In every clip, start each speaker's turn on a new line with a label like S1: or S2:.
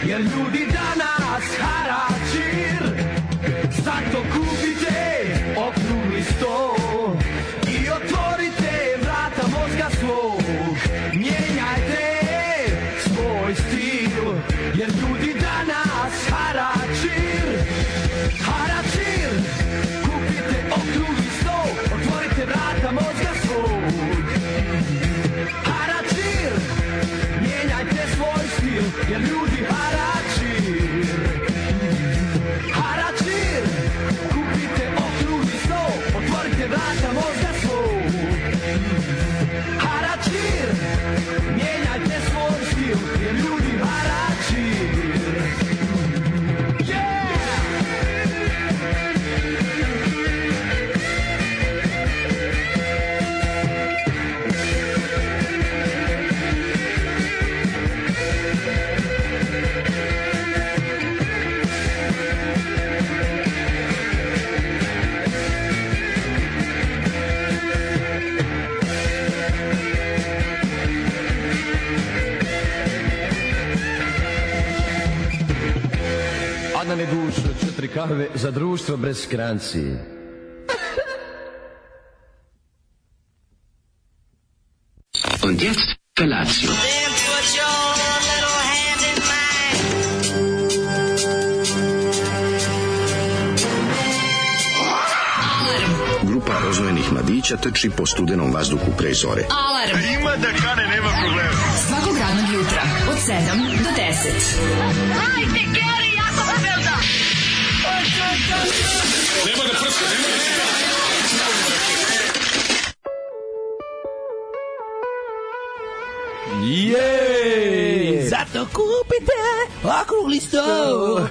S1: jer ljudi danas haračir. Zato kupite okrugli sto i otvorite vrata mozga svog. Mijenjajte svoj stil, jer ljudi danas haračir. Haračir, kupite okrugli sto, otvorite vrata mozga svog. Haračir, mijenjajte svoj stil, jer ljudi haračir. Haračir, kupite okrugli sto, otvorite vrata mozga svog. Haračir, mijenjajte svoj stil, jer ljudi haračir.
S2: Adnane dušo, 4 kave za društvo bez skranci.
S3: Und jetzt Felatio.
S4: Then put your little hand in mine.
S3: Grupa rozvojenih mladića trči po studenom vazduhu pre zore.
S5: Alarm. Ima da kane, nema problema. Svakog radnog jutra od 7 do 10.
S4: Hajde, Geri, jako se velda.
S5: Nema da prska, nema da prska.
S6: Jej! Zato kupite okrugli sto.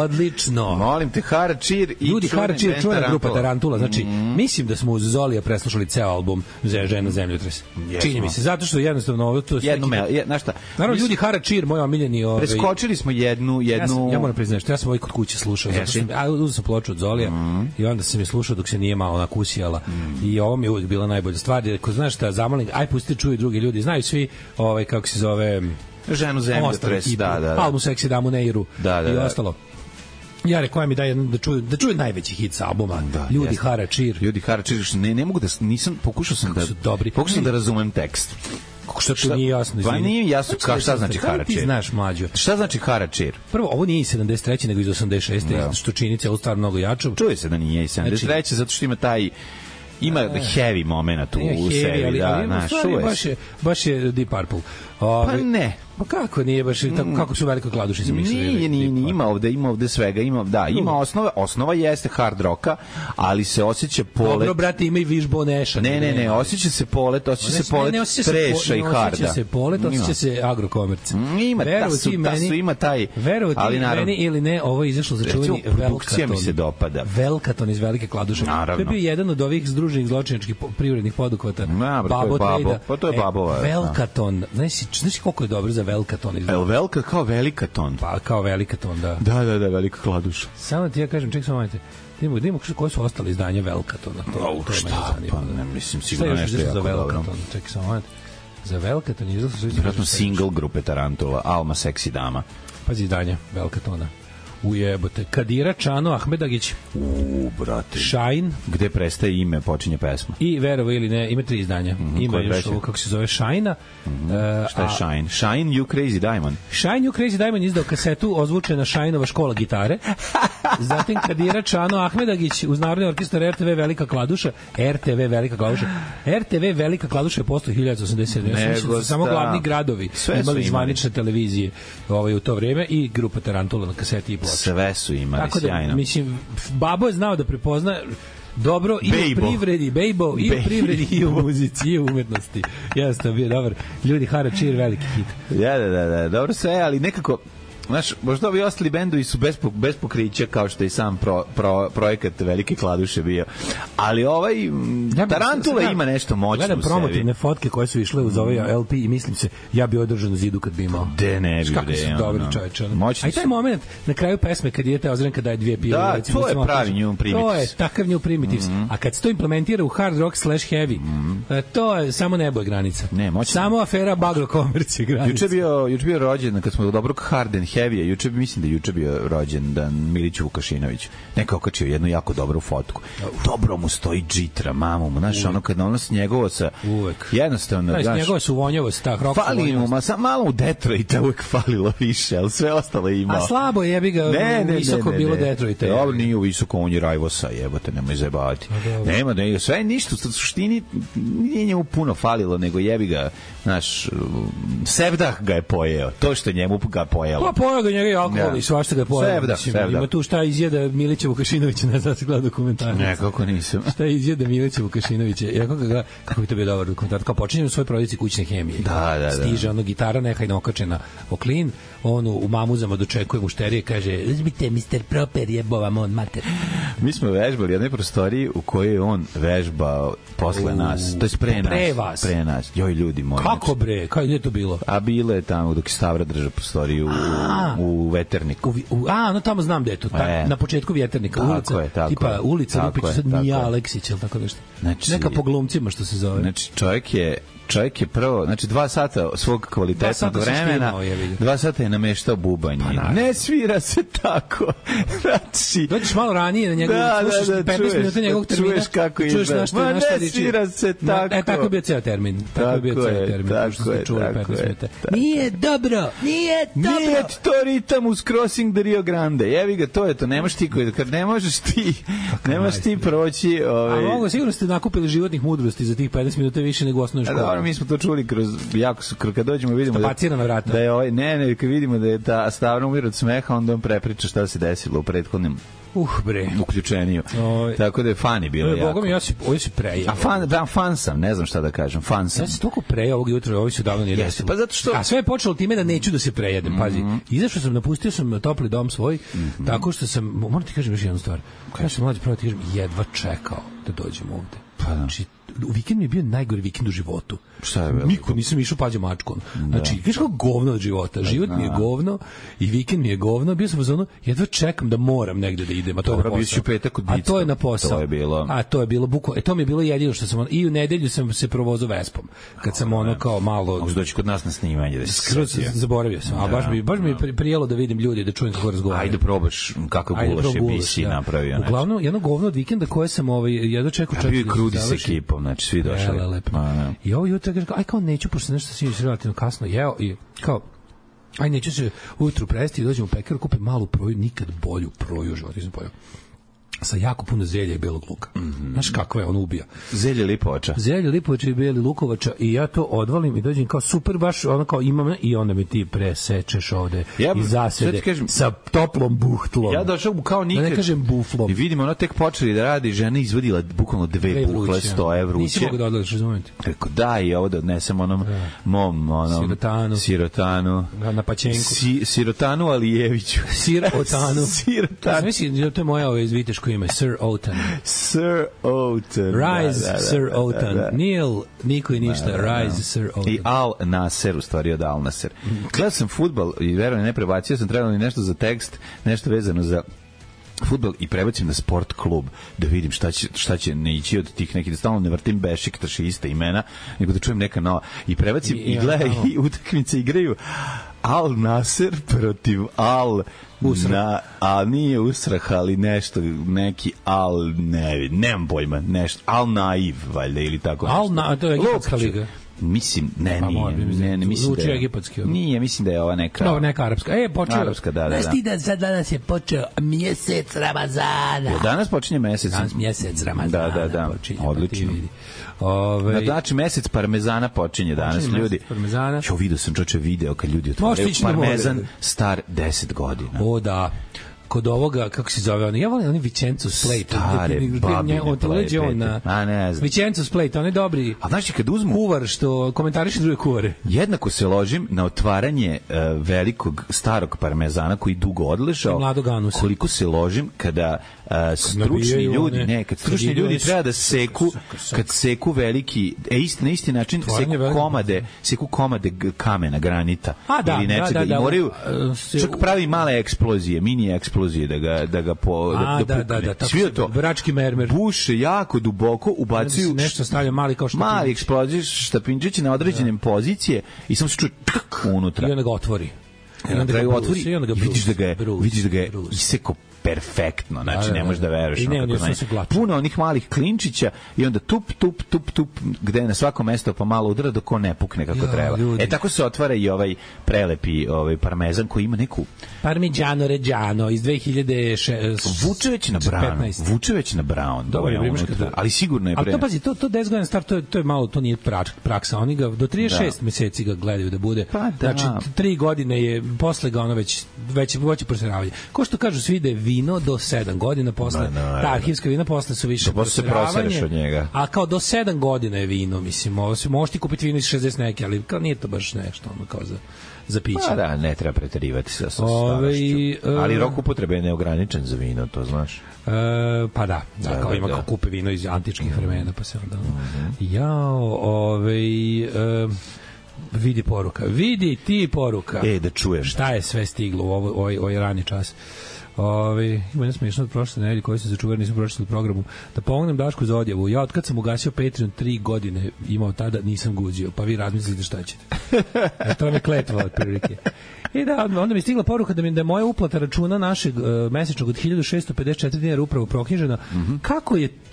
S6: Odlično.
S7: Molim te, Haračir i
S6: ljudi, Haračir, čuvena grupa Tarantula. Znači, mislim da smo uz Zolija preslušali ceo album Žena zemljotres. Čini mi se, zato što jednostavno ovo to sve.
S7: Znaš šta?
S6: Naravno, ljudi, Haračir, moj omiljeni.
S7: Preskočili smo jednu.
S6: Ja moram priznati što ja sam ovaj kod kuće slušao. Zato što uzeo sam ploču od Zolija i onda sam je slušao dok se nije malo nakusijala. I ovo mi je uvijek bila najbolja stvar. Ko znaš šta, zamalim, aj pusti čuju drugi ljudi. Znaju svi, kako se zove,
S7: Ženu zemljotres, da.
S6: Albu Seksi Damu Neiru i ostalo. Ja rekao mi da čuju najveći hit sa albuma. Ljudi Haračir.
S7: Ljudi Haračir, ne mogu da nisam pokušao sam da razumem tekst.
S6: Što to nije jasno?
S7: Pa nije jasno šta znači Haračir.
S6: Ti znaš, mlađo.
S7: Šta znači Haračir?
S6: Prvo, ovo nije iz 73. nego iz 86. Što čini celu stvar mnogo jačom.
S7: Čuje se da nije iz 73. Zato što ima taj heavy moment u sebi,
S6: baš je Deep Purple.
S7: Pa ne.
S6: Pa kako nije baš kako su Velika kladuša se mislili?
S7: Nije, ima ovde svega, ima osnova jeste hard rocka, ali se osjeća polet.
S6: Dobro, brate, ima i Wishbone Asha.
S7: Ne, osjeća se polet treša i harda.
S6: Osjeća se polet, osjeća se agrokomerc.
S7: Ima taj,
S6: ali naravno. Meni ili ne, ovo je izašlo za čuveni
S7: Velkaton. Mi se dopada.
S6: Velkaton iz Velike kladuše. To je bio jedan od ovih združenih zločinačkih privrednih poduhvata.
S7: Pa to je Babova.
S6: Velkaton. Znaš koliko je dobro za Velkaton izgleda?
S7: Velka kao Velikaton.
S6: Pa kao Velikaton, da.
S7: Da, Velika kladuša.
S6: Samo ti ja kažem, ček samo majte. Da imamo koje su ostale izdanja Velkatona. To
S7: šta? Pa ne mislim, sigurno nešto jako
S6: za Velkaton. Ček samo majte. Za Velkaton izgleda su...
S7: Vjerojatno single grupe Tarantula, Alma Seksi Dama.
S6: Pazi izdanja Velkatona. Ujebote. Kadira Čano Ahmedagić.
S7: Brate.
S6: Shine.
S7: Gde prestaje ime, počinje pesma.
S6: I verovo ili ne, ima 3 izdanja. Ima još ovo, kako se zove, Shine-a.
S7: Šta je Shine? Shine You Crazy Diamond.
S6: Shine You Crazy Diamond izdao kasetu ozvučena Shine-ova škola gitare. Zatim Kadira Čano Ahmedagić uz Narodni orkestar RTV Velika kladuša. RTV Velika kladuša je postao 1987. Samo glavni gradovi imali zvanične televizije u to vreme i grupa Tarantula na kaseti i ploče.
S7: Sve su imali,
S6: tako da,
S7: sjajno.
S6: Mislim, Babo je znao da prepozna dobro i u privredi, Bejbo, i u privredi, i u muzici, i u umetnosti. Jasno, bio dobar. Ljudi, Haračir, veliki hit.
S7: Da, dobro sve, ali nekako, znaš, možda ovi ostali bendovi su bez pokrića, kao što je sam projekat Velike kladuše bio. Ali Tarantula ima nešto moćno u sebi.
S6: Gledam promotivne fotke koje su išle uz ovaj LP i mislim se, ja bi održan u zidu kad bi imao.
S7: De ne bi.
S6: Kako su dobri čoveče. A i taj moment na kraju pesme kad idete Ozrenka daje 2 pive.
S7: Da, to je pravi New Primitives.
S6: To je takav New Primitives. A kad se to implementira u hard rock / heavy, to je samo nebo je granica. Samo afera bagro komercije granica.
S7: Juče bio rođendan kad smo do dobrog hard and Hevija, mislim da juče bio rođendan Miliću Vukašinoviću. Neka okačio jednu jako dobru fotku. Dobro mu stoji džitra, mamu mu, znaš, ono kad nosi njegovo sa...
S6: Uvek.
S7: Jednostavno,
S6: znaš, njegovo su vonjavost, ta hrok
S7: fali mu, malo u Detroita uvek falilo više, ali sve ostalo ima.
S6: A slabo jebi ga visoko bilo Detroita.
S7: Dobro, nije u visoko, on je Rajvosa, jebote, nemoj zajebavati. Nema, sve ništa, u suštini nije njemu puno falilo, nego jebi ga, znaš, Sevdah ga je pojeo, to što njemu ga pojelo.
S6: Pa pojeo ga njega i alkohol i svašta ga je pojelo.
S7: Sevdah.
S6: Ima tu šta izjeda Milića Vukašinovića, ne znam da se gleda dokumentarac.
S7: Ne, kako nisam.
S6: Šta izjeda Milića Vukašinovića, kako bi to bio dobar dokumentarac, kao počinje u svojoj porodici kućne hemije.
S7: Da.
S6: Stiže ono gitara nehajno okačena o klin, on u mamuzama dočekuje mušterije, kaže, uzmite Mr. Proper, jebovam on mater.
S7: Mi smo vežbali u jednoj prostoriji u kojoj je on vežbao posle nas. To je pre nas. Joj, ljudi moji.
S6: Kako bre? Kako je to bilo?
S7: A bilo je tamo dok je Stavra držao prostoriju u Veterniku.
S6: No tamo znam gde je to. Na početku Vjeternika.
S7: Tako
S6: tipa ulica Lupić, sad Mija Aleksić, ili tako nešto. Neka po glumcima što se zove.
S7: Znači, čovjek je prvo, znači 2 sata svog kvalitetnog vremena, 2 sata je nameštao bubanje. Ne svira se tako. Znači,
S6: dođeš malo ranije na njegovu, slušaš 15 minuta njegovog termina,
S7: čuješ kako izgleda. Ma ne svira se tako.
S6: Tako je bio ceo termin. Tako je. Nije dobro. Nije
S7: to ritam uz Crossing the Rio Grande. Jevi ga, to je to. Nemaš ti koji, kad ne možeš ti proći.
S6: A mogu, sigurno ste nakupili životnih mudrosti za tih 15 minuta više nego u osnovnoj školi.
S7: Mi smo to čuli kroz kad dođemo vidimo da je ne kad vidimo da je ta Stavra umire od smeha, onda on prepriča šta se desilo u prethodnim uključenju. Tako da je fani bilo jako.
S6: Bogom, ja si prejao.
S7: A fan sam, ne znam šta da kažem. Fan sam.
S6: Ja sam toliko prejao ovog jutra, ovo se davno nije desilo.
S7: Pa zato što...
S6: A sve je počelo time da neću da se prejedem, pazi. Izašao sam, napustio sam topli dom svoj, tako što sam, moram ti kažem još jednu stvar. Ja sam mlađi pravo ti kažem, jedva čekao da dođem ovde. Znači, vikend mi je bio najgori vikend u životu.
S7: Šta je bilo?
S6: Niko nisam išao pađe mačkom. Znači, kažeš kako govno od života. Život mi je govno i vikend mi je govno. Bio sam u zonu, jedva čekam da moram negde da idem, a to je na posao. A to je na posao.
S7: To je bilo.
S6: A to je bilo bukvalno. To mi je bilo jedino što sam i u nedelju sam se provozao Vespom. Kad sam ono kao malo
S7: doći kod nas na snimanje da
S6: se zaboravio sam. A baš mi je prijelo da vidim ljude, da čujem kako razgovaraju.
S7: Ajde probaš kako gulaš je bisi napravio.
S6: Uglavnom jedno govno od vikenda koje sam jedva čekao čak.
S7: Bio Krudi sa ekipom, znači svi došli.
S6: I ovo jutro kažem, aj kao neću, pošto nešto sinoć relativno kasno jeo i kao, aj neću se ujutru presti i dođem u pekaru, kupim malu proju, nikad bolju proju u životu nisam pojao. Sa jako puno zelja i belog luka. Znaš kakva je, on ubija.
S7: Zelje lipovača.
S6: Zelje lipovača i beli lukovača i ja to odvalim i dođem kao super, baš ono kao imam i onda mi ti presečeš ovde i zasede sa toplom buhtlom.
S7: Ja došao kao nikad.
S6: Da ne kažem buflom.
S7: I vidimo, ona tek počeli da radi, žena izvodila bukvalno 2 buhle 100 evra.
S6: Nisi mogu da odlaziš, razumijete?
S7: Rekao, da, i ovo da odnesem onom mom sirotanu.
S6: Na paćenku.
S7: Sirotanu Alijeviću.
S6: Sirotanu.
S7: Sirotanu.
S6: To je moja iz Viteško ime, Sir Otan.
S7: Sir Otan.
S6: Rise, Sir Otan. Neil, niko i ništa. Rise, Sir Otan.
S7: I Al Nasser, u stvari od Al Nasser. Gledao sam fudbal i verujem, ne prebacio sam, trebalo mi nešto za tekst, nešto vezano za fudbal i prebacim na sport klub da vidim šta će ne ići od tih nekih, da stalno ne vrtim bešik, trši ista imena, nego da čujem neka nova. I prebacim i gledaj i utakmice igraju Al Nasser protiv Al Usrah. A nije Usrah, ali nešto, neki Al, nemam pojma, nešto, Al Naiv, valjda, ili tako nešto.
S6: To je egipatska liga.
S7: Mislim, ne, mislim da je
S6: egipatski.
S7: Nije, mislim da je ova
S6: neka arapska. Počeo.
S7: Arapska, da.
S6: Znaš ti da sad danas je počeo mjesec Ramazana.
S7: Danas počinje mesec.
S6: Danas mjesec Ramazana.
S7: Da. Odlično. Znači, mesec parmezana počinje danas, ljudi. Jo, vidio sam video kad ljudi otvaraju parmezan star 10 godina.
S6: O, da. Kod ovoga, kako se zove on? Ja volim oni Vicenzo Splate.
S7: Stare babine plejpete. Ne znam.
S6: Vicenzo Splate, on je dobri.
S7: A znaš, kad uzmu
S6: kuvar što komentariše druge kuvare.
S7: Jednako se ložim na otvaranje velikog starog parmezana koji dugo odležao. Koliko se ložim kada stručni ljudi, kad stručni ljudi treba da seku, kad seku veliki, na isti način seku komade kamena, granita ili nečega i moraju čak pravi male eksplozije, mini eksplozije da ga svi to
S6: vrački mermer
S7: buše jako duboko, ubacuju
S6: nešto, stavlja mali kao štapinčić,
S7: mali eksplozije štapinčići na određene pozicije i samo se čuje unutra
S6: i onda ga otvori.
S7: Na kraju otvori, vidiš da ga je iseko perfektno, znači ne možeš da veruješ. Puno onih malih klinčića i onda tup, gde na svako mesto pa malo udara dok on ne pukne kako treba. Tako se otvara i ovaj prelepi parmezan koji ima neku
S6: Parmigiano Reggiano iz 2006.
S7: Vuče već na brown. Ali sigurno je pre.
S6: Ali to pazi, to 10 godina star, to je malo, to nije praksa. Oni ga do 36 meseci ga gledaju da bude. Znači 3 godine je posle ga ono već proseravanje. Ko što kažu svi da je vino do 7 godina posle, ta arhivska vina posle su više
S7: proseravanje, od njega.
S6: A kao do 7 godina je vino, mislim, možeš ti kupiti vino iz 60 neke, ali kao nije to baš nešto ono kao za piće.
S7: Pa da, ne treba preterivati sa starošću. Ali rok upotrebe je neograničen za vino, to znaš.
S6: Pa da, kao ima kao kupe vino iz antičkih vremena, pa se onda vidi ti poruka.
S7: Da čujem.
S6: Šta je sve stiglo u ovaj rani čas. Ima jedna smiješna od prošle nedelje koji se začuvar, nisam pročitao u programu. Da pomognem Dašku za odjavu. Ja od kad sam ugasio Patreon 3 godine imao tada, nisam guđio. Pa vi razmislite šta ćete. To vam je kletva od prilike. I da, onda mi je stigla poruka da je moja uplata računa našeg mesečnog od 1654 dinara upravo proknjižena.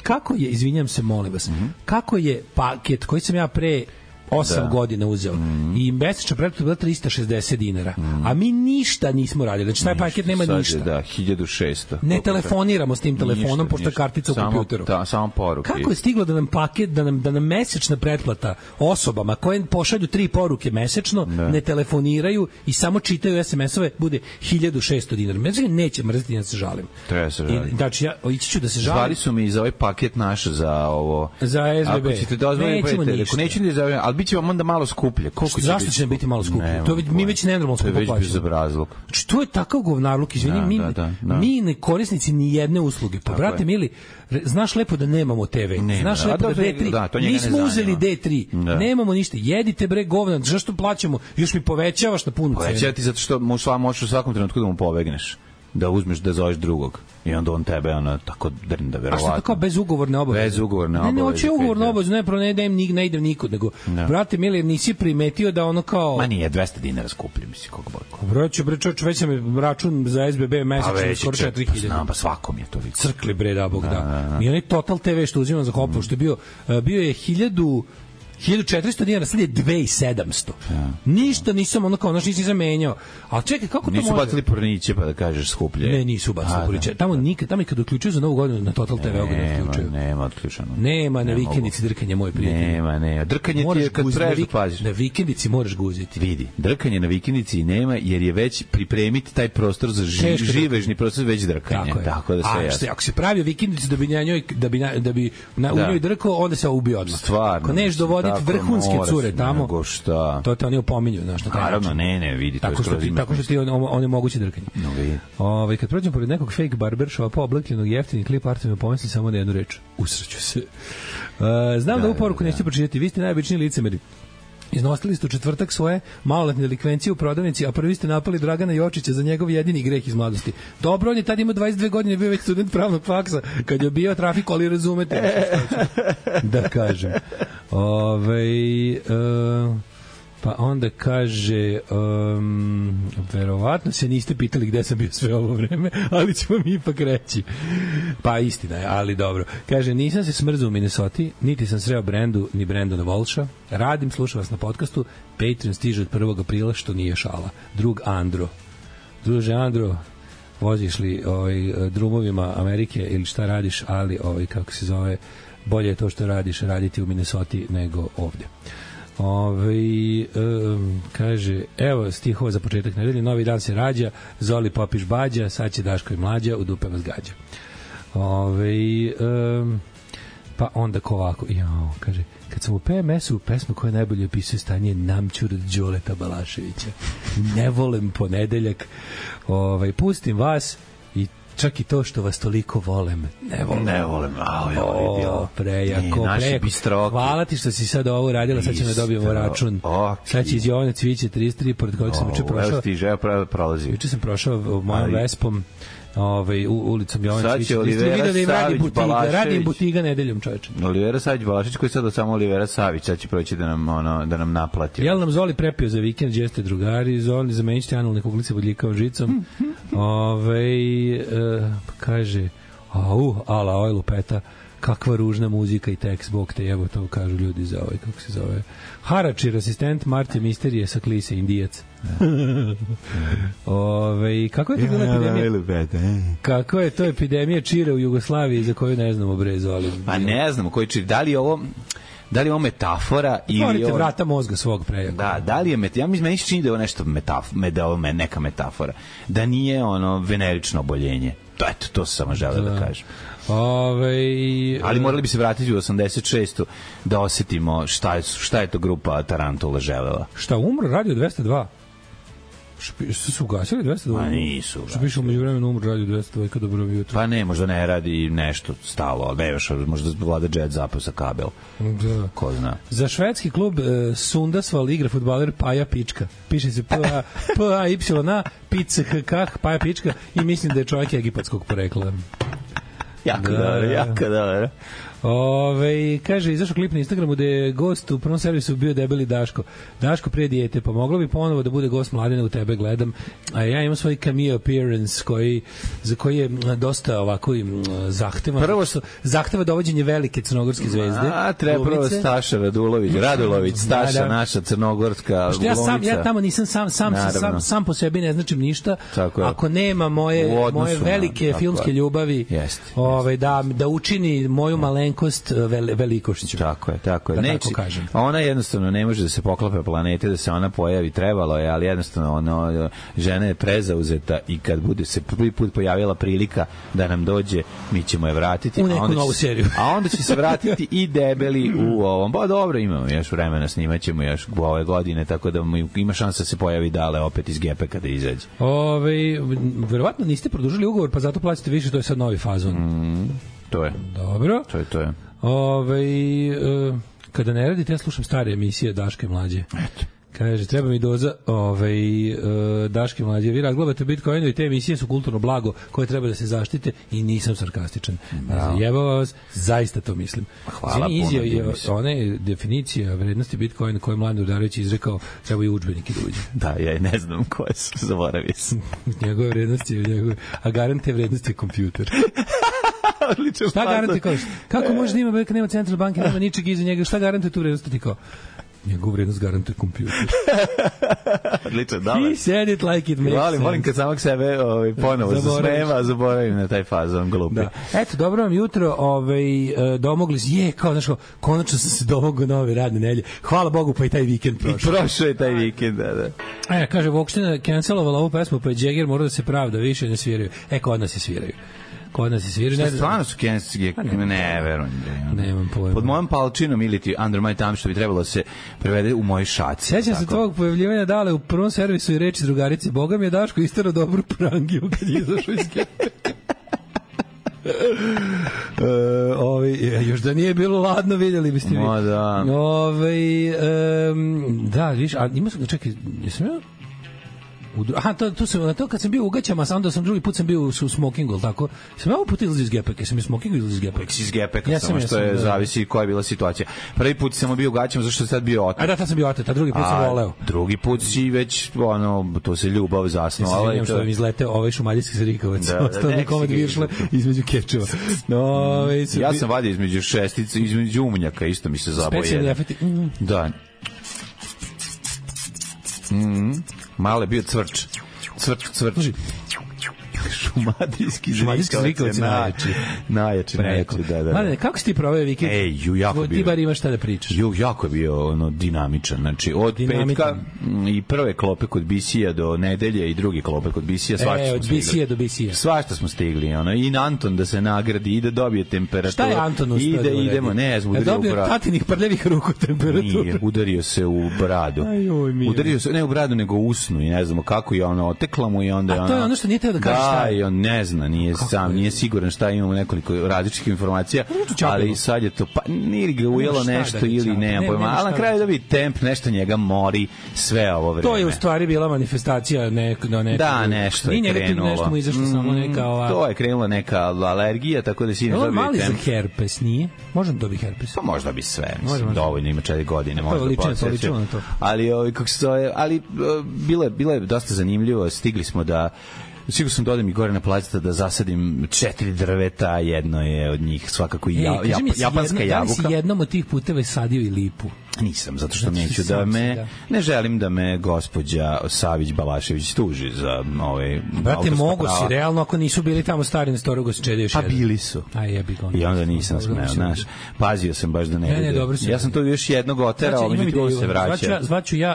S6: Kako je, izvinjam se, molim vas, kako je paket koji sam ja pre 8 godina uzeo. I mesečna pretplata bila 360 dinara. A mi ništa nismo radili. Znači, taj paket nema ništa.
S7: Da, 1600.
S6: Ne telefoniramo s tim telefonom, pošto je kartica u kompjuteru.
S7: Samo poruke.
S6: Kako je stiglo da nam paket, da nam mesečna pretplata osobama koje pošalju 3 poruke mesečno, ne telefoniraju i samo čitaju SMS-ove, bude 1600 dinara. Međutim, neće mrziti, ja se žalim.
S7: Treba se žalim.
S6: Znači, ja ići ću da se žalim.
S7: Zvali su mi za ovaj paket naš za ovo.
S6: Za SBB.
S7: Ako ćete dozvoliti, neću ni za ali biće vam onda malo skuplje.
S6: Zašto će biti malo skuplje? To mi već nenormalno skupo plaćamo.
S7: To je već bezobrazluk.
S6: Što je takav govnarluk? Izvini, mi ne korisnici ni jedne usluge. Pa, brate mili, znaš lepo da nemamo TV. Znaš lepo da D3. Nismo uzeli D3. Nemamo ništa. Jedite bre govna. Zašto plaćamo? Još mi povećavaš na punu cenu.
S7: Povećava ti zato što možeš u svakom trenutku da mu pobegneš. Da uzmeš da zoveš drugog i onda on tebe tako drnda verovatno.
S6: A što tako bez ugovorne obaveze?
S7: Bez ugovorne obaveze.
S6: Ne hoće ugovorne obaveze, ne idem nikud, nego brate mili, nisi primetio da ono kao
S7: ma nije 200 dinara skuplje, misli koliko
S6: boli. Bre čoveče, već sam račun za SBB mesečno skoro 4000.
S7: Znam, pa svakom je to vidio.
S6: Crkli bre da bog da. I onaj Total TV što uzimam za hopu, što je bio je 1400 dinara, sad je 2700. Ništa nisam ono kao, nisam menjao. Ali čekaj, kako to može?
S7: Nisu bacili porniće pa da kažeš skuplje.
S6: Ne, nisu bacili porniće. Tamo i kad uključuju za Novu godinu na Total TV ne uključuju.
S7: Nema otključano.
S6: Nema na vikendici drkanje, moj prijatelj.
S7: Nema. Drkanje ti je kad trebaš da paziš.
S6: Na vikendici moraš guziti.
S7: Vidi, drkanje na vikendici nema jer je već pripremiti taj prostor za živežni prostor već drkanje. Tako da sve jasno.
S6: Ako se pravi vikendicu da bi u njoj drkao, onda se ubije odmah.
S7: Stvarno.
S6: Vrhunske cure tamo.
S7: Nego šta?
S6: To te oni opominju, znaš, na taj način.
S7: Naravno, ne, vidi.
S6: Tako što ti oni mogući drkanje.
S7: No, vidi.
S6: Kad prođem pored nekog fake barbershopa obljepljenog jeftinih klip arta mi pomisli samo na jednu reč. Usreću se. Znam da ovu poruku nećete pročitati. Vi ste najobičniji licemeri. Iznosili ste u četvrtak svoje maloletne delikvencije u prodavnici, a prvi ste napali Dragana Jočića za njegov jedini greh iz mladosti. Dobro, on je tad imao 22 godine, bio već student pravnog faksa, kad je bio trafiku, ali razumete da kažem. Pa onda kaže verovatno se niste pitali gde sam bio sve ovo vreme, ali ću vam ipak reći. Pa istina je, ali dobro. Kaže, nisam se smrzao u Minnesoti, niti sam sreo Brendu, ni Brendona Volša. Radim, slušam vas na podcastu. Patreon stiže od 1. aprila, što nije šala. Drug Andro. Druže Andro, voziš li drumovima Amerike ili šta radiš, ali kako se zove, bolje je to što radiš raditi u Minnesoti nego ovde. Kaže, evo stihova za početak nedelje, novi dan se rađa, Zoli popiš bađa, sad će Daško i mlađa, u dupe vas gađa. Pa onda ko ovako, kaže, kad sam u PMS-u pesmu koja najbolje opisuje stanje Namćur od Đoleta Balaševića. Ne volim ponedeljak, pustim vas i čak i to što vas toliko volem. Ne volem. Prejako. Hvala ti što si sad ovo uradila, sad ćemo da dobijemo račun. Sad će iz Jovane Cviće 33, pored kojeg sam juče prošao.
S7: Evo stiže, prolazi.
S6: Juče sam prošao mojom Vespom ulicom Jovana
S7: Sad će
S6: Cvijića.
S7: Olivera Savić Balašević.
S6: Radi butiga nedeljom, čoveče.
S7: Olivera Savić Balašević, koji sad samo Olivera Savić, sad će proći da nam naplati.
S6: Jel nam Zoli prepio za vikend, gdje ste drugari, Zoli zamenjite analne kuglice bodljikavom žicom. Kaže, ala, oj lupeta, kakva ružna muzika i tekst, bog te jebo, to kažu ljudi za kako se zove. Haračir, asistent Marte Misterije sa Klise, Indijac. Kako je to bila epidemija? Kako je to epidemija čira u Jugoslaviji za koju ne znamo, bre, Zoli?
S7: Pa ne znamo koji čir. Da li je ovo metafora ili
S6: otvorite vrata mozga svog prejaka.
S7: Da li je meni se čini da je ovo nešto neka metafora. Da nije venerično oboljenje. Eto, to sam samo želeo da kažem. Ali morali bi se vratiti u 86. da osetimo šta je to grupa Tarantula želela.
S6: Šta, umro Radio 202? Što su ugasili 202?
S7: Ma nisu.
S6: Što piše umeđu vremenu umro Radio 202 kad dobro jutro?
S7: Pa ne, možda ne radi nešto stalo, ali ne još, možda vlada jet zapao sa kabel.
S6: Da.
S7: Ko zna.
S6: Za švedski klub Sundasval igra fudbaler Paja Pička. Piše se P-A-Y-A, Pick, Paja Pička i mislim da je čovjek egipatskog porekla.
S7: Jako dobro.
S6: Kaže, izašao klip na Instagramu da je gost u prvom servisu bio debeli Daško. Daško prije dijete, pa moglo bi ponovo da bude gost Mladena, u tebe gledam. A ja imam svoj cameo appearance za koji je dosta ovako zahtevan. Zahteva dovođenje velike crnogorske zvezde.
S7: Treba prvo Staša Radulović, Staša, naša crnogorska glumica.
S6: Ja tamo nisam sam po sebi ne značim ništa. Ako nema moje velike filmske ljubavi, da učini moju malenkost velikošću.
S7: Tako je. Neće, ona jednostavno ne može da se poklope planete, da se ona pojavi, trebalo je, ali jednostavno žena je prezauzeta i kad bude se prvi put pojavila prilika da nam dođe, mi ćemo je vratiti.
S6: U neku novu seriju.
S7: A onda će se vratiti i debeli u ovom. Ba dobro, imamo još vremena, snimaćemo još ove godine, tako da ima šansa da se pojavi Dale opet iz Gepe kada izađe.
S6: Verovatno niste produžili ugovor, pa zato plaćate više, to je sad novi fazon.
S7: To je.
S6: Dobro.
S7: To je.
S6: Kada ne radite, ja slušam stare emisije Daške mlađe.
S7: Eto.
S6: Kaže, treba mi doza Daške mlađe. Vi razglabate Bitcoinu i te emisije su kulturno blago koje treba da se zaštite i nisam sarkastičan. Zajebava vas, zaista to mislim.
S7: Hvala puno.
S6: Ona je definicija vrednosti Bitcoina koju Mladen Udarević izrekao, treba i udžbeniki da uđe.
S7: Da, ja ne znam koje su, zaboravio sam.
S6: Njegove vrednosti, a garante vrednosti je kompjuter. Šta garantuje? Kako može da ima, nema centralne banke, nema ničeg iza njega, šta garantuje tu vrednost? Ti kao, njegovu vrednost garantuje kompjuter.
S7: Odlično, dobro.
S6: He said it like it makes sense.
S7: Volim kad samog sebe ponovo zasmeva, zaboravim na taj fazon glupi.
S6: Da. Eto, dobro vam jutro, domogli se, konačno sam se domogao nove radne nelje. Hvala Bogu, pa i taj vikend prošao.
S7: I prošao je taj vikend, da.
S6: Kaže, Vokština cancelovala ovu pesmu, pa je Jagger mora da se pravda, više ne sviraju. Kod nas se sviraju.
S7: Stvarno su kenski, ne verujem.
S6: Nemam pojma.
S7: Pod mojom palčinom ili ti Under My Thumb, što bi trebalo se prevede u mojoj šaci.
S6: Sjećam se tvojeg pojavljivanja Dale u prvom servisu i reči drugarice. Boga mi je Daško istero dobru prangiju kad je izašao iz Gepe. Još da nije bilo ladno, vidjeli biste vi.
S7: Da.
S6: Da, viš, a ima sam, čekaj, jesam ja? To kad sam bio u Gaćama, onda sam drugi put sam bio u smokingu, tako. Sam ja ovaj put izlazio iz Gepeka, sam iz smokingu izlazio iz Gepeka.
S7: Iz Gepeka, samo što je zavisi koja je bila situacija. Prvi put sam bio u Gaćama, zašto je sad bio otet.
S6: A da, tad sam bio otet, a drugi put sam voleo.
S7: Drugi put si već, to se ljubav zasnovala.
S6: Ja se što vam izleteo ovaj šumadijski Zrikovac. Ostao mi komad viršle između kečeva.
S7: Ja sam vadio između šestice, između umnjaka, isto mi se zabao jedan.
S6: Specijalni efekti.
S7: Da. Male bio cvrč. Šumadijski Zrikovac najjači, da.
S6: Mladene, kako si ti proveo vikend?
S7: Jako bio.
S6: Ti bar imaš šta da pričaš.
S7: Jako je bio dinamičan. Znači, od petka i prve klope kod BC-a do nedelje i drugi klope kod BC-a, svašta smo stigli.
S6: Od BC-a do BC-a.
S7: Svašta smo stigli. I Anton da se nagradi i da dobije temperaturu.
S6: Šta je Anton uspio da
S7: idemo, ne, udario u bradu.
S6: Dobio tatinih prljavih ruku temperaturu.
S7: Nije, udario se u bradu. Udario se, ne u bradu, nego u usnu i ne znamo kako je otekla mu i onda je
S6: A to je ono što nije teo da kaže šta je.
S7: on ne zna, nije siguran šta imamo nekoliko različitih informacija, ali sad je to, pa nije ga ujelo nešto ili nema pojma, ali na kraju da bi temp nešto njega mori sve ovo vreme.
S6: To je u stvari bila manifestacija
S7: da, nešto je krenulo.
S6: Nešto mu izašlo samo neka ova...
S7: To je krenula neka alergija, tako da si ne dobije temp.
S6: Mali za herpes, nije? Možda dobiti herpes?
S7: Pa možda bi sve, mislim, dovoljno, ima 4 godine, možda
S6: lično na to.
S7: Ali, kako se zove, ali bilo je dosta zanimljivo, stigli smo da sigurno sam dodam i gore na placeta da zasadim 4 drveta, jedno je od njih svakako japanska jabuka.
S6: Da li si jednom od tih puteva sadio i lipu?
S7: Nisam, zato što neću ne želim da me gospođa Savić Balašević tuži za
S6: brate, mogu si, realno, ako nisu bili tamo stari na Storogu se čede još jedan.
S7: Pa bili su.
S6: I
S7: onda nisam smeo, znaš. Pazio sam baš da ne bude. Ja sam to još jednog oterao, međutim on se vraća.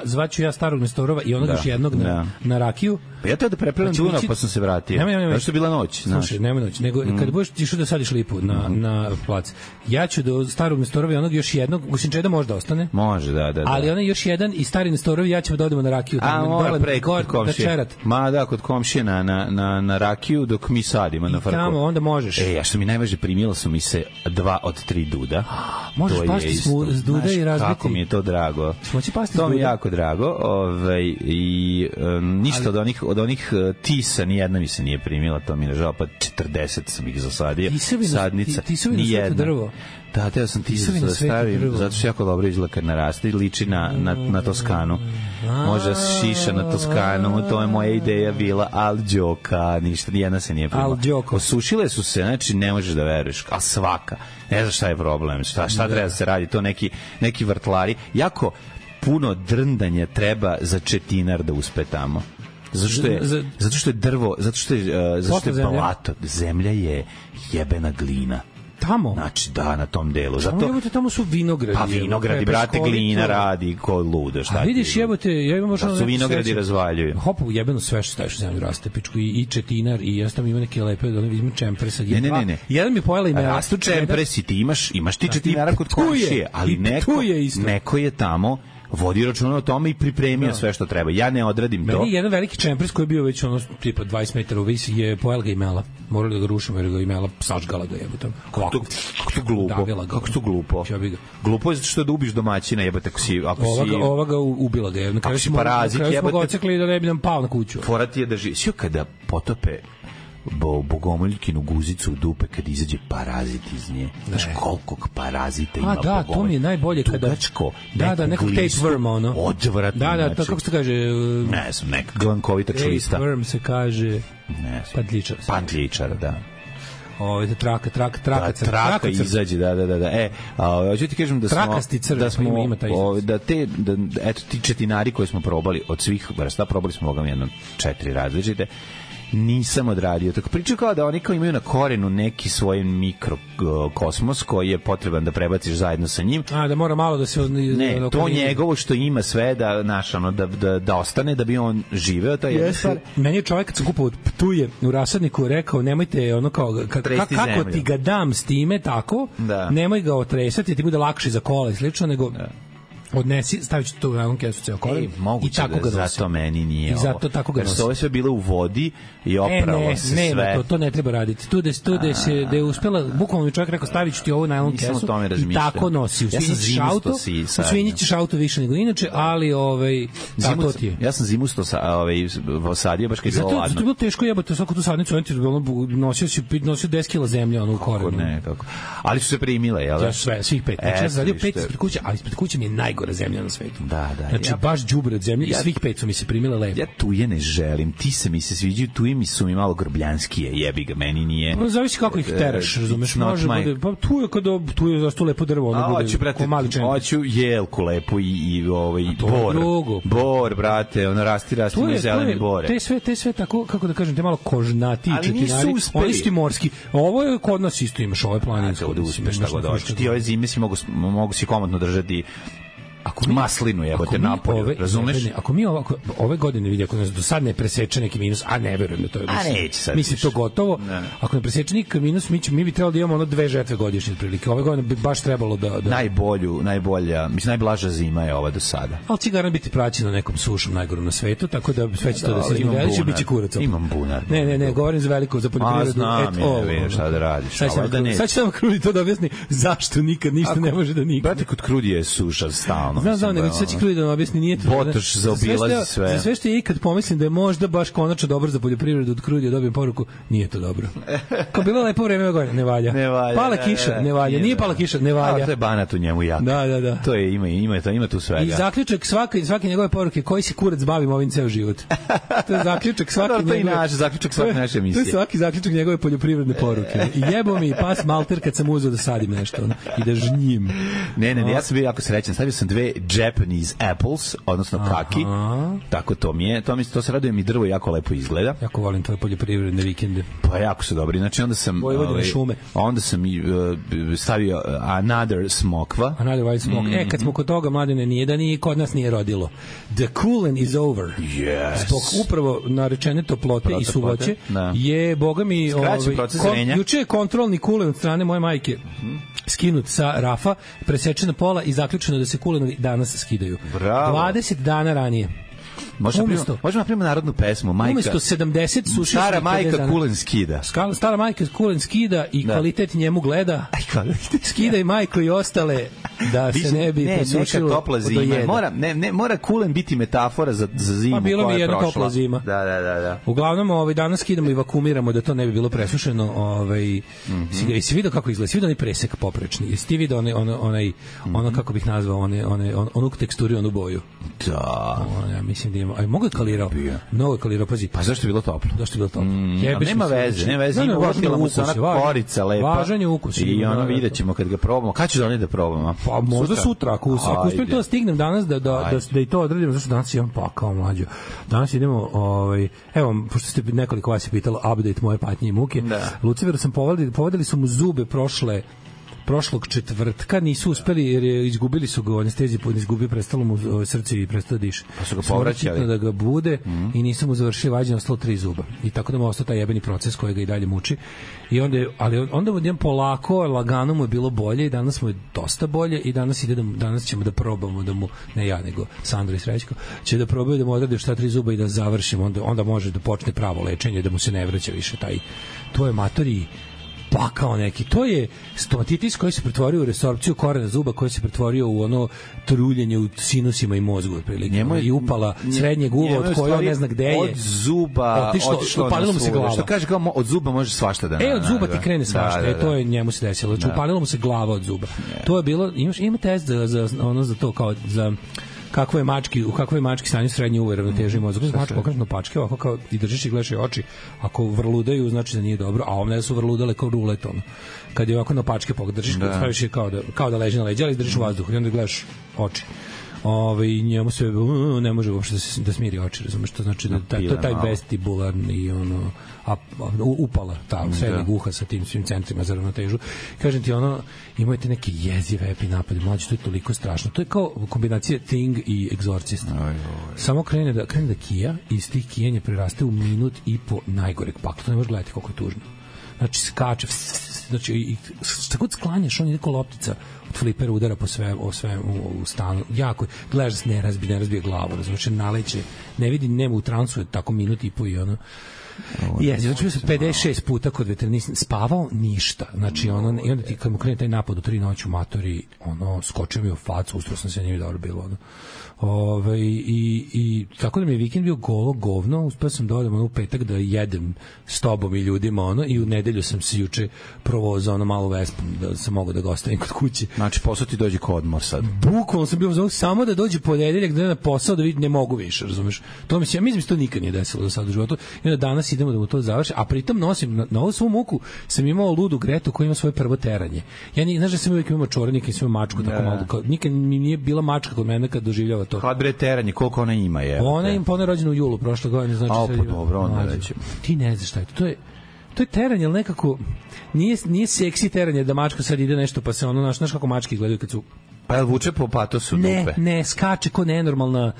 S6: Zvaću ja starog Nestorova i onog još jednog na rakiju.
S7: Pa ja to da prepravljam Dunav, pa sam se vratio. Zašto je bila noć?
S6: Slušaj, nema noć. Nego kad budeš išao da sadiš lipu na plac, ja ću do starog Nestorova i onog još jednog, usim čeda možda ostane.
S7: Može, da.
S6: Ali onaj još jedan i stari Nestorovi, ja ćemo da odemo na rakiju.
S7: Mora preko kod komšije. Kod komšije na rakiju dok mi sadimo na farku.
S6: Tamo, onda možeš.
S7: Ja što mi najvažnije, primila su mi se 2 od 3 duda.
S6: Možeš pasti s duda i razbiti.
S7: Kako mi je to drago. To mi je jako drago. I ništa od onih tisa, nijedna mi se nije primila, to mi je žao, pa 40 sam ih zasadio. Sadnica, nijedna. Da, teo sam tisu da stavim, zato što jako dobro izgleda kad naraste i liči na Toskanu. Može šiša na Toskanu, to je moja ideja bila, ali džoka, ništa, nijedna se nije primila. Osušile su se, znači ne možeš da veruješ, a svaka. Ne znaš šta je problem, šta treba da se radi, to neki vrtlari. Jako puno drndanja treba za četinar da uspe tamo. Zato što je drvo, zato što je balato, zemlja je jebena glina.
S6: Tamo?
S7: Znači, da, na tom delu. Zato
S6: tamo su vinogradi.
S7: Pa vinogradi, brate, glina radi ko ludo.
S6: A vidiš, ja imam možda...
S7: Da su vinogradi razvaljuju.
S6: Hopu, jebeno sve što staviš u zemlju raste, pičku, i četinar, i ja sam ima neke lepe, imam čempresa.
S7: Ne.
S6: Jedan mi pojela ime.
S7: Rastu čempresi, ti imaš ti četinara kod komšije, ali neko je tamo vodi računa o tome i pripremio sve što treba. Ja ne odradim to.
S6: Meni jedan veliki čempres koji je bio već tipa 20 metara u visi je pojela ga imela. Morali da ga rušimo jer ga imela sažgala ga jebote.
S7: Kako to glupo. Kako to glupo. Glupo je zato što da ubiš domaćina, jebote,
S6: ova ga ubila ga.
S7: Ako si parazit, jebote.
S6: Smo ga ocekli da ne bi nam pao na kuću.
S7: Fora ti je da živi. Sjo kada potope bogomoljkinu guzicu u dupe kad izađe parazit iz nje. Znaš koliko parazita ima bogomoljka.
S6: Da, to mi je najbolje kada...
S7: Tugačko,
S6: nekog tapeworma, ono.
S7: Odvratno.
S6: Da, to kako se kaže...
S7: Ne znam, neka glankovita člista.
S6: Tapeworm se kaže...
S7: Ne znam.
S6: Pantličar,
S7: da.
S6: Traka
S7: izađe, da. Hoću ti kažem da smo ti četinari koje smo probali od svih vrsta, probali smo jedno 4 različite, nisam odradio. Tako pričaju kao da oni kao imaju na korenu neki svoj mikrokosmos koji je potreban da prebaciš zajedno sa njim.
S6: Da mora malo da se...
S7: Ne, to njegovo što ima sve da ostane, da bi on živeo, to je jedna stvar.
S6: Meni je čovjek kad sam kupao Ptuje u rasadniku rekao, nemojte ono kao, kako ti ga dam s time tako, nemoj ga otresati, ti bude lakše za kola i slično, nego... odnesi, stavit ću to u nalon kesu ceo koren i tako ga nosim.
S7: Zato meni nije
S6: i zato tako ga nosim.
S7: Jer ovo sve bilo u vodi i opralo se sve.
S6: To ne treba raditi. Tu da je uspela, bukvalno mi čovjek rekao, stavit ću ti ovo u nalon kesu i tako nosi. Usvinjićeš auto više nego inače, ali tako ti je.
S7: Ja sam zimusto sadio, baš kad je bilo ladno.
S6: Zato je bilo teško jebati svaku tu sadnicu, nosio 10 kila zemlje u korenu.
S7: Ali su se primile, jel?
S6: Ja svih 5. Ja sam sadio 5 ispred kuće, ali ispred kuće mi je najgora zemlja na svetu.
S7: Da.
S6: Znači, baš đubre od zemlje i svih 5 su mi se primile lepo.
S7: Ja tuje ne želim, ti se mi se sviđaju, tuje mi su mi malo grbljanskije, jebi ga, meni nije.
S6: Pa zavisi kako ih teraš, razumeš, može bude, pa tu je zašto lepo drvo, ono bude ko mali čen.
S7: Hoću jelku lepo i bor, brate, ono rasti i zelene bore.
S6: Te sve tako, kako da kažem, te malo kožnati četinari, oni su ti morski. Ovo je kod nas isto imaš, ovo je planinsko.
S7: Ti ove zime si mogu si komotno držati maslinu jebote napolju, razumeš?
S6: Ako mi ove godine vidi, ako nas do sad ne preseče neki minus, a ne verujem da to je. Mislim to gotovo. Ne. Ako ne preseče neki minus, mi bi trebalo da imamo 2 žetve godišnje otprilike. Ove godine bi baš trebalo da
S7: najbolja, mislim najblaža zima je ova do sada.
S6: Al cigara biti praćena nekom sušom najgorom na svetu, tako da sve će to da se izvede, biće kurac.
S7: Imam bunar.
S6: Ne, govorim za veliko za poljoprivredu.
S7: Šta da radiš?
S6: Sad će samo Krudi to da objasni zašto nikad ništa ne može da nikne.
S7: Brate, kod Krudi je suša stalno.
S6: Znam, nego sad će Krudi da nam objasni, nije to.
S7: Botoš zaobilazi sve.
S6: Za sve što je ikad pomislim da je možda baš konačno dobro za poljoprivredu, od Krudi dobijem poruku, nije to dobro. Kao bilo lepo vreme gore, ne valja. Pala kiša, ne valja. Nije pala kiša, ne valja.
S7: To je banat u njemu jak.
S6: Da.
S7: To je ima tu svega.
S6: I zaključak svake njegove poruke, koji se kurac bavim ovim ceo život. To je zaključak svake
S7: naše emisije.
S6: To je svaki zaključak njegove poljoprivredne poruke. I jebo mi pas malter kad sam uzeo da sadim nešto i da žnjim.
S7: Ne, ja sam bio jako srećan. Stavio sam 2 Japanese apples, odnosno kaki. Tako to mi je. To se raduje mi drvo jako lepo izgleda.
S6: Jako volim tvoje poljoprivredne vikende.
S7: Pa jako su dobri. Znači onda sam stavio another smokva.
S6: Another white smoke. Kad smo kod toga, Mladene, nije da kod nas nije rodilo. The cooling is over.
S7: Yes.
S6: Zbog upravo narečene toplote i suvoće je, boga mi, juče je kontrolni kulen od strane moje majke skinut sa rafa, presečena pola i zaključeno da se kulenovi danas skidaju.
S7: Bravo.
S6: 20 dana ranije.
S7: Možemo napraviti narodnu pesmu.
S6: Umesto 70 sušišnih
S7: stara majka kulen skida.
S6: Stara majka kulen skida i kvalitet njemu gleda. Skida i majko i ostale da se ne bi presušilo
S7: topla zima. Mora kulen biti metafora za zimu.
S6: Pa bilo mi jedna topla zima.
S7: Da.
S6: Uglavnom danas skidamo i vakumiramo da to ne bi bilo presušeno. I si vidio kako izgleda? Si vidio onaj presek poprečni? Jesi ti vidio ono kako bih nazvao onu teksturu i onu boju?
S7: Da.
S6: Ja mislim da ima. A mogu je kalirao? Mnogo je kalirao, pazi.
S7: Pa zašto je bilo toplo? Nema veze. Uvrtila mu se ona korica lepa.
S6: Važan je ukus.
S7: I ono vidjet ćemo kad ga probamo. Kad ću da da probamo?
S6: Pa možda sutra. Ako uspijem to da stignem danas da i to odradimo, zašto danas imam pakao mlađo. Danas idemo, evo, pošto ste nekoliko vas je pitalo update moje patnje i muke. Luciferu sam povedali su mu zube prošlog četvrtka, nisu uspeli jer izgubili su ga u anesteziji, izgubio, prestalo mu srce i prestao da diše.
S7: Pa su ga povraćali.
S6: Da ga bude i nisu mu završili vađenje, ostalo 3 zuba. I tako da mu ostao taj jebeni proces koji ga i dalje muči. Onda mu polako, lagano mu je bilo bolje i danas mu je dosta bolje i danas ćemo da probamo da mu, ne ja nego Sandro i Srećko, će da probaju da mu odrade šta 3 zuba i da završimo, onda može da počne pravo lečenje, da mu se ne vraća više to je matori pakao neki. To je stomatitis koji se pretvorio u resorpciju korena zuba, koji se pretvorio u ono truljenje u sinusima i mozgu otprilike. I upala srednjeg uva od koje ne zna gde je.
S7: Od zuba otišlo
S6: upalilo mu se glava.
S7: Što kaže kao od zuba može svašta da
S6: od zuba ti krene svašta. To je njemu se desilo. Znači upalilo mu se glava od zuba. To je bilo, ima test za to kao za u kakvoj mački stanju srednje uve ravnoteže mozga. Mačka okretno pačke, ovako kao i držiš i gledaš oči. Ako vrludaju, znači da nije dobro, a ovdje su vrludale kao rulet. Kad je ovako na pačke držiš, staviš je kao da leži na leđa, ali držiš u vazduhu i onda gledaš oči. I njemu se ne može uopšte da smiri oči, razumeš, to znači da to je taj vestibularni upala srednjeg uha sa tim svim centrima za ravnotežu. Kažem ti, imate neke jezive epinapade, mlađe, to je toliko strašno. To je kao kombinacija Thing i Exorcist. Samo krene da kija i iz tih kijanja preraste u minut i po najgoreg pakla. To ne možeš gledati koliko je tužno. Znači, skače, znači, tako da sklanjaš, on je neko loptica od flipera udara po sve u stanu. Jako, gledaš da se ne razbije glavu, znači, naleće, ne vidi, nema u transu, je tako minut i po i ono. Znači, bio sam 56 puta kod veterinista, spavao ništa. Znači, i onda ti kad mu krene taj napad u 3 noći u matori, skočio mi u facu, ustro sam se, nije dobro bilo, i tako da mi je vikend bio golo govno, uspeo sam da odem u petak da jedem s tobom i ljudima i u nedelju sam se juče provozao malo Vespom da sam mogao da ga ostavim kod kuće.
S7: Znači posao ti dođe kod odmor sad.
S6: Bukvalno sam bio samo da dođe ponedeljak da na posao da vidim ne mogu više, razumeš? To mi se, ja mislim to nikad nije desilo do sada u životu. I onda danas idemo da mu to završi, a pritom nosim na ovu svu muku sam imao ludu Gretu koja ima svoje prvo teranje. Ja znaš da sam uvijek imao čorenika i svoj mačku tako malo, nikad mi nije bila mačka kod mene kad doživljava to.
S7: Kad bre teranje, koliko ona ima je?
S6: Ona je rođena u julu prošle godine, znači
S7: pa dobro, onda reći.
S6: Ti ne znaš šta je to. To je teranje, ali nekako nije seksi teranje da mačka sad ide nešto pa se znaš kako mačke izgledaju kad su
S7: Pa je vuče po patosu dupe?
S6: Ne, skače ko nenormalna.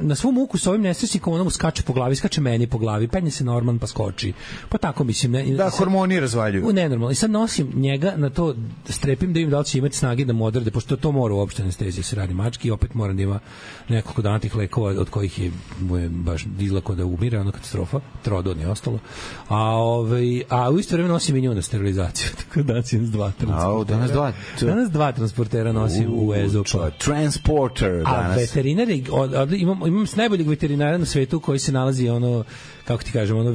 S6: Na svom muku sa ovim nesrećnikom ono mu skače po glavi, skače meni po glavi, penje se Norman pa skoči. Pa tako mislim.
S7: Da, hormoni razvaljuju.
S6: Nenormalno. I sad nosim njega na to, strepim da im da li će imati snage da mu odrade, pošto to mora uopšte anestezija se radi mački i opet moram da ima nekoliko dana tih lekova od kojih mu je baš izlako da umire, ono katastrofa, trodon je ostalo. A u isto vreme nosim i nju na sterilizaciju, tako da danas dva transportera. Danas dva transportera nosim u EZO-pa.
S7: Transporter danas.
S6: A veterinar je, imam s najboljeg veterinara na svetu koji se nalazi, ono, kako ti kažem, ono,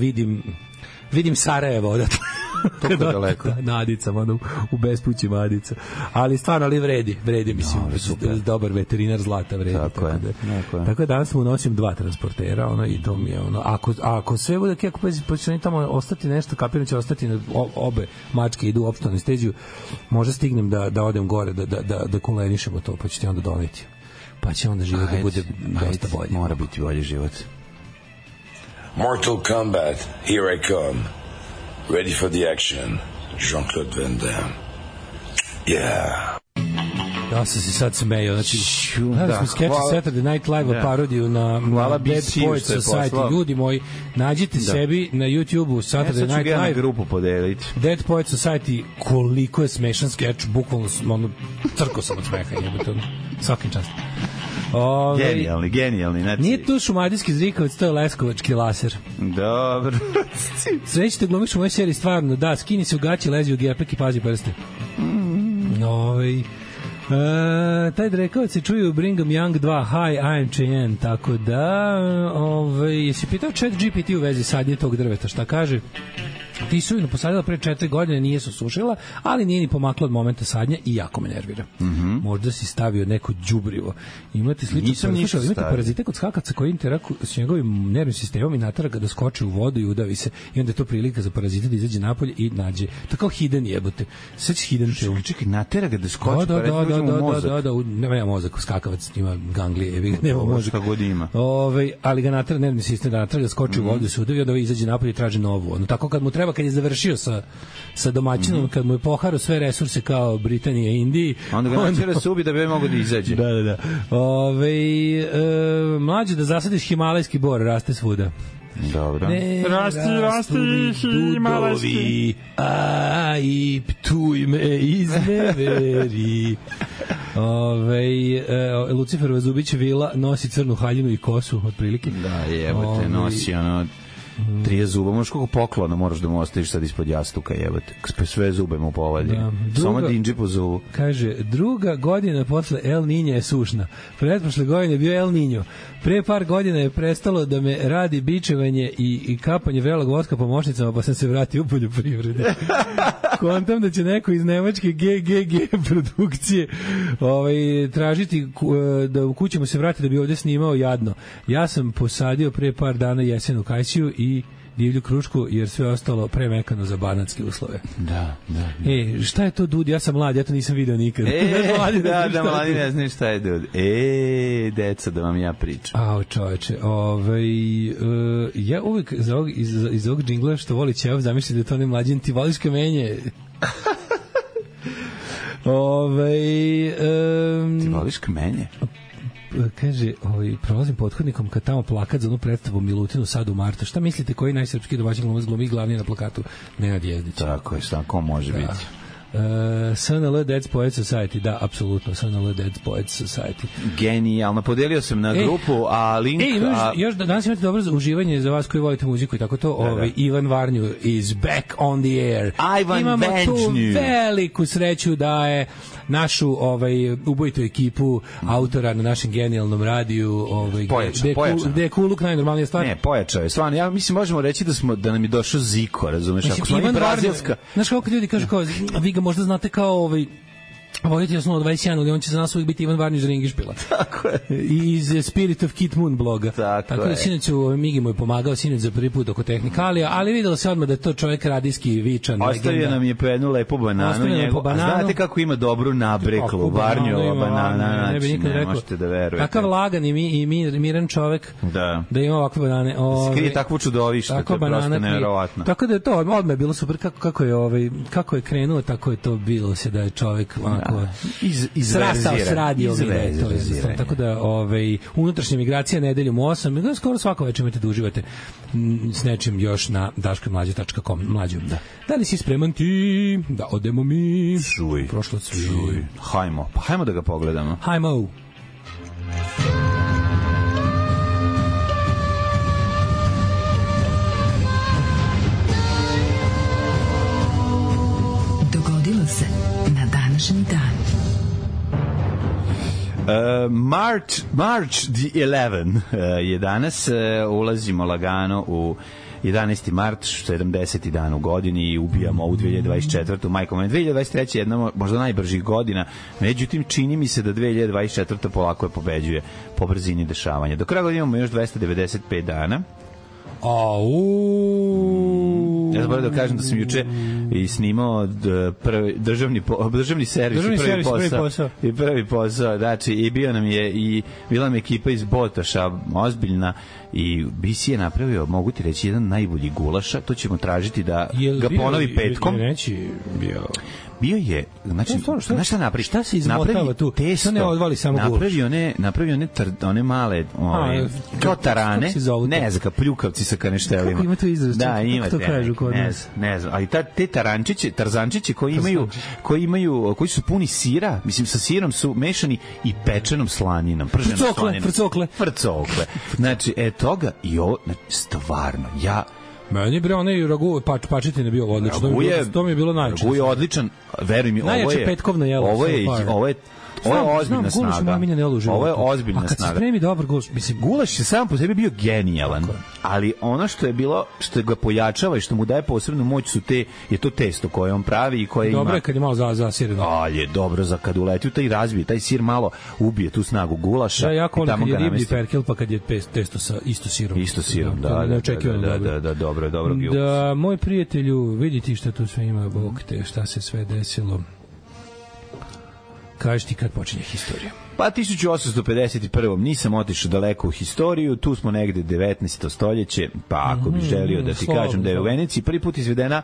S6: vidim Sarajevo odatle.
S7: Toliko daleko.
S6: Na Adicama, ono, u bespućima Adica. Ali stvarno, ali vredi mislim. Dobar veterinar zlata vredi. Tako je. Tako da danas mu nosim dva transportera, ono, i to mi je, ono, ako sve bude, kako počne tamo ostati nešto, kapiram će ostati na obe mačke idu u opštu anesteziju, možda stignem da odem gore, da kolenišemo to, pa ću ti onda doneti. Pa će onda život da bude dosta bolje.
S7: Mora biti bolji život.
S8: Mortal Kombat, here I come. Ready for the action. Jean-Claude Van Damme. Yeah.
S6: Ja sam se sad smejao, znači smo sketch Saturday Night Live parodiju na Dead Poets Society. Ljudi moji, nađite sebi na YouTube-u Saturday Night Live.
S7: Ja grupu podeliti.
S6: Dead Poets Society, koliko je smešan skeč, bukvalno ono, crko sam od smeha, jebate, svakim častom.
S7: Genijalni. Znači...
S6: Nije tu šumadijski zrikavac, to je leskovački laser.
S7: Dobro.
S6: Srećete glumiš u mojoj seriji, stvarno, da, skini se u gaći, lezi u gepek i pazi prste. Taj drekavac se čuje u Brigham Young 2 Hi, I'm Cheyenne, tako da jesi pitao Chat GPT u vezi sadnje tog drveta, šta kaže? Ti su posadila pre 4 godine, nije se sušila, ali nije ni pomakla od momenta sadnja i jako me nervira. Možda si stavio neko đubrivo. Imate slično, imate parazite kod skakaca koji interakuju s njegovim nervnim sistemom i natara ga da skoči u vodu i udavi se. I onda je to prilika za parazite da izađe napolje i nađe. To kao hidden jebote. Sećaš hidden te.
S7: Čekaj, natera ga da skoči,
S6: nema mozak, skakavac ima ganglije, nema mozak.
S7: Šta god ima.
S6: Ali ga natera nervni sistem, da natera ga skoči u vodu, se udavi, onda izađe napolje i traži novu. Ono tako kad mu treba, kad je završio sa domaćinom, kad mu je poharao sve resurse kao Britanija i Indiji,
S7: onda ga načera se ubi da bi mogo da izađe.
S6: Da. Mlađe da zasadiš himalajski bor, raste svuda.
S7: Dobro.
S6: Rasti himalajski, a i ptuj me izneveri. Luciferova Zubić vila nosi crnu haljinu i kosu, otprilike.
S7: Da, jebote, nosi ono 3 zuba, možeš koliko poklona moraš da mu ostaviš sad ispod jastuka, jebote. Sve zube mu povadi. Samo dinđi po zubu.
S6: Kaže, druga godina posle El Niña je sušna. Pretprošle godine je bio El Niño. Pre par godina je prestalo da me radi bičevanje i kapanje vrelog voska po mošnicama, pa sam se vratio u poljoprivrede. Kontam da će neko iz nemačke GGG produkcije tražiti da u kućama se vrati da bi ovde snimao jadno. Ja sam posadio pre par dana jesenu kajsiju i divlju krušku, jer sve ostalo premekano za banatske uslove.
S7: Da.
S6: Šta je to dud? Ja sam mlad, ja to nisam video nikad.
S7: Mladi ne znaju šta je dud. Deca, da vam ja pričam.
S6: Čoveče, ja uvijek iz ovog džingla što voli Ćev, zamišljam da je to ne mlađin, ti voliš kamenje.
S7: Ti voliš kamenje?
S6: Kaže, prolazim pothodnikom kad tamo plakat za onu predstavu Milutinu sad u martu. Šta mislite, koji najsrpski domaćin glumac glumi glavni na plakatu? Nenad Jezdić.
S7: Tako je, šta, ko može biti?
S6: SNL Dead Poets Society, da, apsolutno, SNL Dead Poets Society.
S7: Genijalno, podelio sam na grupu, a link...
S6: Još danas imate dobro uživanje za vas koji volite muziku i tako to, Ivan Varnju is back on the air. Imamo tu veliku sreću da je našu ubojitu ekipu autora na našem genijalnom radiju gde je Kuluk najnormalnija stvar.
S7: Ne, pojačao je, stvarno, ja mislim možemo reći da nam je došao Ziko, razumeš? Ako smo mi brazilska...
S6: Znaš kako ljudi kažu kao, vi ga možda znate kao Volite osnovno 21, ali on će za nas uvijek biti Ivan Varnić Ringišpila.
S7: Tako je.
S6: I iz Spirit of Kit Moon bloga. Tako da sinoć Migi mu je pomagao sinoć za prvi put oko tehnikalija, ali videlo se odmah da je to čovjek radijski vičan.
S7: Ostavio nam je po jednu lepu bananu njegu. A znate kako ima dobru nabreklu Varnjova banana, znači ne možete da verujete.
S6: Takav lagan i miran čovjek da ima ovakve banane.
S7: Skrije takvu čudovište, to je prosto nevjerovatno.
S6: Tako da je to odmah bilo super kako je krenuo, tako je to bilo se da je čovjek onako srastao s radijom. Tako da unutrašnja migracija nedeljom u 8, skoro svako večer imate da uživate s nečim još na daškomlađe.com. Mlađom. Da li si spreman ti? Da odemo mi.
S7: Čuj. Hajmo da ga pogledamo.
S6: Hajmo.
S5: Dogodilo se na današnji dan.
S7: March the 11 je danas, ulazimo lagano u 11. mart, 70. dan u godini i ubijamo ovu 2024. Majko, 2023. je jedna možda najbržih godina, međutim čini mi se da 2024. polako je pobeđuje po brzini dešavanja. Do kraja godine imamo još 295 dana. Ja sam da kažem da sam juče i snimao državni servis i prvi posao, znači i bio nam je i bila nam ekipa iz Botoša ozbiljna i BC je napravio, mogu ti reći, jedan najbolji gulaša, to ćemo tražiti da ga ponovi petkom. Bio je, znači, znaš šta napravi?
S6: Šta se izmotava tu? Testo, ne odvali samo gulaš.
S7: Napravio one male, kao tarane, ne znam, kao pljukavci sa kaneštelima.
S6: Kako ima to izraz?
S7: Da, ima
S6: to kažu kod nas.
S7: Ne znam, ali te tarzančići koji su puni sira, mislim sa sirom su mešani i pečenom slaninom, prženom slaninom. Frcokle. Znači, toga i ovo, stvarno,
S6: meni bre onaj ragu pačetine bio odlično. To mi je bilo najčešće.
S7: Ragu je odličan, veruj mi,
S6: najjače petkovno jelo.
S7: Ovo je ozbiljna snaga. Ovo je ozbiljna snaga. A
S6: kad se spremi dobar gulaš, mislim,
S7: gulaš je sam po sebi bio genijalan, ali ono što je bilo, što ga pojačava i što mu daje posebnu moć je to testo koje on pravi i koje ima.
S6: Dobro je kad je malo zasireno.
S7: Ali je dobro za kad uleti u taj razbije, taj sir malo ubije tu snagu gulaša.
S6: Da, jako ono kad je riblji perkel, pa kad je testo sa isto sirom.
S7: Isto sirom, da, dobro.
S6: Da, moj prijatelju, vidite šta tu sve ima, Bog te, šta se sve desilo. Kaži ti kad počinje historija.
S7: Pa 1851. Nisam otišao daleko u historiju, tu smo negde 19. stoljeće, pa ako bi želio da ti kažem da je u Veneciji prvi put izvedena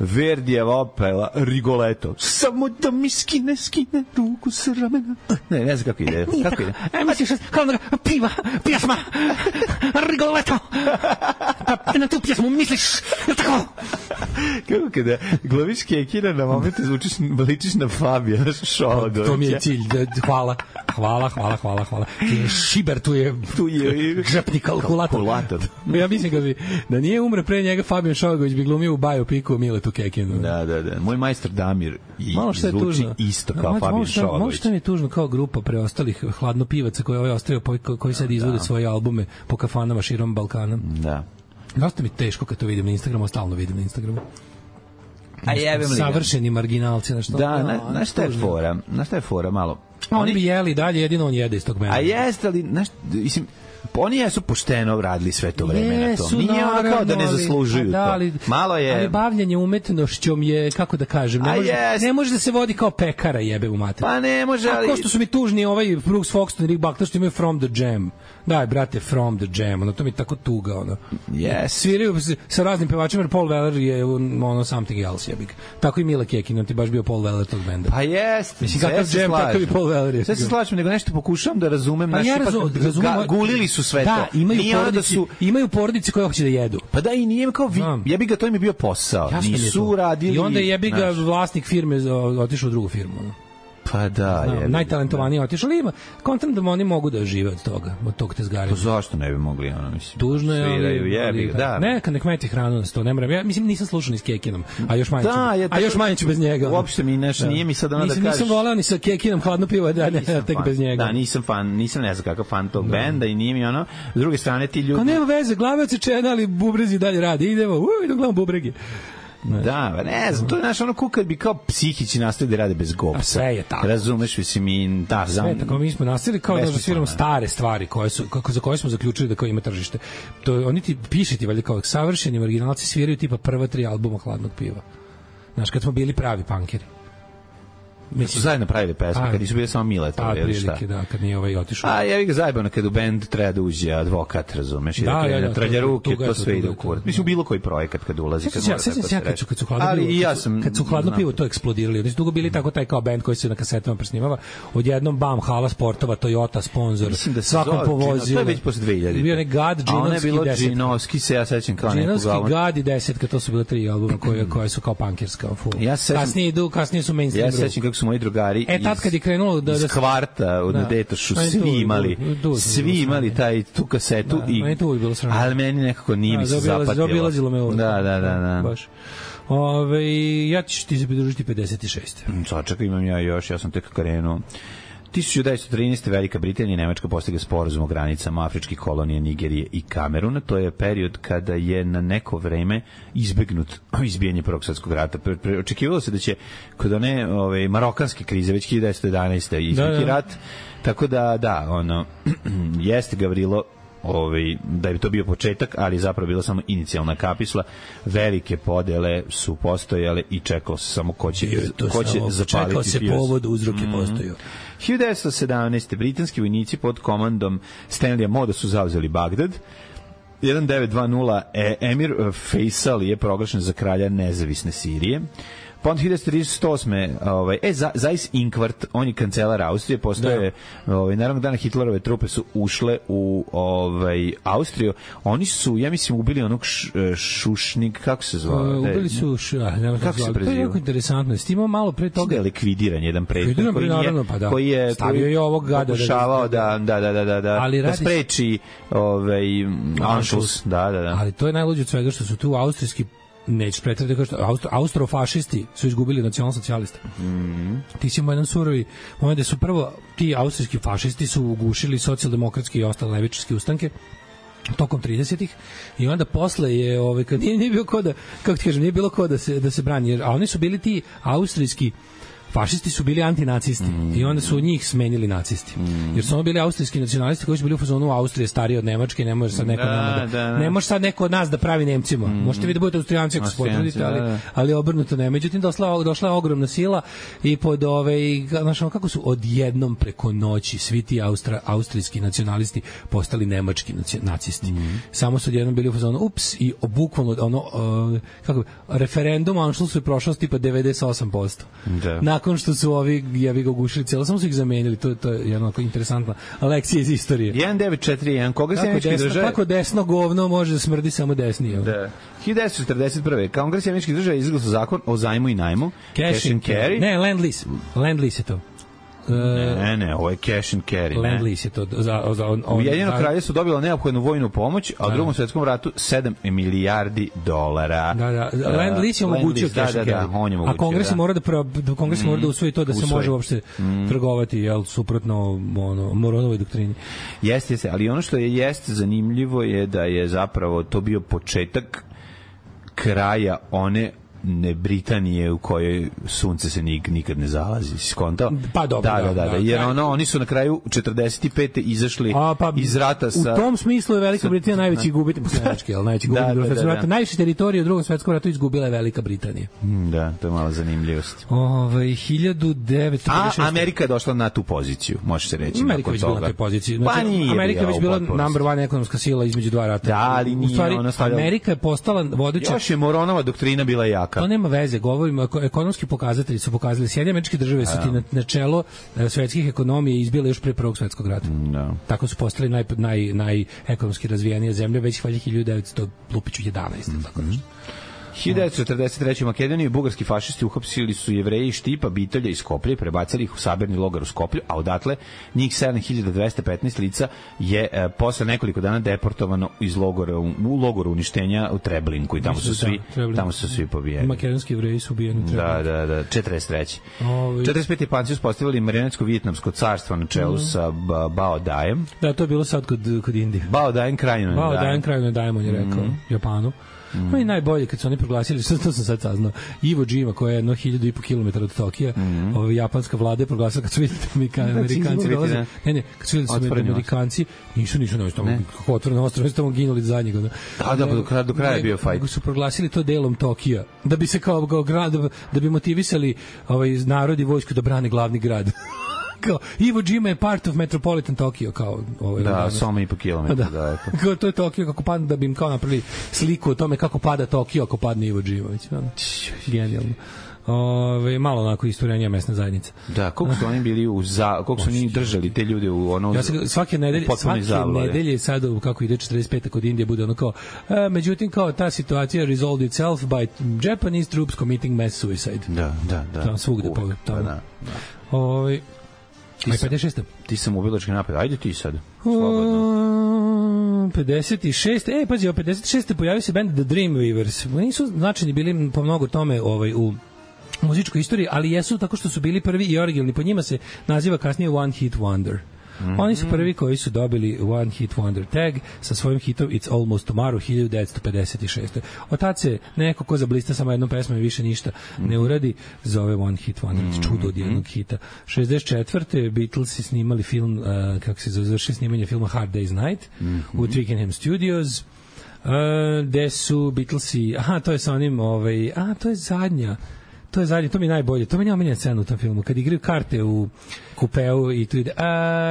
S7: Verdijeva opera Rigoletto. Samo da mi skine ruku s ramena. Ne znam kako ide. Kako ide?
S6: Misliš, kao da pjesma Rigoletto. Pa na tu pjesmu misliš, je tako?
S7: Kako kada glaviš Kekina na momente ličiš na Fabijana Šolagovića.
S6: To mi je cilj. Hvala. Šiber tu je žepni kalkulator. Ja mislim da nije umre pre njega Fabijan Šolagović bi glumio u biopiku Miletu Kekinu.
S7: Da. Moj majstor Damir zvuči isto kao Fabijan Šolagović.
S6: Malo što mi je tužno kao grupa preostalih hladnopivaca koji ostavio, koji sad izvode svoje albume po kafanama širom Balkana.
S7: Da.
S6: Dosta mi teško kad to vidim na Instagramu, stalno vidim na Instagramu.
S7: A jebem li
S6: savršeni marginalci, na što?
S7: Da, na šta je fora malo.
S6: Oni bi jeli dalje, jedino on jede iz tog mena.
S7: A jeste li, mislim, oni jesu pošteno radili sve to vreme na tom. Nije ono kao da ne zaslužuju to. Malo je...
S6: Ali bavljanje umetnošćom je, kako da kažem, ne može da se vodi kao pekara, jebe u mater.
S7: Pa ne može, ali...
S6: A ko što su mi tužni Brooks Foxton i Rick Buckler što imaju From the Jam. Daj, brate, From the Jam, to mi je tako tuga,
S7: Yes.
S6: Sviraju sa raznim pevačima, jer Paul Weller je something else, jebik. Tako i Mila Kekin, on ti baš bio Paul Weller tog benda.
S7: Pa jest.
S6: Mislim, kakav Jam, takav i Paul Weller je.
S7: Sve se slažem, nego nešto pokušavam da razumem.
S6: Pa ja razumem.
S7: Gulili su sve to.
S6: Da, imaju porodice koje hoće da jedu.
S7: Pa da, i nije kao jebi ga, to im je bio posao. Nisu radili.
S6: I onda jebi ga vlasnik firme otišao u drugu firmu.
S7: Pa da, je.
S6: Najtalentovaniji otišao, ali ima kontent da oni mogu da žive od toga, od tog tezgarenja.
S7: Pa zašto ne bi mogli, mislim.
S6: Tužno je,
S7: ali da.
S6: Neka nek meti hranu na sto, ne moram. Ja mislim nisam slušao ni s Kekinom, a još manje ću bez njega.
S7: Uopšte mi nije mi sad ono da kažeš.
S6: Nisam voleo ni sa Kekinom hladno pivo, tek bez njega.
S7: Da, nisam ne znam kakav fan tog benda i nije mi ono. S druge strane ti ljudi.
S6: Pa nema veze, glave odsečene, ali bubrezi dalje radi. Idemo gledamo bubrege.
S7: Da, ne znam, to je ono kad bi kao psihići nastavili da rade bez gopsa.
S6: A sve je tako.
S7: Razumeš, mislim, da.
S6: Sve je tako, mi smo nastavili kao da sviramo stare stvari za koje smo zaključili da kao ima tržište. Oni ti piše ti valjda kao savršeni originalci sviraju tipa prva 3 albuma Hladnog piva. Znaš, kad smo bili pravi punkeri.
S7: Su zajedno pravili pesme, kad nisu bili samo Mileta, ili šta?
S6: Prilike, da, kad nije otišao.
S7: A ja bih ga zajebano kad u bend treba da uđe advokat, razumeš? Da, trlja ruke, to sve ide u kurac. Mislim, bilo koji projekat kad ulazi, kad mora tako se reći.
S6: Kad su hladno pivo to eksplodirali. Oni su dugo bili tako taj kao bend koji se na kasetama presnimava. Odjednom, bam, hala sportova, Toyota, sponsor, svakom povozio.
S7: To je već posle 2000.
S6: Bio je Gad,
S7: Džinovski, se ja sećam kao neku glavu.
S6: Gad i 10, to su bile 3 albuma koje su kao punkirska. Kasnije su mainstream.
S7: Ja sećam kako su moji drugari
S6: tad kad je krenulo
S7: iz Kvarta na Detošu, svi imali tu kasetu, ali meni nekako nije mi se zapatilo.
S6: Zaobilazilo me ovo.
S7: Da.
S6: Baš. Ja ću ti se pridružiti 56.
S7: Sačekaj, imam ja sam tek krenuo. 1913. Velika Britanija i Nemačka postigla sporazum o granicama afričkih kolonija Nigerije i Kameruna. To je period kada je na neko vreme izbegnut izbijanje Prvog svjetskog rata. Očekivalo se da će kod one marokanske krize već 1911. izbiti rat. Tako da, jeste Gavrilo da bi to bio početak, ali zapravo bila samo inicijalna kapisla. Velike podele su postojale i čekalo se samo ko će zapaliti.
S6: Čekao se povod, uzroke postoju.
S7: 1917. britanski vojnici pod komandom Stanleya Moda su zauzeli Bagdad. 1920 Emir Faisal je proglašen za kralja nezavisne Sirije. Pa onda 1938. Zeiss Inquart, on je kancelar Austrije, postoje, naravno dana Hitlerove trupe su ušle u Austriju. Oni su, ja mislim, ubili onog Šušnik, kako se zvao?
S6: Ubili su,
S7: kako se preziva?
S6: To je jako interesantno. Stimo malo pre toga.
S7: Da je likvidiran jedan prethodnik koji je
S6: stavio je ovog gada
S7: pokušavao da spreči Anschluss. Da.
S6: Ali to je najluđe od svega što su tu austrijski neću pretrediti kao što austrofašisti su izgubili nacionalsocijaliste. Ti si imao jedan surovi moment da su prvo ti austrijski fašisti su ugušili socijaldemokratske i ostale levičarske ustanke tokom 30-ih i onda posle je kad nije bilo ko da, kako ti kažem, nije bilo ko da se brani, a oni su bili ti austrijski fašisti su bili antinacisti i onda su od njih smenili nacisti. Jer su ono bili austrijski nacionalisti koji su bili u fazonu Austrije stariji od Nemačke, ne može sad neko ne može sad neko od nas da pravi Nemcima. Možete vi da budete Austrijanci ako se potrudite, ali obrnuto ne. Međutim, došla je ogromna sila i pod kako su odjednom preko noći svi ti austrijski nacionalisti postali nemački nacisti. Samo su odjednom bili u fazonu ups i bukvalno referendum Anschlussu je prošao tipa 98%. Nakon što su ovi ga ugušili cijelo, samo su ih zamenili. To je jedna interesantna lekcija iz istorije.
S7: 1941, koga se američki države...
S6: Kako desno govno može da smrdi samo desnije.
S7: Da. 1941. Kongres američkih država je izglasao zakon o zajmu i najmu. Cash and carry.
S6: Ne, land lease je to.
S7: Ne, ovo je cash and carry.
S6: Land lease je to.
S7: Ujedinjeno kraljevstvo dobilo neophodnu vojnu pomoć, a u Drugom svetskom ratu $7 milijardi.
S6: Land lease je omogućio cash and carry. A Kongres mora da usvoji to da se može uopšte trgovati, suprotno Moronovoj doktrini.
S7: Jeste, ali ono što jeste zanimljivo je da je zapravo to bio početak kraja one Britanije u kojoj sunce se nikad ne zalazi, skontao?
S6: Pa dobro,
S7: da. Jer oni su na kraju 45. izašli iz rata sa...
S6: U tom smislu je Velika Britanija najveći gubitnik posle Nemačke, najveći gubitnik Drugog svjetskog rata. Najviše teritorije u Drugom svetskom ratu izgubila je Velika Britanija.
S7: Da, to je mala zanimljivost.
S6: 1956.
S7: Amerika je došla na tu poziciju, može se reći.
S6: Amerika već bila na toj poziciji. Amerika je već bila number one ekonomska sila između dva rata.
S7: Da, ali nije.
S6: U stvari, Amerika je postala vodeća...
S7: Još je Moronova doktrina bila jaka.
S6: To nema veze, govorimo, ekonomski pokazatelji su pokazali, Sjedinjene Američke Države su ti na čelo svetskih ekonomije izbile još pre Prvog svjetskog rata. Tako su postali najekonomski razvijenije zemlje već 1911. Tako nešto.
S7: 1943. u Makedoniji bugarski fašisti uhapsili su Jevreji iz Štipa, Bitolja i Skoplje i prebacili ih u sabirni logor u Skoplju, a odatle njih 7215 lica je posle nekoliko dana deportovano iz logora u logoru uništenja u Treblinku i tamo su svi pobijeni.
S6: Makedonski Jevreji su ubijeni u Treblinku.
S7: Da, 43. 45. Japanci uspostavili marionetsko-vijetnamsko carstvo na čelu sa Bao Dajem.
S6: Da, to je bilo sad kod Indije.
S7: Bao Dajem krajno
S6: Dajem, on je rekao Japanu. No i najbolje kad su oni proglasili, što to sam sad saznao, Iwo Jima, koja je 1.500 km od Tokija, japanska vlada je proglasila kad su vidjeli Amerikanci dolaze. Ne, kad su vidjeli su Amerikanci, nisu tamo kako otvoreno ostrvo, tamo ginuli za njega.
S7: Do kraja je bio fajt.
S6: Su proglasili to delom Tokija, da bi se kao grad, da bi motivisali narod i vojsku da brane glavni grad. Kao, Iwo Jima je part of Metropolitan Tokyo, kao
S7: samo 1,5 kilometra.
S6: Da. Kao, to je Tokio kako pada, da bi im kao napravili sliku o tome kako pada Tokio ako padne Iwo Jima. Genijalno. Malo onako istorenija mesna zajednica.
S7: Da, koliko su oni bili koliko su oni držali te ljude u ono...
S6: Ja svake nedelje sad, kako ide 45. kod Indije, bude ono kao, međutim, kao ta situacija resolved itself by Japanese troops committing mass suicide.
S7: Da.
S6: Tamo svugde.
S7: Da.
S6: 56.
S7: Ti sam ubilački napad. Ajde ti sad. Slobodno.
S6: 56. Pazi, 56. pojavio se band The Dreamweavers. Nisu značajni bili po mnogo tome u muzičkoj istoriji, ali jesu tako što su bili prvi i originalni. Po njima se naziva kasnije One Hit Wonder. Oni su prvi koji su dobili One Hit Wonder tag sa svojim hitom It's Almost Tomorrow 1956. Od tad se neko ko zablista samo jednom pesmom i više ništa ne uradi, zove One Hit Wonder, čudo od jednog hita. 64. Beatlesi snimali film, kako se završi snimanje filma Hard Day's Night u Twickenham Studios, gde su Beatlesi, to je sa onim, to je zadnja, to mi je najbolje. To mi je omiljena scena u tom filmu. Kad igraju karte u kupeu i tu ide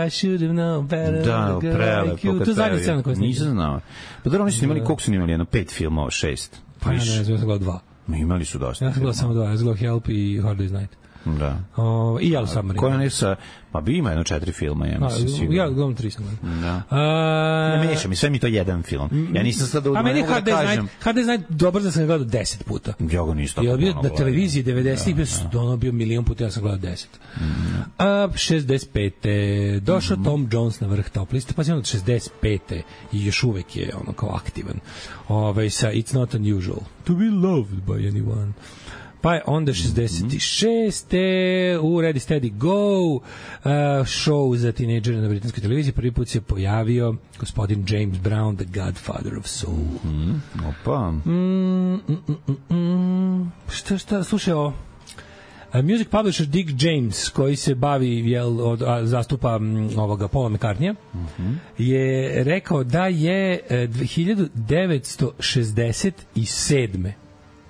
S6: I should have known better.
S7: Da, prelepo.
S6: To je zadnja scena koja snimaju.
S7: Nisam znao. Pa dobro, oni su imali, koliko su imali? 5 filmova, 6.
S6: Pa ja ne znam, ja sam gledao 2.
S7: Imali su dosta.
S6: Ja sam gledao samo 2. Ja sam gledao Help i Hard Day's Night.
S7: Da.
S6: I Yellow Submarine.
S7: Koja ne sa... Pa bi ima 4 filma, ja mislim sigurno.
S6: Ja gledam 3 sam gledam.
S7: Da. Ne mešam, sve mi to jedan film. Ja nisam sad da
S6: meni Hard Day's Night dobro da sam gledao 10 puta.
S7: Ja ga nisam tako
S6: puno gledao. Na televiziji 90-ih bio milion puta, ja sam gledao 10. 65. Došao Tom Jones na vrh top liste, pa je on od 65. i još uvek je ono kao aktivan. Sa It's Not Unusual to be loved by anyone. Pa je onda 66. U Ready Steady Go show za tinejdžere na britanskoj televiziji. Prvi put se pojavio gospodin James Brown, the Godfather of Soul.
S7: Opa.
S6: Šta, slušaj ovo. Music publisher Dick James, koji se bavi, zastupa ovoga Paula McCartneya, je rekao da je 1967.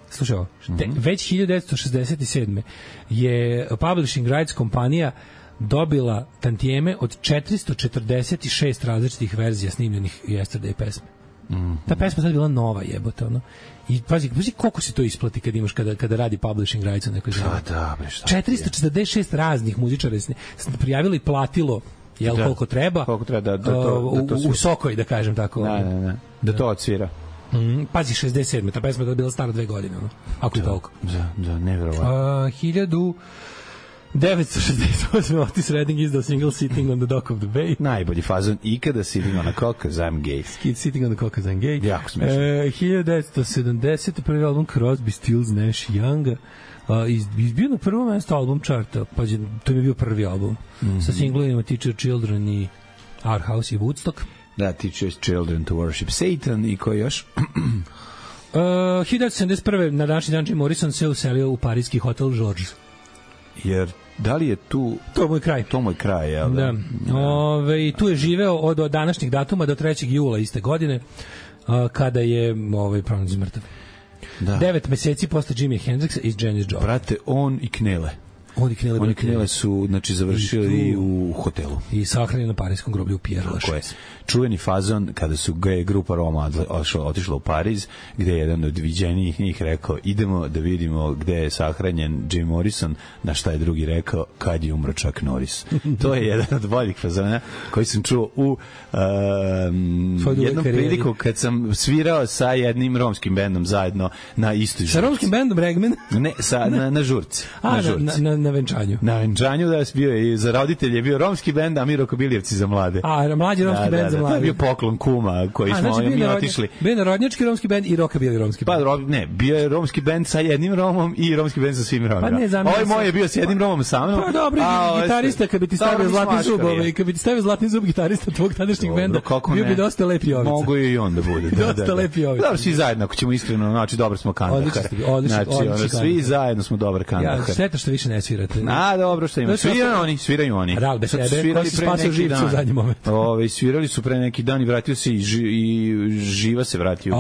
S6: Slušaj ovo, već 1967. je Publishing Rights kompanija dobila tantijeme od 446 različitih verzija snimljenih Yesterday pesme. Ta pesma sad bila nova, jebote, ono. I pazi koliko se to isplati kad imaš kada radi Publishing Rights na nekoj zemlji. 446 raznih muzičara prijavilo i platilo koliko treba.
S7: Koliko treba
S6: u Sokoj, da kažem tako.
S7: Da to odsvira.
S6: Pazi, 67. Ta pesma je bila stara 2 godine, ako je toliko.
S7: Da, nevjerovatno.
S6: 1968. Otis Redding izdao single Sitting on the Dock of the Bay.
S7: Najbolji fazon ikada, Sitting on a Cock, 'cause I'm gay.
S6: Sitting on the Cock, 'cause I'm gay.
S7: Jako smešno.
S6: 1970. prvi album Crosby, Stills, Nash, Young. Izbio na prvo mesto album charta. Pazi, to je bio prvi album. Sa singlovima Teacher Children i Our House i Woodstock.
S7: Da, Teach Children to Worship Satan i koji još?
S6: 1971. na današnji dan Jim Morrison se uselio u parijski hotel Georges.
S7: Jer da li je tu...
S6: To je moj kraj.
S7: To moj kraj, jel da?
S6: I tu je živeo od današnjih datuma do 3. jula iste godine, kada je pronađen mrtav. 9 meseci posle Jimi Hendrixa i Janis Joplin.
S7: Brate, on i Knele. Oni Knele su završili u hotelu.
S6: I sahranjeni na parijskom groblju u Pierre Lachaise.
S7: Čuveni fazon kada su grupa Roma otišla u Pariz, gde je jedan od viđenijih njih rekao idemo da vidimo gde je sahranjen Jim Morrison, na šta je drugi rekao kad je umro Chuck Norris. To je jedan od boljih fazona koji sam čuo u jednom priliku kad sam svirao sa jednim romskim bendom zajedno na istoj žurci.
S6: Sa romskim bendom Regman?
S7: Ne, na žurci.
S6: Na na venčanju.
S7: Na venčanju da je bio i za roditelje je bio romski bend, a mi Rokobilijevci za mlade.
S6: A mlađi romski bend za mlade.
S7: To je bio poklon kuma koji smo mi otišli.
S6: Bio narodnjački romski bend i Rokabili romski bend.
S7: Pa ne, bio je romski bend sa jednim Romom i romski bend sa svim Romima. Ovaj moj je bio sa jednim Romom sa mnom.
S6: Pa dobro, gitarista kad bi ti stavio zlatni zub, kad bi ti stavio zlatni zub gitarista tvog tadašnjeg benda, bio bi dosta lep Jovica.
S7: Mogu i on da bude.
S6: Dosta lep Jovica.
S7: Dobro, svi zajedno, ako ćemo iskreno, znači dobro smo kandahar. Znači, svi zajedno smo dobar kandahar.
S6: Ja, šteta što više ne svirate.
S7: A, dobro što ima. Sviraju oni.
S6: Ral, bez sebe, ko si spasao živcu u zadnji moment.
S7: Svirali su pre neki dan i vratio se i Živa se vratio.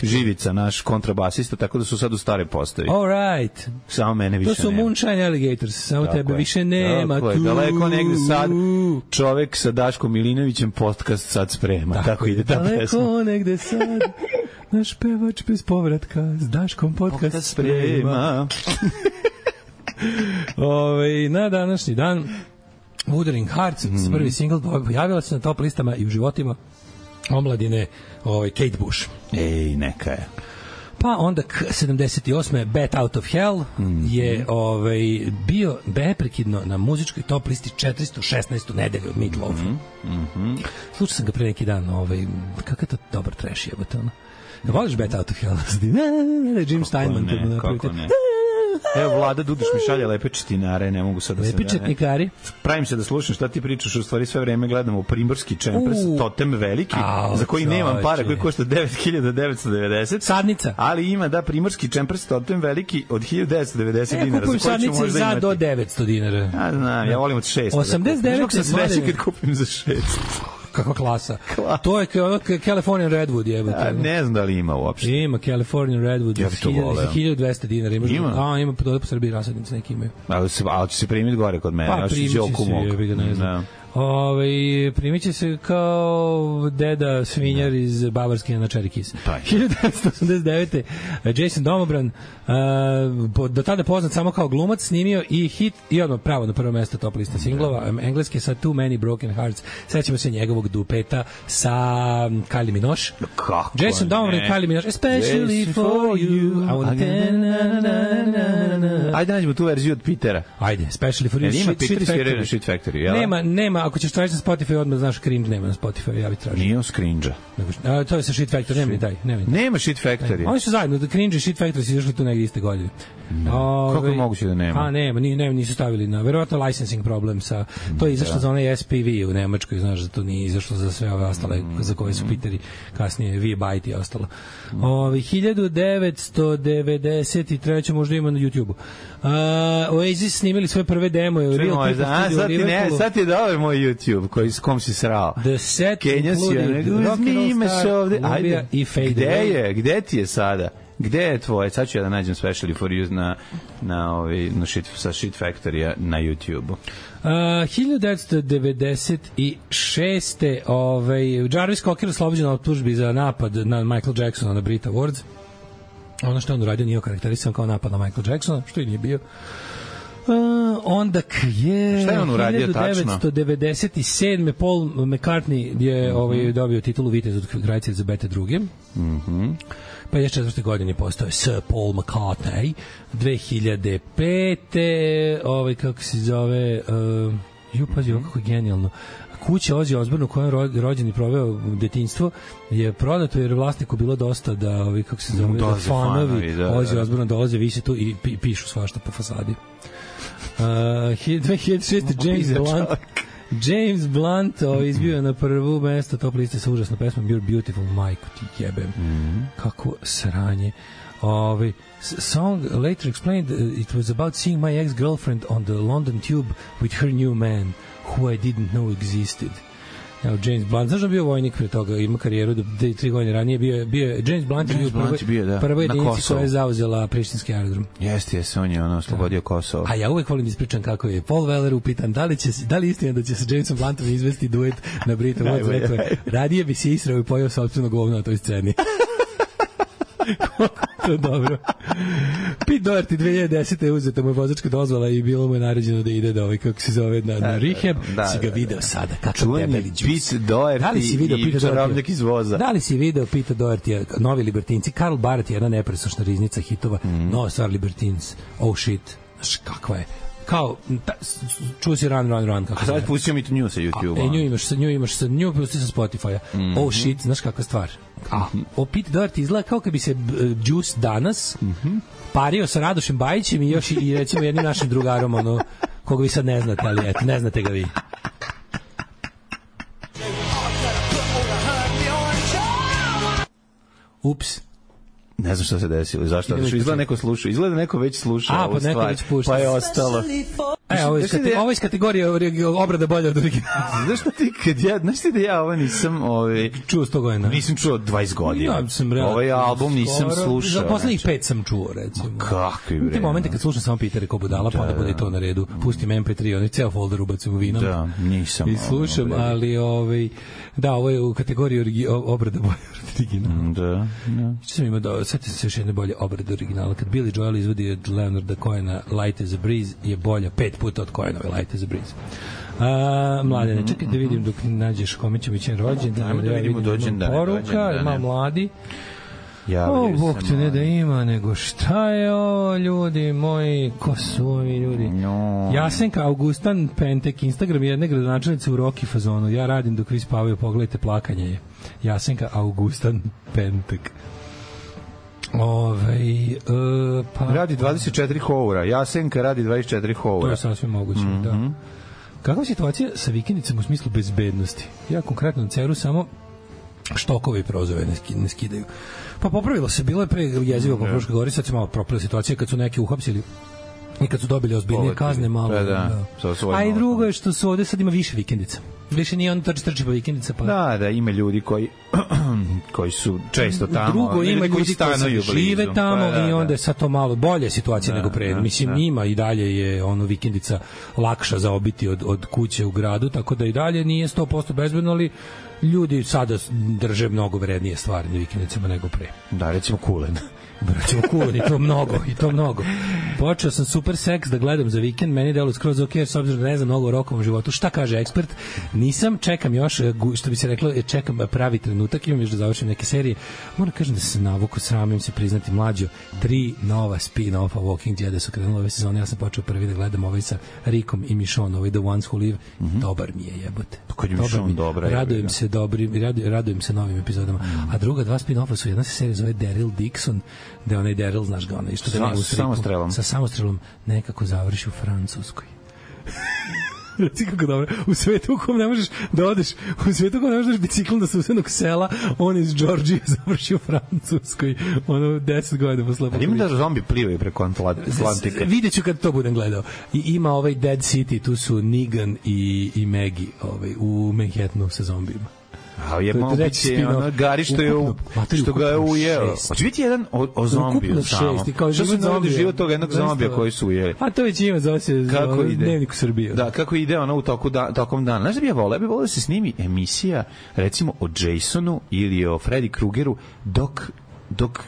S7: Živica, naš kontrabasista, tako da su sad u stare postavi.
S6: All right.
S7: Samo mene više nema.
S6: To su Moonshine Alligators, samo tebe više nema.
S7: Daleko negde sad čovek sa Daškom Milinovićem podcast sad sprema. Tako ide ta pesma.
S6: Daleko negde sad naš pevač bez povratka s Daškom podcast sprema. Na današnji dan Wuthering Hearts, prvi single, pojavila se na top listama i u životima omladine Kate Bush.
S7: Ej, neka je.
S6: Pa onda 78. Bat Out of Hell je bio beprekidno na muzičkoj top listi 416. nedelju od Meat Loaf. Slušao sam ga pre neki dan, kakav je to dobar trash jebote, ono. Voliš Bat Out of Hell? Jim Steinman.
S7: Kako ne? Evo, Vlada Duduš mi šalje lepe četinare, ne mogu sad da se...
S6: Lepi četnikari.
S7: Pravim se da slušam šta ti pričaš, u stvari sve vreme gledamo Primorski Čempres, totem veliki, za koji nemam para, koji košta 9.990.
S6: Sadnica.
S7: Ali ima, Primorski Čempres, totem veliki od 1990 dinara.
S6: Kupujem sadnice za do 900 dinara.
S7: Ja znam, ja volim od 600.
S6: 89.
S7: sam sreći kad kupim za 600.
S6: Kakva klasa. To je ono Californian Redwood jebote.
S7: Ne znam da li ima uopšte.
S6: Ima Californian Redwood za 1200 dinara. Ima. Ima po Srbiji rasadnice neki imaju.
S7: Ali će se primiti gore kod mene.
S6: Pa primit će se, ne znam. Primit će se kao deda svinjar iz Bavarske na Cherry Kiss. 1989. Jason Domobran, do tada poznat samo kao glumac, snimio i hit i odmah pravo na prvo mesto top lista singlova, engleske sa Too Many Broken Hearts. Sećamo se njegovog dupeta sa Kylie Minogue. Jason Domobran i Kylie Minogue, especially for you.
S7: Ajde nađemo tu verziju od Petera.
S6: Ajde, especially for you.
S7: Ima Peter sviraju na Shit Factory, jel?
S6: Nema, ako ćeš tražiti na Spotify, odmah znaš Cringe nema na Spotify, ja bih tražio.
S7: Nije on Cringe-a.
S6: To je sa Shit Factory, nema ni taj.
S7: Nema Shit Factory.
S6: Oni su zajedno, Cringe i Shit Factory su izašli tu negdje iste godine.
S7: Kako je moguće da nema?
S6: Nema, nisu stavili na, verovatno licensing problem sa, to je izašlo za onaj SPV u Nemačkoj, znaš da to nije izašlo za sve ove ostale za koje su Peteri kasnije V-Byte i ostalo. 1993. možda ima na YouTube-u. Oasis snimili svoje prve demo.
S7: Sad ti je dobar moj YouTube s kom si srao.
S6: The set
S7: included
S6: Rock'n'Roll Star, Lumbia i Fade Away.
S7: Gde ti je sada? Gde je tvoje? Sad ću ja da nađem Specially for You sa Shit Factory na YouTube-u.
S6: 1996. Jarvis Cocker oslobođen od optužbi za napad na Michael Jacksona na Brit Awards. Ono što on uradio nije okarakterisan kao napad na Michael Jacksona, što i nije bio. Onda je 1997. Paul McCartney je dobio titulu vitez od Kraljice Elizabete II. Pa je 4. godine postao Sir Paul McCartney. 2005. Kako se zove, pazi, kako je genijalno. Kuća Ozzy Osbourne u kojoj je rođen i proveo detinjstvo je prodato jer vlasniku bilo dosta da kako se zove, da fanovi Ozzy Osbourne dolaze, vise tu i pišu svašta po fasadi. 2006. James Blunt izbio na prvu mesto top liste sa užasnom pesmom You're Beautiful, majko ti jebem. Kako sranje. Song later explained it was about seeing my ex-girlfriend on the London tube with her new man who I didn't know existed. James Blunt, znaš da bio vojnik pre toga, ima karijeru 3 godine ranije, bio James Blunt je bio prva jedinica koja je zauzela prištinski aerodrom.
S7: Jeste, on je oslobodio Kosovo.
S6: A ja uvek volim da ispričam kako je Paul Weller upitan da li je istina da će sa Jamesom Bluntom izvesti duet na Brit Awards, rekao je, radije bi se israo i pojao sopstveno govno na toj sceni. To je dobro. Pete Doherty 2010. je uzeta mu je vozačka dozvola i bilo mu je naređeno da ide kako se zove, na rehab. Si ga video sada, kako debeli džus.
S7: Pete Doherty i čarobnjak iz voza.
S6: Da li si video Pete Doherty, novi Libertinci? Karl Barrett je jedna nepresušna riznica hitova. Nova stvar Libertins. Oh shit. Znaš kakva je? kao čuo si run kako
S7: sad pustio mi to nju sa YouTube-a.
S6: nju pusti sa Spotify-a. Oh shit, znaš kakva stvar. Pete Doherty izgleda kao kad bi se Juice danas pario sa Radošem Bajićem i još i recimo jednim našim drugarom, ono, koga vi sad ne znate, ali eto, ne znate ga vi. Ups.
S7: Ne znam šta se desilo, zašto? Izgleda neko sluša, izgleda neko već sluša ovu stvar, pa je ostalo.
S6: Ovo iz kategorije obrada bolja od originala.
S7: Znaš šta ti, znaš ti da ja ovo nisam
S6: čuo 100 godina?
S7: Nisam čuo 20 godina. Ovaj album nisam slušao.
S6: Za poslednjih 5 sam čuo, recimo.
S7: Kakvi bre.
S6: Ti momente kad slušam samo Petere ko budala, pa onda bude to na redu. Pustim MP3, oni ceo folder ubacim u vinom.
S7: Da, nisam.
S6: I slušam, ali da, ovo je u kategoriji obrada bolja od originala.
S7: Da.
S6: Što sam imao da setite se još jedne bolje obrade originala. Kad Billy Joel izvodi od Leonarda Cohena Light as a Breeze je bolja 5 puta od Cohenove Light as a Breeze. Mladene, čekaj da vidim dok nađeš kome će biti rođendan.
S7: Ajmo da vidimo dođendan.
S6: Poruka, ima mladi. Bog te ne da ima, nego šta je ovo, ljudi moji, ko su ovi ljudi? Jasenka Augustan Pentek, Instagram jedne gradonačelnice u rock fazonu. Ja radim dok vi spavaju, pogledajte, plakanje je. Jasenka Augustan Pentek. Pa
S7: radi 24 houra. Jasenka radi 24 houra.
S6: To je sasvim moguće, da. Kakva je situacija sa vikendicama u smislu bezbednosti? Ja konkretno na Ceru samo štokove i prozove ne skidaju. Pa popravilo se, bilo je pre jezivo po Fruškoj Gori, sad se malo propila situacija kad su neki uhapsili i kad su dobili ozbiljnije kazne malo. A i drugo je što su ovde sad ima više vikendica. Više nije on trči pa vikendica. Pa...
S7: Da, ima ljudi koji su često tamo.
S6: Drugo ima ljudi koji žive tamo i onda je sad to malo bolje situacija nego pre. Mislim, ima i dalje je ono vikendica lakša za obiti od kuće u gradu, tako da i dalje nije 100% bezbedno, ali ljudi sada drže mnogo vrednije stvari na vikendicama nego pre.
S7: Da, recimo kulen.
S6: Recimo kulen, i to mnogo. Počeo sam Super Sex da gledam za vikend, meni delo skroz ok, s obzirom da ne znam mnogo o rokovom životu. Šta kaže ekspert? Nisam, čekam još, što bi se reklo, čekam pravi trenutak, imam još da završim neke serije. Moram kažem da se navuku, sramim se priznati, mlađo, 3 nova spin-offa Walking Dead su krenule ove sezone, ja sam počeo prvi da gledam ovaj sa Rickom i Michonne, ovaj The Ones Who Live, dobar mi je, jebote. Radujem se novim epizodama. A druga 2 spin-offa su, jedna se serija zove Daryl Dixon, da je onaj Daryl, znaš ga, onaj što da nema sa samostrelom nekako završi u Francuskoj. Reci kako dobro. U svetu u kom ne možeš da odeš, u svetu u kom ne možeš biciklom da se usenog sela, on iz Georgije završi u Francuskoj. Ono 10 godina posle.
S7: Ali ima da zombi plivaju preko Atlantika.
S6: Vidjet ću kad to budem gledao. I ima ovaj Dead City, tu su Negan i Maggie u Manhattanu sa zombijima.
S7: A je malo biće ono Gari što ga je ujeo. Hoće biti jedan o zombiju samo. Što se navodi život toga jednog zombija koji su ujeli?
S6: A to već ima, zove se Dnevnik u Srbiji.
S7: Da, kako ide ono u tokom dana. Znaš da bi ja voleo da se snimi emisija recimo o Jasonu ili o Freddy Kruegeru dok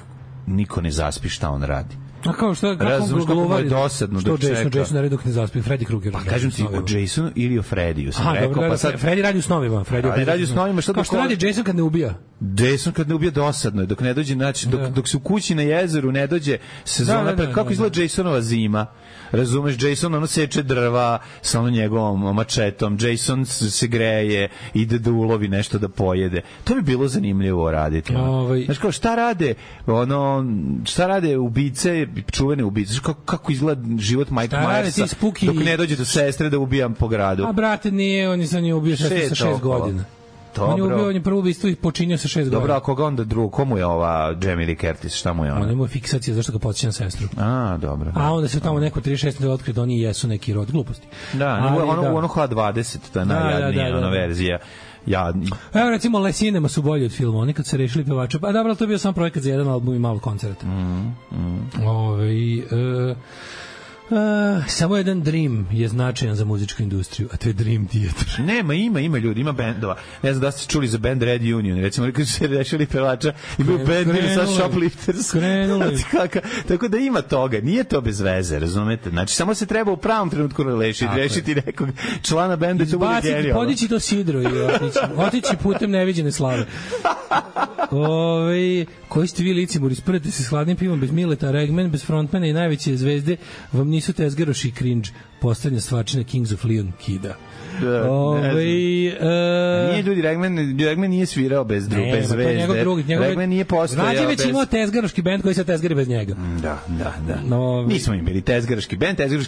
S7: niko ne zaspi šta on radi.
S6: A kao što
S7: kako je dosadno
S6: da čeka. Jason radi dok ne zaspi, Freddy Krueger.
S7: Pa kažem ti o Jasonu ili o Freddyu, sam rekao.
S6: Pa sad Freddy radi u snovima,
S7: Freddy radi u snovima,
S6: šta što radi Jason kad ne ubija?
S7: Jason kad ne ubija dosadno je, dok ne dođe, znači dok se u kući na jezeru ne dođe sezona pred, kako izgleda Jasonova zima. Razumeš, Jason ono seče drva sa ono njegovom mačetom, Jason se greje, ide da ulovi nešto da pojede. To bi bilo zanimljivo raditi. Znaš kao, šta rade ubice, čuvene ubice, kako izgleda život Mike Myersa dok ne dođe do sestre da ubijam po gradu.
S6: A brate, nije, on je za nje ubio sa 6 godina. On je prvo ubistvo i počinio sa 6 godina.
S7: Dobro, a koga onda drugo? Komu je ova Jamie Lee Curtis? Šta mu je ona?
S6: On ima fiksacija zašto ga podsjeća na sestru.
S7: A, dobro.
S6: A onda se tamo neko 36 da otkrije da oni jesu neki rod gluposti.
S7: Da, ono H20, to je najjadnija ona verzija.
S6: Evo recimo Le Cinema su bolji od filma, oni kad se rešili pevača, pa dobro, to je bio sam projekat za jedan album i malo koncerta. Samo jedan Dream je značajan za muzičku industriju, a to je Dream Theater.
S7: Nema, ima ljudi, ima bendova. Ne znam da ste čuli za band Red Union, recimo kad su se rešili pevača i bio band ili sa Shoplifters. Tako da ima toga, nije to bez veze, razumete? Znači, samo se treba u pravom trenutku rešiti nekog člana benda i to bude genijalno.
S6: Podići to sidro i otići putem neviđene slave. Koji ste vi licimuri, sprete se s hladnim pivom bez Mileta, Regman, bez frontmana i najveće zvezde, vam nisu tezgaroši i cringe. poslednja stvarčina Kings of Leon kida.
S7: Nije ljudi, Regman nije svirao bez zvezde. Regman nije postojao bez...
S6: Rađević imao tezgaroški bend koji se tezgari bez njega.
S7: Da. Nismo im bili tezgaroški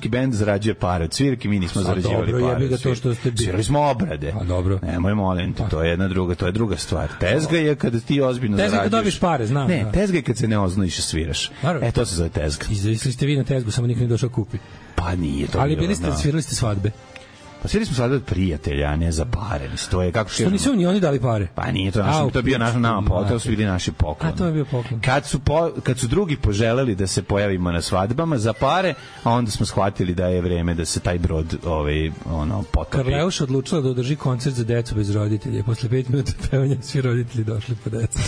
S7: bend zarađuje pare od svirke, mi nismo zarađivali pare.
S6: Dobro, to što ste bili.
S7: Svirali smo obrade.
S6: A dobro.
S7: Nemoj, molim te, to je druga stvar. Tezga je kada ti ozbiljno zarađuješ.
S6: Tezga kad dobiš pare, znam.
S7: Ne, tezga je kad se ne oznojiš i sviraš. To se zove tezga.
S6: Izvisli ste vi na tezgu, samo niko nije došao kupi.
S7: Pa nije to.
S6: Ali svirali ste svadbe.
S7: Pa svi smo sad od prijatelja, a ne za pare. To je kako
S6: što nisu ni oni dali pare.
S7: Pa nije to naš, to je bio nama poklon, su bili naši poklon.
S6: A to je bio poklon.
S7: Kad su drugi poželeli da se pojavimo na svadbama za pare, a onda smo shvatili da je vreme da se taj brod potopi.
S6: Karleuša odlučila da održi koncert za decu bez roditelja. Posle 5 minuta pevanja svi roditelji došli po decu.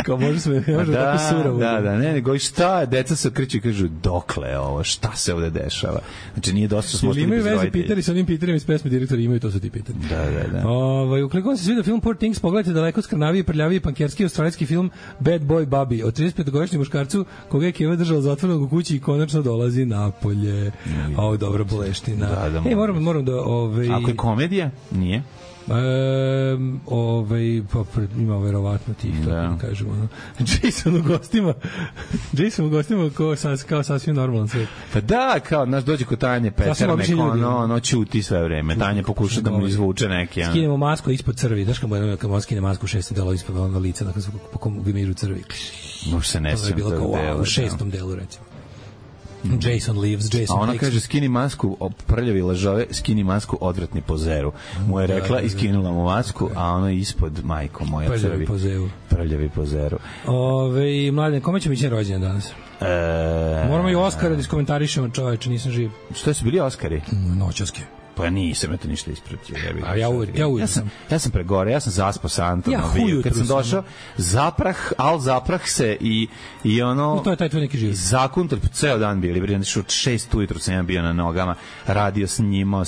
S6: Kao može tako surovo.
S7: Da, nego šta, deca se okreću i kažu dokle ovo, šta se ovde dešava. Znači nije dosta smo ostali bez roditelja. Imaju veze
S6: pitari sa onim pitanjem iz pesme direktori, imaju to su ti pitanje.
S7: Da.
S6: Ukoliko vam se svidio film Poor Things, pogledajte daleko skrnaviji, prljaviji, pankerski, australijski film Bad Boy Bobby o 35-godišnjem muškarcu koga je Keva držala zatvorenog u kući i konačno dolazi napolje. Ovo dobra boleština. Moram da...
S7: Ako je komedija, nije.
S6: Ima verovatno tih, tako kažemo. Jason u gostima kao sasvim normalan svet.
S7: Pa da, kao naš dođe kod Tanje Peternek, ono ćuti sve vreme. Tanja pokuša da mu izvuče neke.
S6: Skinemo masku ispod crvi, znaš kad mu skine masku u 6. delu ispod lica, po kom gmižu crvi.
S7: Može se ne sjećam tog dela.
S6: U 6. delu, recimo. Jason Leaves, Jason
S7: a ona kaže skini masku, prljavi lažove, skini masku, odvratni pozeru. Mu je rekla i skinula mu masku, a ono ispod, majko moja crvi. Prljavi pozeru.
S6: Mladen, kome će biti rođendan danas? Moramo i Oskara da iskomentarišemo, čoveče, nisam živ.
S7: Što su bili Oskari?
S6: Noćaske.
S7: Pa nisam to ništa ispratio.
S6: Ja
S7: sam pregore, ja sam zaspao sa Antonom. Kad sam došao, zaprah se i ono...
S6: To je taj tvoj neki život.
S7: Zakuntal, ceo dan bili, od 6 ujutru sam ja bio na nogama, radio snimao.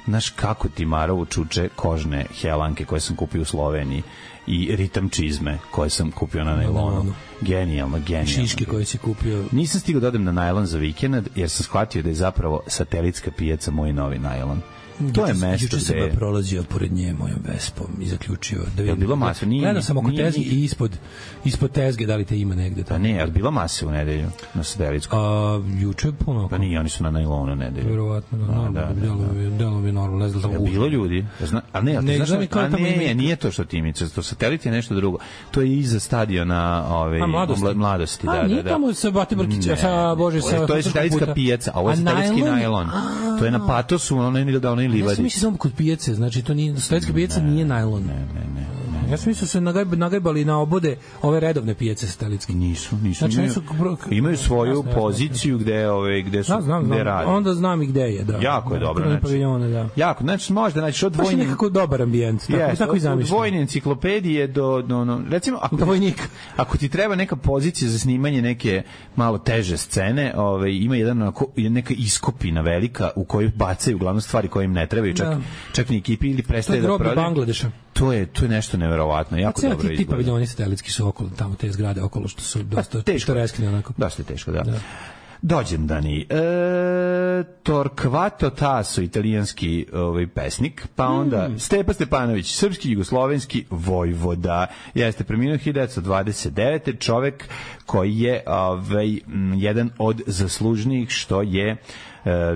S7: Znaš kako ti Marovu čuče kožne helanke koje sam kupio u Sloveniji i ritam čizme koje sam kupio na najlonu. Genijalno.
S6: Šiške koje si kupio.
S7: Nisam stigao da odem na najlon za vikend, jer sam shvatio da je zapravo satelitska pijaca moj novi najlon. To je mesto
S6: gde... Juče sam prolazio pored nje mojom Vespom i zaključio da
S7: je bilo masa.
S6: Gledao sam oko tezge i ispod tezge da li te ima negde.
S7: Pa ne, ali bilo mase u nedelju na satelitskom.
S6: Juče puno.
S7: Pa nije, oni su na najlonu nedelju.
S6: Verovatno, delo bi normalno. Ne znam da sam
S7: bilo ljudi. A ne, nije to što ti mice. To satelit je nešto drugo. To je iza stadiona Mladosti.
S6: Nije tamo sa Batiborkić,
S7: to je satelitska pijaca, a ovo je satelitski najlon. To je na Patosu, onaj livadi.
S6: Ja sam mislio samo kod pijace, znači to nije, satelitska pijaca nije najlon.
S7: Ne.
S6: Ja sam mislio se nagajbali na obode ove redovne pijace satelitske.
S7: Nisu. Znači, imaju svoju poziciju gde rade.
S6: Onda znam i gde je, da.
S7: Jako je dobro. Jako, znači možda naći od
S6: vojnih... Baš nekako dobar ambijent, tako i zamišljam.
S7: Od vojne enciklopedije do recimo, ako ti treba neka pozicija za snimanje neke malo teže scene, ima neka iskopina velika u kojoj bacaju uglavnom stvari koje im ne trebaju, čak ni ekipi ili prestaje da prodaju.
S6: To je grob Bangladeša.
S7: To je nešto neverovatno, jako dobro izgleda.
S6: Ti paviljoni satelitski su okolo, tamo te zgrade okolo što su dosta pittoreskni onako.
S7: Dosta teško, da. Dođendani. Torquato Tasso, italijanski pesnik, pa onda Stepa Stepanović, srpski jugoslovenski vojvoda. Jeste preminuo 1929. Čovek koji je jedan od zaslužnijih što je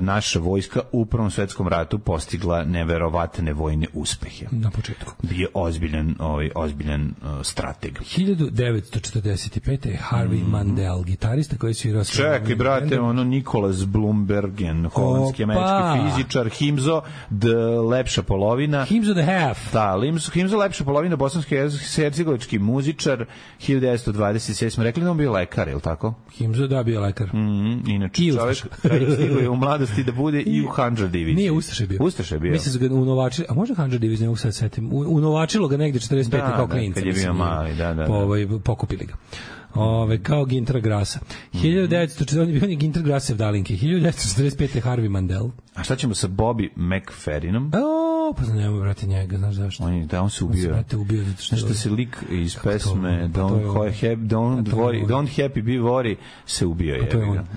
S7: naša vojska u Prvom svetskom ratu postigla neverovatne vojne uspehe.
S6: Na početku.
S7: Bio ozbiljan strateg.
S6: 1945. Harvey Mandel, gitarista koji svirao...
S7: Čekaj, brate, Nikolas Blumbergen, holandski američki fizičar, Himzo, lepša polovina.
S6: Himzo the half.
S7: Da, Himzo lepša polovina, bosansko-hercegovački muzičar, 1927. Smo rekli da on bio lekar, je li tako?
S6: Himzo, da, bio lekar.
S7: Inače, čovjek stiguje u mladosti da bude i u Handžar diviziji.
S6: Nije, Ustaše bio.
S7: Mislim
S6: da ga unovačili, a možda Handžar divizija, mogu sad setim. Unovačilo ga negde 45. kao klinca.
S7: Kad je bio mali, da.
S6: Pokupili ga. Kao Gintra Grasa. 1940 on je Gintra Grasev dalinke. 1945. Harvey Mandel.
S7: A šta ćemo sa Bobby McFerrinom?
S6: opasno, nema, brate, njega, znaš zašto?
S7: On se ubio.
S6: On se ubio zato što...
S7: Nešto se lik iz pesme Don't Happy Be Worry se ubio je.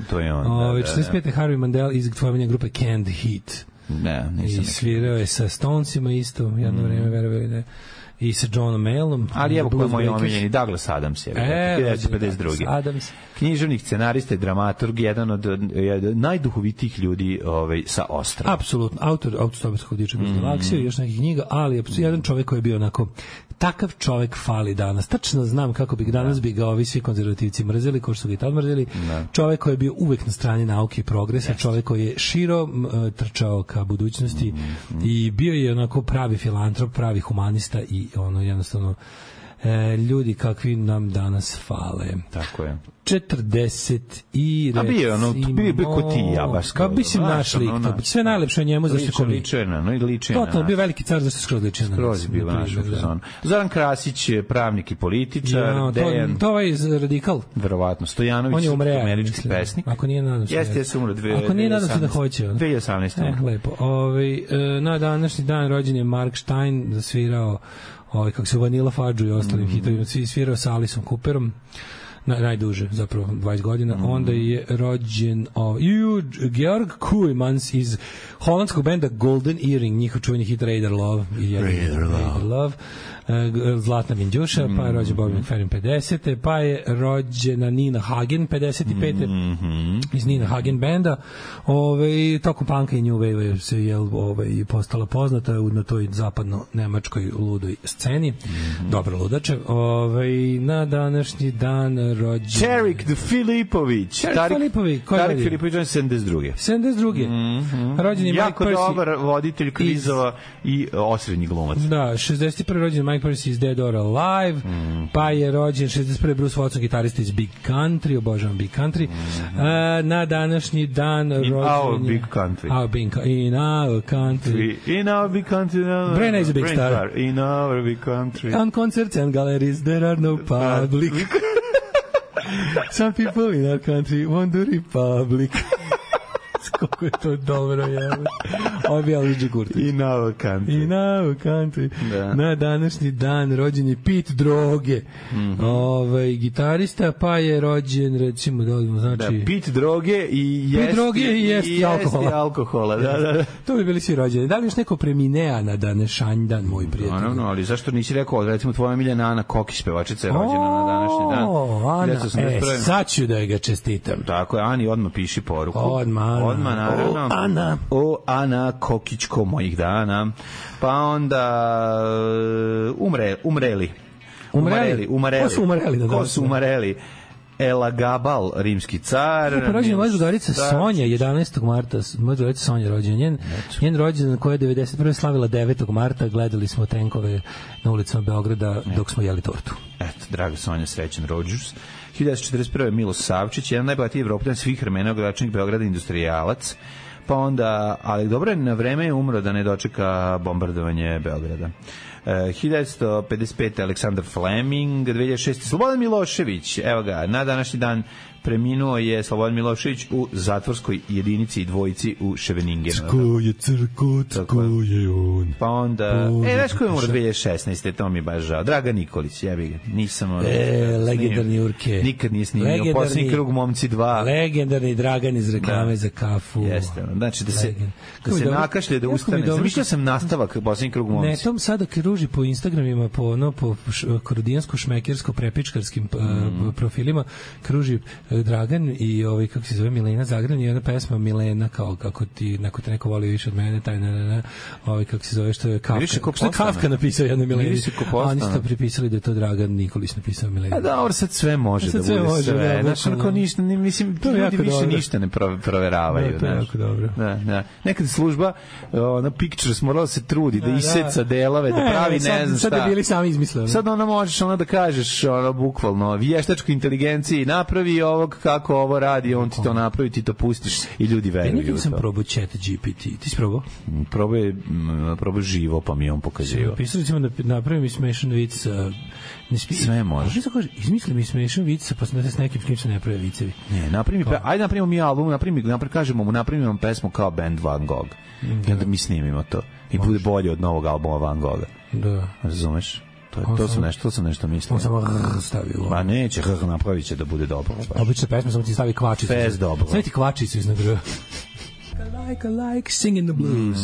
S7: To je on.
S6: 45. Harvey Mandel iz tvojevanja grupe Canned Heat.
S7: Ne, nisam.
S6: I svirao je sa Stonesima isto, jedno vreme, verovali da i sa Johnom Mayallom.
S7: Ali evo ko je moj omiljeni Douglas Adams je. 1952.
S6: Adams.
S7: Književnik, scenarista i dramaturg, jedan od najduhovitijih ljudi sa Ostra.
S6: Apsolutno. Autor autostoperskog diča kroz galaksiju i još nekih knjiga, ali jedan čovjek koji je bio onako takav čovjek fali danas. Tačno znam kako bi danas bi ga ovi svi konzervativci mrzeli, ko što su ga i tad mrzeli. Čovjek koji je bio uvek na strani nauke i progresa, čovjek koji je širo trčao ka budućnosti i bio je onako pravi filantrop, pravi humanista i ono jednostavno ljudi kakvi nam danas fale.
S7: Tako je.
S6: 40 i recimo...
S7: A bio je ono, bio ko ti ja, baš kao...
S6: Kao bi si naš lik, sve najlepše o njemu, zašto ko mi...
S7: Ličena, no i ličena.
S6: Totalno, bio veliki car, zašto skroz ličena.
S7: Skroz je bila naša fazona. Zoran Krasić je pravnik i političar, Dejan...
S6: To ovaj radikal.
S7: Verovatno, Stojanović, američki pesnik.
S6: Ako nije, nadam se.
S7: Jeste umro 2018.
S6: Ako nije, nadam se da hoće.
S7: 2018.
S6: Lepo. Na današnji dan rođen je Mark Stein, zasvirao kako se Vanilla Fudge i ostalim hitovima, svirao sa Aliceom Cooperom, najduže, zapravo 20 godina. Onda je rođen Georg Koeymans iz holandskog benda Golden Earring, njihov čuveni hit Raider Love. Raider Love. Zlatna Minđuša, pa je rođen Bobby McFerrin 50. Pa je rođena Nina Hagen 55. Iz Nina Hagen benda. Tokom punka i New Wave se postala poznata na toj zapadno-nemačkoj ludoj sceni. Dobro ludače. Na današnji dan rođen...
S7: Tarik Filipović.
S6: Tarik Filipović, koji je rođen?
S7: Tarik Filipović je 72.
S6: 72. Rođen je Mike Percy.
S7: Jako dobar voditelj kvizova i osrednji glumac.
S6: Da, 61. rođen Mike Percy iz Dead or Alive, pa je rođen 61. Bruce Watson, gitarista iz Big Country, obožavam Big Country. Na današnji dan rođen...
S7: In our Big Country.
S6: In our country.
S7: In our Big Country.
S6: Brenna is a big star.
S7: In our Big Country.
S6: On concerts and galleries there are no public. Some people in our country want the republic. Kako je to dobro, jebe. Ovo je bio Luigi Kurtić.
S7: In our country.
S6: In our country. Da. Na današnji dan rođen je Pete Droge. Gitarista, pa je rođen, recimo, znači...
S7: Da, Pete Droge i jesti alkohola. Da.
S6: To bi bili svi rođeni. Da li još neko preminea na današnji dan, moj prijatelj?
S7: No, ali zašto nisi rekao, recimo, tvoja miljena Ana Kokić, pevačica je rođena na današnji dan.
S6: Ana, sad ću da ga čestitam.
S7: Tako je, Ani, odmah piši poruku.
S6: Odmah,
S7: naravno. Ana Kokićko mojih dana. Pa onda umreli. Ko su umreli? Elagabal, rimski car.
S6: Pa rođena moja drugarica Sonja, 11. marta. Moja drugarica Sonja rođena. Njen rođendan koja je 91. slavila 9. marta. Gledali smo tenkove na ulicama Beograda dok smo jeli tortu.
S7: Eto, draga Sonja, srećan rođus. 1941. Miloš Savčić, jedan najbogatiji Evropljan svih vremena, gradonačelnik Beograda, industrijalac. Pa onda, ali dobro je, na vreme je umro da ne dočeka bombardovanje Beograda. 1955. Aleksandar Fleming, 2006. Slobodan Milošević, evo ga, na današnji dan preminuo je Slobodan Milošević u zatvorskoj jedinici i dvojici u Ševeningenu.
S6: Tko je crko, tko je on.
S7: Pa onda, znaš ko je umro 2016. To mi je baš žao. Draga Nikolić, jebi ga, nisam
S6: legendarni Urke.
S7: Nikad nije snimio. Posljednji krug Momci 2.
S6: Legendarni Dragan iz reklame za kafu.
S7: Jeste, znači da se nakašlje, da ustane. Zamišljao sam nastavak Posljednji krug Momci.
S6: Ne, tom sada kruži po Instagramima, po korodijansko-šmekersko-prepičkarskim profilima, kruži Dragan i kako se zove, Milena Zagran i jedna pesma Milena, kao kako ti neko voli više od mene, taj kako se zove, što je Kafka. Što je Kafka napisao jedna Milena, a oni su to pripisali da je to Dragan Nikolić napisao Milena.
S7: A dobro, sad sve može da bude sve. Znaš, onako ništa, mislim, ljudi više ništa ne proveravaju.
S6: To je jako dobro.
S7: Nekad služba, Pictures morala se trudi da iseca delove, da pravi ne znam šta.
S6: Sad je bili sami izmislili.
S7: Sad možeš da kažeš, bukvalno, vještačkoj inteligenciji napravi ovo prilog kako ovo radi, on ti to napravi, ti to pustiš i ljudi veruju.
S6: Ja nisam probao chat GPT. Ti si probao?
S7: Probao živo, pa mi je on pokazio.
S6: Pisali ćemo da napravim mi smešan vic.
S7: Sve može.
S6: Izmisli mi smešan vic, pa sam da s nekim s kim se ne prave vicevi.
S7: Ne, ajde napravimo mi album, kažemo mu, napravimo pesmu kao band Van Gogh. I onda mi snimimo to. I bude bolje od novog albuma Van Gogha.
S6: Da.
S7: Razumeš? To sam nešto mislio.
S6: On samo stavio.
S7: Pa neće, napravit će da bude dobro.
S6: Obična pesma, samo ti stavi kvačicu.
S7: Pes dobro.
S6: Stavi ti kvačicu iznad grba. Like, singing the blues.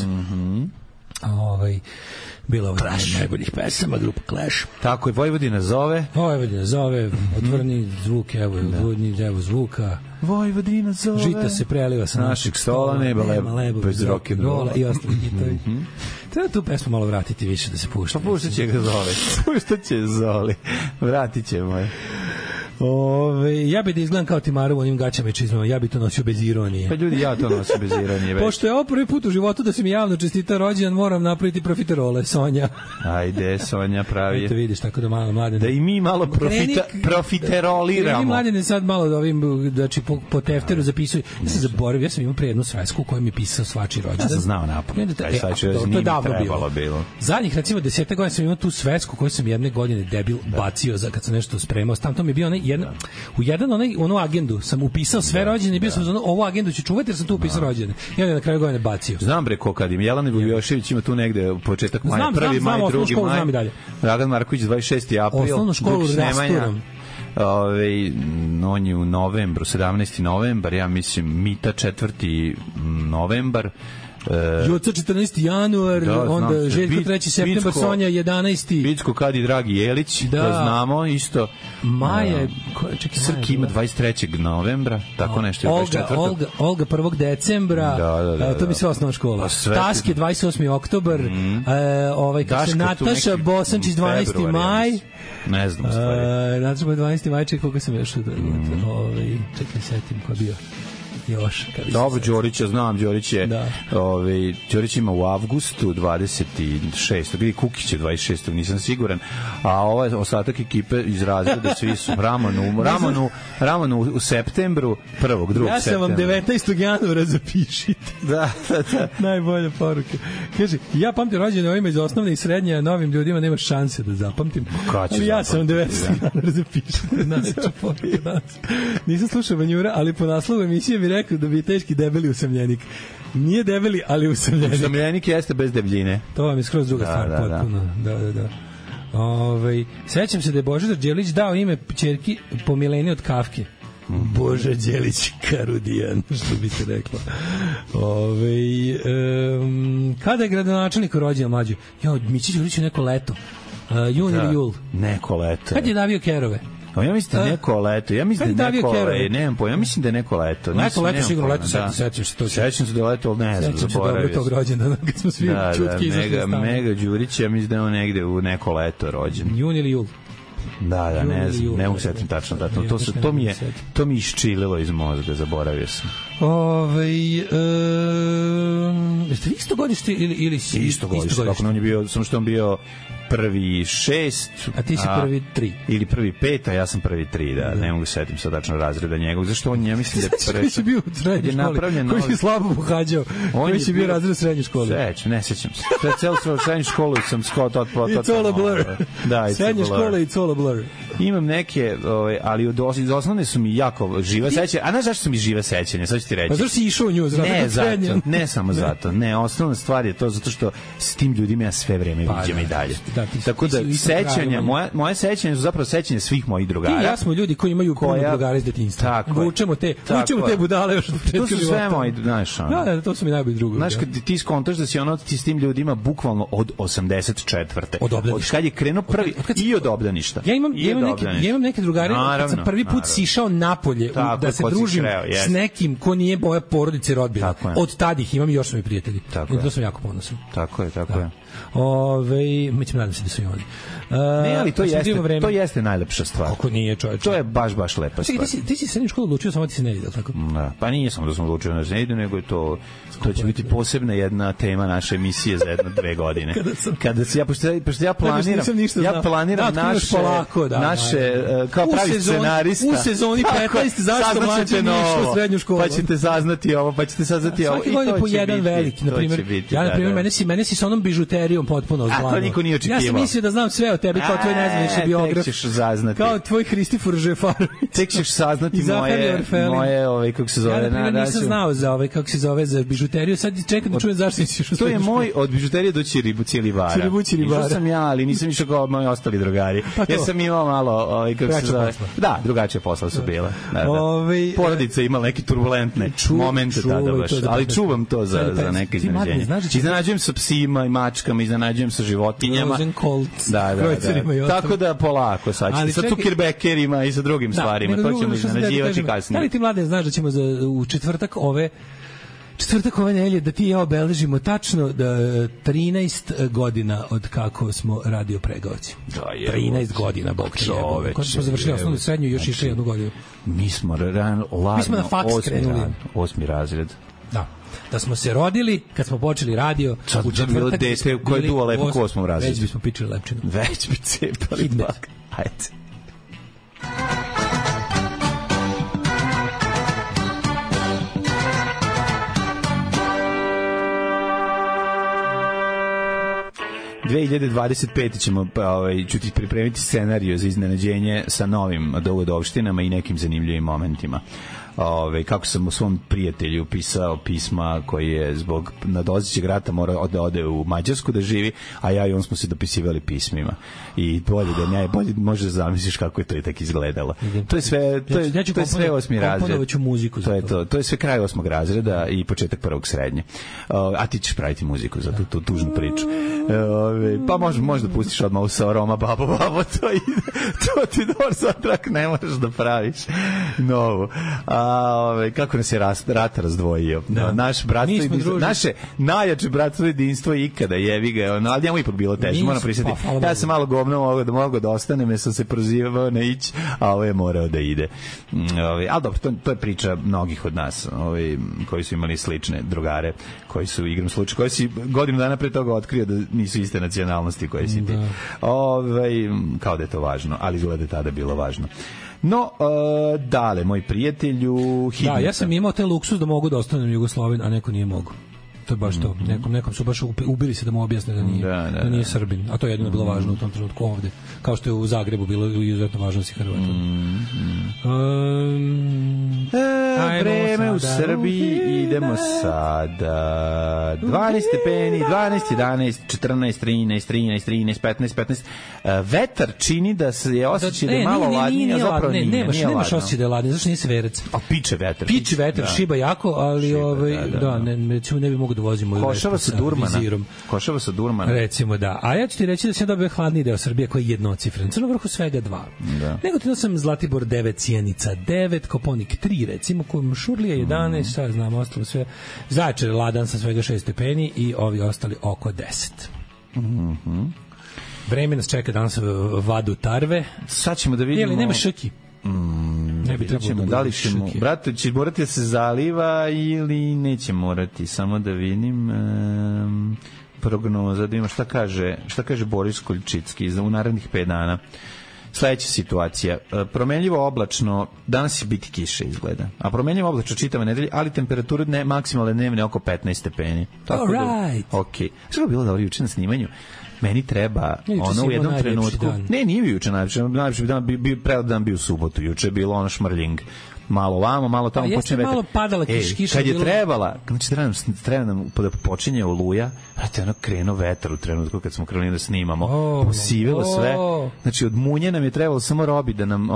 S6: Bila ovo najboljih pesama, grupa Clash.
S7: Tako je, Vojvodina zove,
S6: otvoreni zvuk, evo zvuka.
S7: Vojvodina zove.
S6: Žita se preliva sa našeg stola, nema lebo bez rock'n'rolla i ostali hitovi. Treba tu pesmu malo vratiti više da se pušta.
S7: Pa puštat će ga Zoli. Vratit ćemo je.
S6: Ja bi da izgledam kao Timaru u onim gaćama i čizmama, ja bi to nosio bez ironije.
S7: Pa ljudi, ja to nosim bez ironije.
S6: Pošto je ovo prvi put u životu da se mi javno čestita rođendan, moram napraviti profiterole, Sonja.
S7: Ajde, Sonja pravi.
S6: Eto vidiš, tako da malo mladene.
S7: Da i mi malo profiteroliramo.
S6: Kreni mladene sad malo da ovim, znači po tefteru zapisuju. Ja sam zaboravio, ja sam imao pre jednu svesku u kojoj mi pisao svačiji rođendan.
S7: Ja sam znao napad.
S6: To je davno bilo. Zadnjih, recimo, 10 godina sam imao tu svesku koju sam jedne godine debil bacio kad sam nešto spremao. Tam mi je bio u onu agendu sam upisao sve rođene i bio sam za ovu agendu ću čuvati jer sam tu upisao rođene. I onda na kraju godine bacio.
S7: Znam bre ko kad im Jelena Bujošević ima tu negde početak maja, 1. maj, 2. maj. Dragan Marković 26. april.
S6: Osnovnu školu rasturam.
S7: On je u novembru, 17. novembar, ja mislim Mita 4. novembar.
S6: Joca 14. januar, onda Željko 3. septembar, Sonja 11.
S7: Bicko Kadi Dragi Jelić, to znamo isto.
S6: Maja,
S7: Srki ima 23. novembra, tako nešto je 24.
S6: Olga 1. decembra, to bi sve osnovna škola. Taske 28. oktobar, Nataša Bosančić 12. maj.
S7: Ne znam stvari.
S6: Nataša 12. maj, čekaj koga sam još čekaj, setim ko bio.
S7: Dobro, Đorića, znam, Đorić je Đorić ima u avgustu 26. Vidi Kukić je 26. nisam siguran, a ovaj ostatak ekipe iz razreda svi su Ramonu u septembru, 1. 2. septembra.
S6: Ja sam vam 19. januara zapišite.
S7: Da.
S6: Najbolja poruka. Kaže, ja pamtim rođene ovima iz osnovne i srednje, a novim ljudima nema šanse da zapamtim. Ali ja sam 19. januara zapišite. Nisam slušao Vanjura, ali po naslovu emisije bi rekao da bi je teški debeli usamljenik. Nije debeli, ali usamljenik.
S7: Usamljenik jeste bez debljine.
S6: To vam je skroz druga stvar, potpuno. Da. Sećam se da je Božidar Đelić dao ime ćerki po Mileni od Kafke. Boža Đelić Karudijan, što bi se reklo. Kada je gradonačelnik rođen mlađe? Mići Đelić u neko leto. Jun ili jul?
S7: Neko leto.
S6: Kad je davio kerove?
S7: Ja mislim da neko leto. Ja mislim da neko leto.
S6: Neko leto sigurno leto, sećam se to.
S7: Sećam se da leto, ali ne znam, zaboravio.
S6: Dobro tog rođendana, kad smo svi čutki izašli stanu.
S7: Mega Đurić, ja mislim da je on negde u neko leto rođen.
S6: Jun ili jul?
S7: Da, ne mogu setim tačno datum. To mi iščililo iz mozga, zaboravio sam.
S6: Jeste vi isto godište ili si?
S7: Isto godište, kako on je bio, samo što on bio prvi 6,
S6: a ti si prvi 3.
S7: Ili prvi 5, a ja sam prvi 3, da. Ne mogu setim sad tačno razreda njegov. Zašto on, ja mislim da je
S6: koji si bio u srednjoj školi, koji si slabo pohađao, koji si bio razred u srednjoj školi.
S7: Ne sećam se. Celu srednju školu sam
S6: It's all a blur.
S7: Da,
S6: srednja škola It's all a blur.
S7: Imam neke, ali iz osnovne su mi jako žive sećanja. A znaš zašto su mi žive sećanja? Sad ću ti reći.
S6: Pa zašto si išao u nju?
S7: Ne samo zato. Ne, osnovna stvar je to zato što s tim ljudima ja sve vreme viđam i dalje. Tako da sećanja, moje sećanja su zapravo sećanja svih mojih drugara.
S6: Ti ja smo ljudi koji imaju puno drugara iz detinjstva. Vučemo te budale još od početka života.
S7: To su sve moji, znaš.
S6: Da, to su mi najbolji drugovi.
S7: Znaš, kad ti skontaš da si ti s tim ljudima bukvalno od 84. Od kad je krenuo prvi i od obdaništa.
S6: Ja imam neke drugare, kad sam prvi put sišao napolje da se družim s nekim ko nije moja porodica i rodbina. Od tada ih imam i još su mi prijatelji. I to sam jako ponosan.
S7: Tako je.
S6: Mi ćemo nadam se da su i oni.
S7: Ne, ali to jeste najlepša stvar.
S6: Kako nije, čovječe?
S7: To je baš lepa stvar.
S6: Ti si srednju školu odlučio, samo ti se ne ide, tako?
S7: Pa nije samo da sam odlučio da se ne ide, nego je to će biti posebna jedna tema naše emisije za 1-2 godine. Pošto ja planiram naše, kao pravi scenarista.
S6: U sezoni 15, zašto mlađe nije išlo u srednju školu.
S7: Pa ćete saznati ovo, pa ćete saznati ovo.
S6: Svaki godine po jedan veliki, na primjer. Ja, na primjer, mene si sa onom bižuterijom potpuno zglavno.
S7: A to niko nije očekivao.
S6: Ja sam mislio da znam sve o tebi, kao tvoj nezvanični biograf.
S7: Tek ćeš saznati.
S6: Kao tvoj Hristifor Žefarović.
S7: Tek ćeš saznati moje, kako se zove.
S6: Ja, na primjer, nisam znao za kako se zove, za bižuteriju. Sad čekam da čujem zašto nisi išao.
S7: To je moj, od bižuterije do Ćiribara. Išao sam ja, ali nisam išao kao moji ostali drugari. Ja sam imao malo, kako se zove. Da, drugačije posla su bile. Porodica imala neke turbulentne momente tada baš. Ali čuvam to za neke iznenađenje. Iznenađujem sa psima i mačkama, iznenađujem sa životinjama. Da. Tako da polako sad. Sa cukirbekerima i sa drugim stvarima. To ćemo iznenađivati kasnije.
S6: Da li ti, Mladen, znaš da ćemo u četvrtak ove nedelje da ti i ja obeležimo tačno 13 godina od kako smo radio Pregaoci. 13 godina, bog te jebe. Kako smo završili osnovnu srednju i još išli jednu godinu.
S7: Mi smo ladno, 8. razred.
S6: Da smo se rodili kad smo počeli radio
S7: u četvrtak, dete koje je duo lepo u 8. razredu.
S6: Već bismo pičili lepčinu.
S7: Već bi cepali bak. Ajde. U 2025 ću ti pripremiti scenariju za iznenađenje sa novim dogodovštinama i nekim zanimljivim momentima. Kako sam u svom prijatelju pisao pisma koji je zbog nadolazećeg rata morao da ode u Mađarsku da živi, a ja i on smo se dopisivali pismima. I bolje možeš da zamisliš kako je to i tako izgledalo. To je sve, to je sve 8. razred. To je sve kraj 8. razreda i početak 1. srednje. A ti ćeš praviti muziku za tu tužnu priču. Pa možda pustiš odmah u Roma, babo, to ti dobar satrak ne možeš da praviš novu. Kako nas je rat razdvojio. Naš bratstvo, naše najjače bratstvo jedinstvo ikada, jevi ga, ali njemu ipak bilo teže, moram prisjetiti. Ja sam malo govno mogao da ostane, sam se prozivao na ići, a ovo je morao da ide. Ali dobro, to je priča mnogih od nas, koji su imali slične drugare, koji su igram slučaj, koji si godinu dana pre toga otkrio da nisu iste nacionalnosti koje si ti. Kao da je to važno, ali izgleda tada bilo važno. No, dale, moj prijatelju, hitnica.
S6: Da, ja sam imao te luksus da mogu da ostanem Jugosloven, a neko nije mogu. To je baš to. Nekom su baš ubili se da mu objasne da nije Srbin. A to je jedino bilo važno u tom trenutku ovde. Kao što je u Zagrebu bilo izuzetno važno da si Hrvat.
S7: Vreme u Srbiji, idemo sada. 12 stepeni, 12, 11, 14, 13, 13, 13, 15, 15. Vetar čini da se je osjećaj da je malo ladnije, a zapravo nije.
S6: Nemaš osjećaj da je ladnije, zašto nije se verec?
S7: A piče vetar.
S6: Piče vetar, šiba jako, ali ne bi mogu da vozimo
S7: Košava sa Durmana.
S6: Recimo da. A ja ću ti reći da sam dobio hladniji deo Srbije koji je jednocifren. Crno vrhu svega 2. Negotin sam Zlatibor 9, Sjenica 9, Koponik 3, recimo, Šurlija 11, šta znam, ostalo sve. Zaječar je ladan sa svega 6 stepeni i ovi ostali oko 10. Vreme nas čeka danas vadu tarve.
S7: Sad ćemo da vidimo.
S6: Ili nema šrki?
S7: Ne bi trebalo da li ćemo, brate, će morati da se zaliva ili neće morati, samo da vidim prognoza, da vidimo šta kaže Boris Koljčicki u narednih 5 dana. Sledeća situacija, promenljivo oblačno, danas će biti kiše izgleda, a promenljivo oblačno čitava nedelja, ali temperature maksimalne dnevne oko 15 stepeni.
S6: Tako da,
S7: okej. Što je bilo dobro juče na snimanju? Meni treba ono u jednom trenutku. Ne, nije juče najlepši dan, prelep dan bio u subotu, juče je bilo ono šmrljing. Malo vamo, malo tamo počne vetar.
S6: Malo padala kiša.
S7: Kad je trebala, znači treba nam da počinje oluja, brate, ono krenuo vetar u trenutku kad smo krenuli da snimamo. Posivilo sve. Znači od munje nam je trebalo samo Robi da nam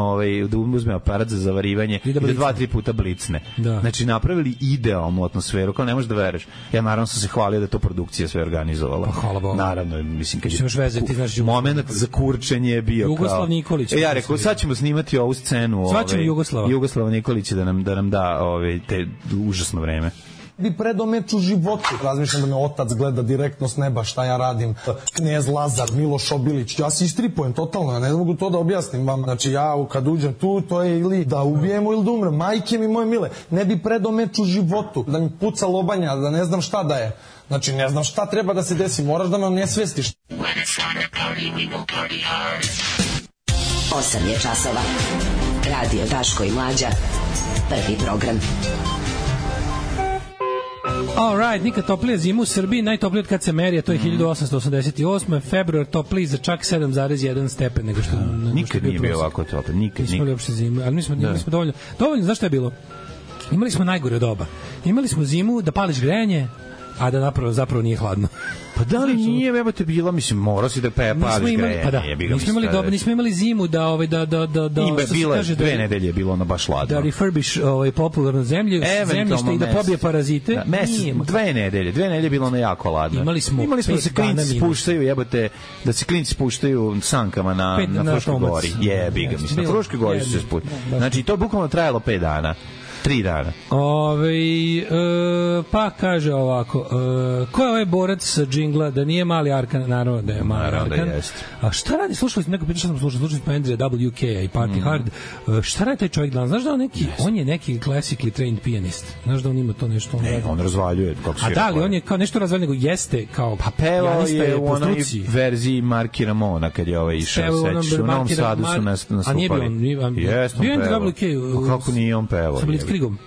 S7: da uzme aparat za zavarivanje i da 2-3 puta blicne. Znači napravili idealnu atmosferu, kao ne možeš da veruješ. Ja naravno sam se hvalio da je to produkcija sve organizovala.
S6: Pa hvala Bogu.
S7: Naravno, mislim kad
S6: je
S7: moment za kurčenje je bio
S6: Jugoslav Nikolić.
S7: Ja rekao, sad ćemo snimati ovu scenu.
S6: Svaćemo
S7: Jugoslav Nikolić da nam da te užasno vreme.
S9: Bi predomet u životu. Razmišljam da me otac gleda direktno s neba šta ja radim. Knez Lazar, Miloš Obilić. Ja se istripujem totalno, ja ne mogu to da objasnim vam. Znači ja kad uđem tu, to je ili da ubijemo ili da umrem. Majke mi moje mile, ne bi predomet u životu. Da mi puca lobanja, da ne znam šta da je. Znači ne znam šta treba da se desi, moraš da me ne svestiš.
S5: 8 je časova. Radio Daško i Mlađa. Prvi program.
S6: All right, nikad toplije zimu u Srbiji, najtoplije od kad se meri, a to je 1888. Februar topliji za čak 7,1 stepen nego što
S7: nikad nije bio ovako toplije, nikad.
S6: Nismo li uopšte zimu, ali nismo dovoljno. Dovoljno, znaš šta je bilo? Imali smo najgore doba. Imali smo zimu da pališ grejanje, a da zapravo nije hladno.
S7: Pa da li nije, evo te bilo, mislim, morao si da pališ grejanje.
S6: Pa da, nismo imali zimu da
S7: bilo 2 nedelje je bilo ono baš hladno.
S6: Da refurbish popularnu zemljište i da pobije parazite.
S7: 2 nedelje je bilo ono jako hladno.
S6: Imali smo
S7: da se klinci spuštaju, jebote, da se klinci spuštaju sankama na Fruškoj gori. Jebi ga, mislim, na Fruškoj gori su se spuštali. Znači, to je bukvalno trajalo 5 dana. 3 dana.
S6: Pa kaže ovako, ko je ovaj borac sa džingla, da nije Mali Arkan? Naravno da je Mali Arkan. A šta radi, slušali smo, neko pitao što sam slušali smo Andreja WK i Party Hard, šta radi taj čovjek danas? Znaš da on je neki classically trained pianist? Znaš da on ima to nešto?
S7: On razvaljuje.
S6: A da li, on je kao nešto razvaljuje, nego jeste kao
S7: pevao je u onoj verziji Marky Ramona kad je ovaj išao seći. U Novom Sadu su nas nastupali.
S6: A nije bio on?
S7: Jeste on pevao. Kako nije on pevao?
S6: Krigom.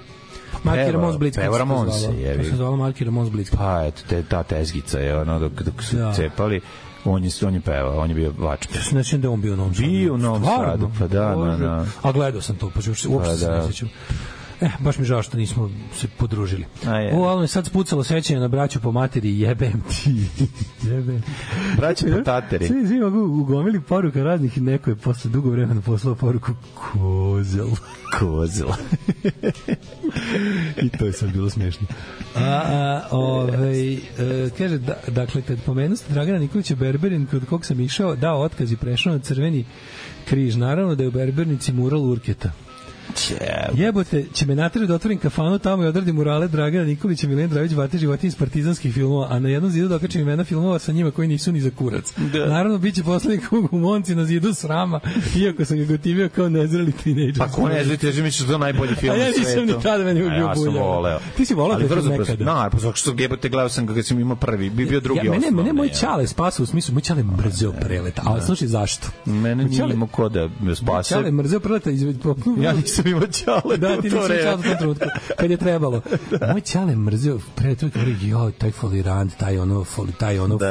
S6: Marky Ramones Blitzkrieg.
S7: Peva Ramones se
S6: jevi. To se zvala Marky Ramones Blitzkrieg.
S7: Pa eto, ta tezgica je ono dok su cepali. On je pevao, on je bio vačpe.
S6: Znači da on bio u Novom Sadu.
S7: Bio u Novom Sadu, pa da.
S6: A gledao sam to, pa uopšte se ne sjećam. Baš mi žao što nismo se podružili. Ali me sad spucalo sećanje na braću po materi, jebem ti.
S7: Braću po tateri.
S6: Svi mogu ugomili poruka raznih i neko je posle dugo vremena poslao poruku kozel. I to je sad bilo smiješno. Kaže, dakle, kad pomenuste Dragana Nikolića Berberin, kod kog sam išao, dao otkaz i prešao na Crveni križ. Naravno da je u Berbernici mural Urketa. Jebote, će me natrati da otvorim kafanu tamo i odradim murale Dragana Nikolića, Milena Dravić, Bate životinje iz partizanskih filmova, a na jednom zidu dokačim imena filmova sa njima koji nisu ni za kurac. Naravno, bit će poslednji kug u Monci na zidu srama, iako sam ga gotivio kao nezreli tinejdžer.
S7: Pa ko nezreli tinejdžer, misliš da je najbolji film na svetu?
S6: A ja nisam ni tada meni bio bulja.
S7: Ja sam voleo.
S6: Ti si voleo da je nekada?
S7: Pa što jebote, gledao sam kad sam imao prvi, bio drugi osnovni.
S6: Mene moj čale spasao, u smislu, moj čale mrzeo preleta, ali slušaj zašto?
S7: Mene nije imao ko da me spase.
S6: Čale mrzeo preleta,
S7: ja nisam imao čale.
S6: Da, ti nisi čao u tom trenutku, kad je trebalo. Moj čale mrzio, pre to je taj folirant, taj ono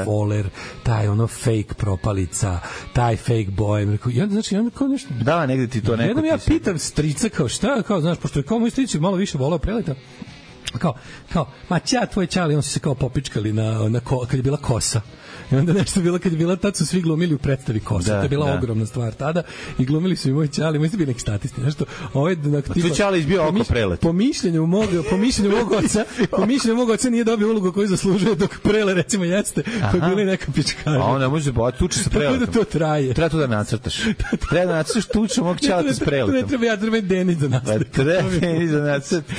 S6: foler, taj ono fake propalica, taj fake boy. I onda, znači, onda kao nešto...
S7: Da, negde ti to neko...
S6: Jednom ja pitam strica, kao šta, kao, znaš, pošto je kao moj strici malo više volao preleta, kao, ma tvoj čale, on se kao popičkali kad je bila kosa. I onda nešto bilo, kad je bila, tad su svi glumili u predstavi Kosa. To je bila ogromna stvar tada. I glumili su i moj čale, moj ste bili neki statisti. Nešto,
S7: tvoj čale izbio oko prelet.
S6: Po mišljenju mog oca nije dobio ulogu koju zaslužuje, dok Prele, recimo, jeste, pa je bila i neka pičkarija.
S7: A onda može tuče sa preletom.
S6: Tako da to traje.
S7: Treba to da nacrtaš. Treba da nacrtaš tuču mog čaleta s preletom.
S6: Ja treba Denis da nacrtaš.
S7: Treba Denis da nacrtaš.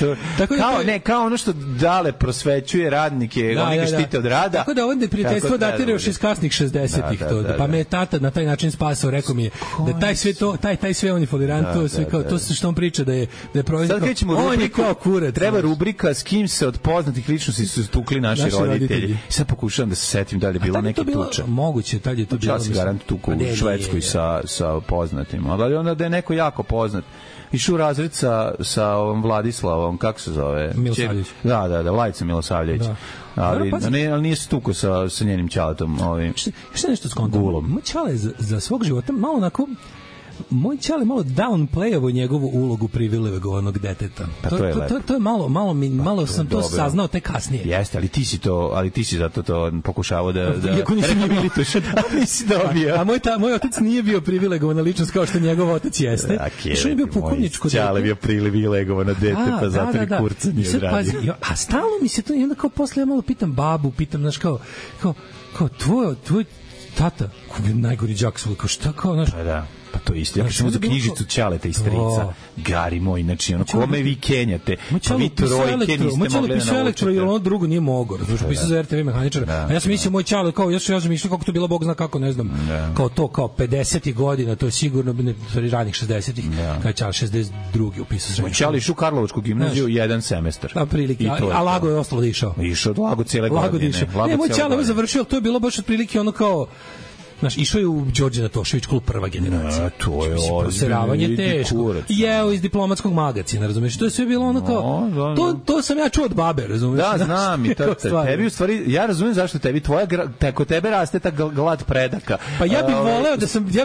S7: Kao ono što Dale prosvećuje radnike, oni ga štite od rada.
S6: Tako da ovdje prijateljstvo datira još iz kasnih 60-ih. Pa me je tata na taj način spasao, rekao mi je da taj sve on je folirant, to što on priča da je proizvod. On je kao kuret.
S7: Treba rubrika s kim se od poznatih ličnosti su tukli naši roditelji. Sad pokušavam da se setim da li je bilo neki tuča.
S6: Moguće, tad je to bilo.
S7: Ja se garant tuku u Švedskoj sa poznatim. Ali onda da je neko jako poznat. Išao u razred sa ovom Vladislavom, kako se zove?
S6: Milosavljević.
S7: Da, Vladica Milosavljević. Ali nije se tuko sa njenim čaletom.
S6: Šta nešto skontao? Moj čale za svog života malo onako... Moj čale malo downplayavo njegovu ulogu privilegovanog deteta.
S7: Pa
S6: to je malo sam to saznao tek kasnije.
S7: Jeste, ali ti si zato to pokušavao da
S6: iako nisam rehabilituješ.
S7: Nisi dobio.
S6: A moj otac nije bio privilegovana ličnost kao što njegov otac jeste. Što je bio pokojničko dete.
S7: Čale bio privilegovano dete, pa zato i kurca nije odradio.
S6: A stalno mi se to, i onda kao posle ja malo pitam babu, znaš, kao tvoj tata, najgori đak svoj, kao šta, kao, znaš,
S7: pa to isto. Ja kažem za knjižicu Ćaleta i strica. Gari moj, znači, ono, kome vi kenjate? Pa vi trojke niste mogli da naučite.
S6: Elektro, jer ono drugo nije mogao. Znači, pisao za RTV mehaničara. A ja sam mislio, moj Ćale, kao, ja sam mislio kako to bilo, Bog zna kako, ne znam, kao to, kao 50. godina, to je sigurno, ranih 60. Kao Ćale 62. upisao srednju.
S7: Moj Ćale išao u Karlovačku gimnaziju jedan semestar.
S6: A prilike, a Lago je ostalo da išao.
S7: Išao od Lago cijele godine.
S6: Moj Ćale je završio, to je bilo baš otprilike ono kao Znaš, išao je u Đorđe Natošević klub prva generacija.
S7: To je
S6: proseravanje teško. Jeo iz diplomatskog magacina, razumeš? To je sve bilo ono kao, to sam ja čuo od babe, razumeš?
S7: Da, znam i to tebi u stvari, ja razumem zašto tebi, kod tebe raste ta glad predaka.
S6: Pa ja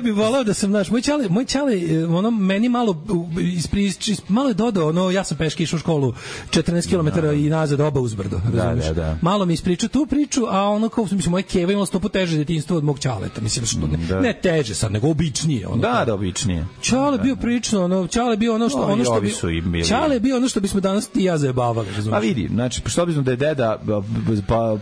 S6: bih voleo da sam, znaš, moj čale, ono, meni malo je dodao, ono, ja sam peške išao u školu 14 km i nazad oba uzbrdo, razumeš?
S7: Da.
S6: Malo mi ispričao tu priču, a ono kao, mislim, moje keva imalo 100 puta teže detinjstvo od mog čaleta, mislim, što ne teže sad, nego običnije. Ono,
S7: da, običnije.
S6: Čale bio prično, ono, Čale bio ono što bi Čale bio ono što bismo danas ti ja zajebavali, razumeš?
S7: Pa vidi, znači, što bismo da je deda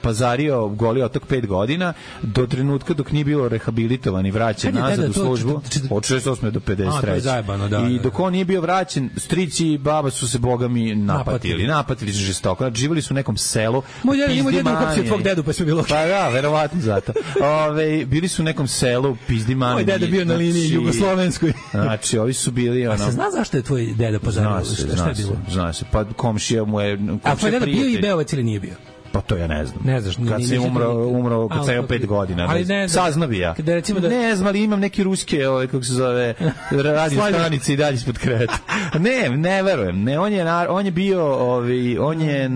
S7: pazario Goli otok 5 godina, do trenutka dok nije bilo rehabilitovan i vraćen nazad u službu, od 68. do 53. I dok on nije bio vraćen, strici i baba su se bogami napatili su žestoko. Znači, živjeli su u nekom selu.
S6: Moj deda uhapsio tvog dedu, pa sve bilo.
S7: Pa da, verovatno zato. Bili su u nekom selu, pizdi mani.
S6: Moj deda bio na liniji jugoslovenskoj.
S7: Znači, ovi su bili ono.
S6: A se zna zašto je tvoj deda pozario?
S7: Zna se. Pa komšija mu je.
S6: A tvoj deda bio i Beovac ili nije bio?
S7: Pa to ja ne znam.
S6: Ne znaš,
S7: kad se umro kad sam 5 godina. Saznao bi ja. Ne znam, ali imam neki ruske, kako se zove, radio stanice i dalje ispod kreta. Ne verujem. Ne, on je bio, on je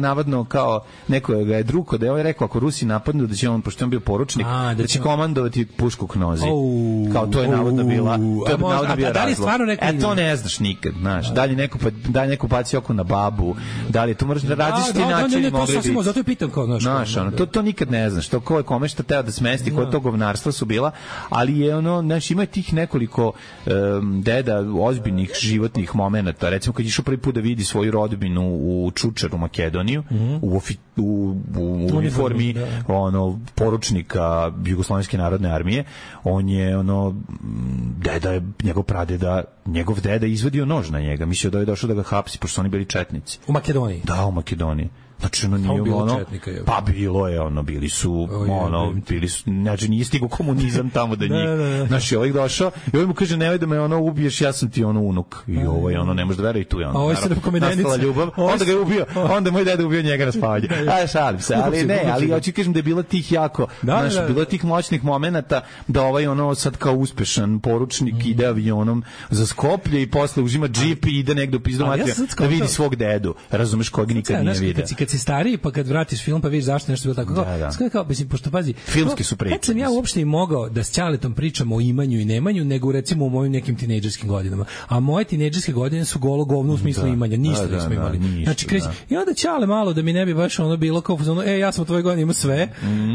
S7: navodno kao neko ga je drugo da je on rekao ako Rusi napadnu da će on, pošto on bio poručnik, da će komandovati pušku k nozi. Kao to je navodno bila. To je navodno bio razlog. To ne znaš nikad, znaš. Da li neko baci oko na babu, da li to možeš da radiš ti način.
S6: To sasvim, zato je pitam kao,
S7: znaš, to nikad ne znaš, to ko je kome šta teo da smesti, koje to govnarstva su bila, ali je ono, znaš, ima tih nekoliko deda ozbiljnih životnih momenata, recimo kad je išao prvi put da vidi svoju rodbinu u Čučaru, Makedoniju, u uniformi ono, poručnika Jugoslovenske narodne armije, on je ono, njegov deda izvadio nož na njega, mislio da je došao da ga hapsi, pošto su oni bili četnici.
S6: U Makedoniji?
S7: Da, u Makedoniji. Znači, ono nije ono, pa bilo je ono, bili su, znači nije stigo komunizam tamo da njih, znači ovaj došao i ovaj mu kaže, nemoj da me ono ubiješ, ja sam ti ono unuk i ovaj ono, ne može da veruje i tu je ono, nastala ljubav, onda ga je ubio, onda moj deda ubio njega na spavanje, šalim se, ali hoću kažem da je bilo tih jako, znači, bilo tih moćnih momenata da ovaj ono sad kao uspešan poručnik ide avionom za Skoplje i posle uzima džip i ide negde u pizdu materija da vidi svog dedu, razumeš, kojeg nikad nije vidio. Kad
S6: si stariji, pa kad vratiš film, pa vidiš zašto nešto bilo tako. Kao, mislim, pošto pazi,
S7: filmski su priče.
S6: Kad sam ja uopšte i mogao da s Ćaletom pričam o imanju i nemanju, nego recimo o mojim nekim tinejdžerskim godinama. A moje tinejdžerske godine su golo govno u smislu imanja, ništa nismo imali. Znači, i onda Ćale malo da mi ne bi baš ono bilo kao ja sam u tvojoj godini imao sve,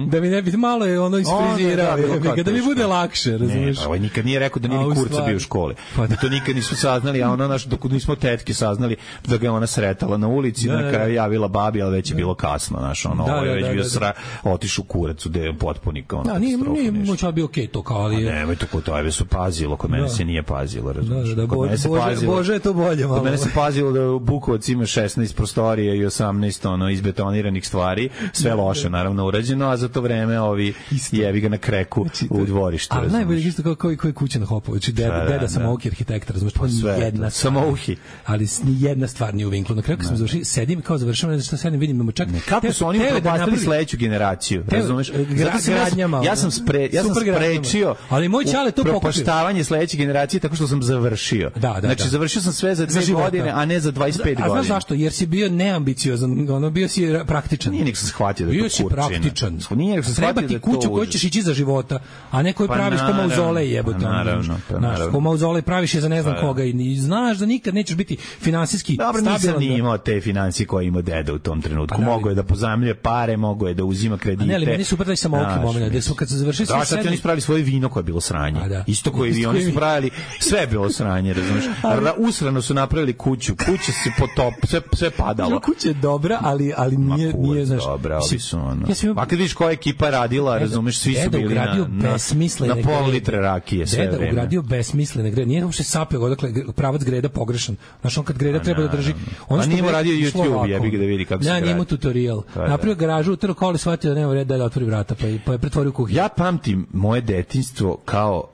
S6: da mi ne bi malo je ono isfrizirao, da mi bude lakše, razumiješ?
S7: Ovaj nikad nije rekao da nije ni kurca bio u školi. Da to nikad nisu saznali, a ono naš dok nismo tetke saznali da ga ona sretala na ulici, na kraju javila babi, ali već je bilo kasno, znaš, ono, ovo je već bio otišu kurac u deju potpunika, ono.
S6: Da, nije moćao bio okej to, kao, ali...
S7: Nemoj to kod tebe su pazilo, kod mene se nije pazilo, razumiješ?
S6: Bože je to bolje, malo.
S7: Kod mene se pazilo da Bukovac ima 16 prostorija i 18, ono, izbetoniranih stvari, sve loše, naravno, urađeno, a za to vreme ovi jevi ga na kreku u dvorištu,
S6: razumiješ? A najbolje isto kao i kuća na Hopovu, znači deda samouki arhitekta, razumiješ?
S7: Sve, samouki.
S6: Ali nijedna stvar nije u vinklu. Na kraju kad sam završio, sedim kao završavam, ne znam šta sedim, vidim, imamo čak...
S7: Kako su oni propastili sledeću generaciju, razumeš? Ja sam sprečio,
S6: ali moj Ćale to pokupio.
S7: Propaštavanje sledeće generacije tako što sam završio. Znači, završio sam sve za 2 godine, a ne za 25 godina.
S6: A znaš zašto? Jer si bio neambiciozan, ono, bio si praktičan.
S7: Nije nek sam shvatio da to
S6: bio si praktičan. Treba ti kuću koju ćeš ići za života, a ne koju praviš ko mauzolej, jebote. Naravno. Ko mauzolej praviš je za ne znam koga i znaš da nikad nećeš biti finansijski stabilan.
S7: Dobro, nisam ni imao te financije koje ima deda u tom trenutku. Mogo je da pozajmljuje pare, mogo je da uzima kredite.
S6: Ne, ali meni super da sam ovaki moment, da su kad se završili sve
S7: sad oni ispravili svoje vino koje je bilo sranje. Isto koji oni su pravili, sve je bilo sranje, razumeš? Usrano su napravili kuću, kuća se potop, sve padalo.
S6: Kuća je dobra, ali nije, znaš.
S7: Dobra, ovi su ono. A kad vidiš koja ekipa radila, razumeš, svi su bili na pol litre rakije sve vreme.
S6: Deda ugradio besmislene grede, nije uopšte sapio, odakle pravac greda pogrešan. Znaš, on kad greda treba da drži.
S7: On nije radio YouTube, jebi ga da vidi kako se gradi.
S6: Ja njemu tutorial. Napravio garažu, utrlo koli, shvatio da nema reda da otvori vrata, pa je pretvorio kuhinju.
S7: Ja pamtim moje detinjstvo kao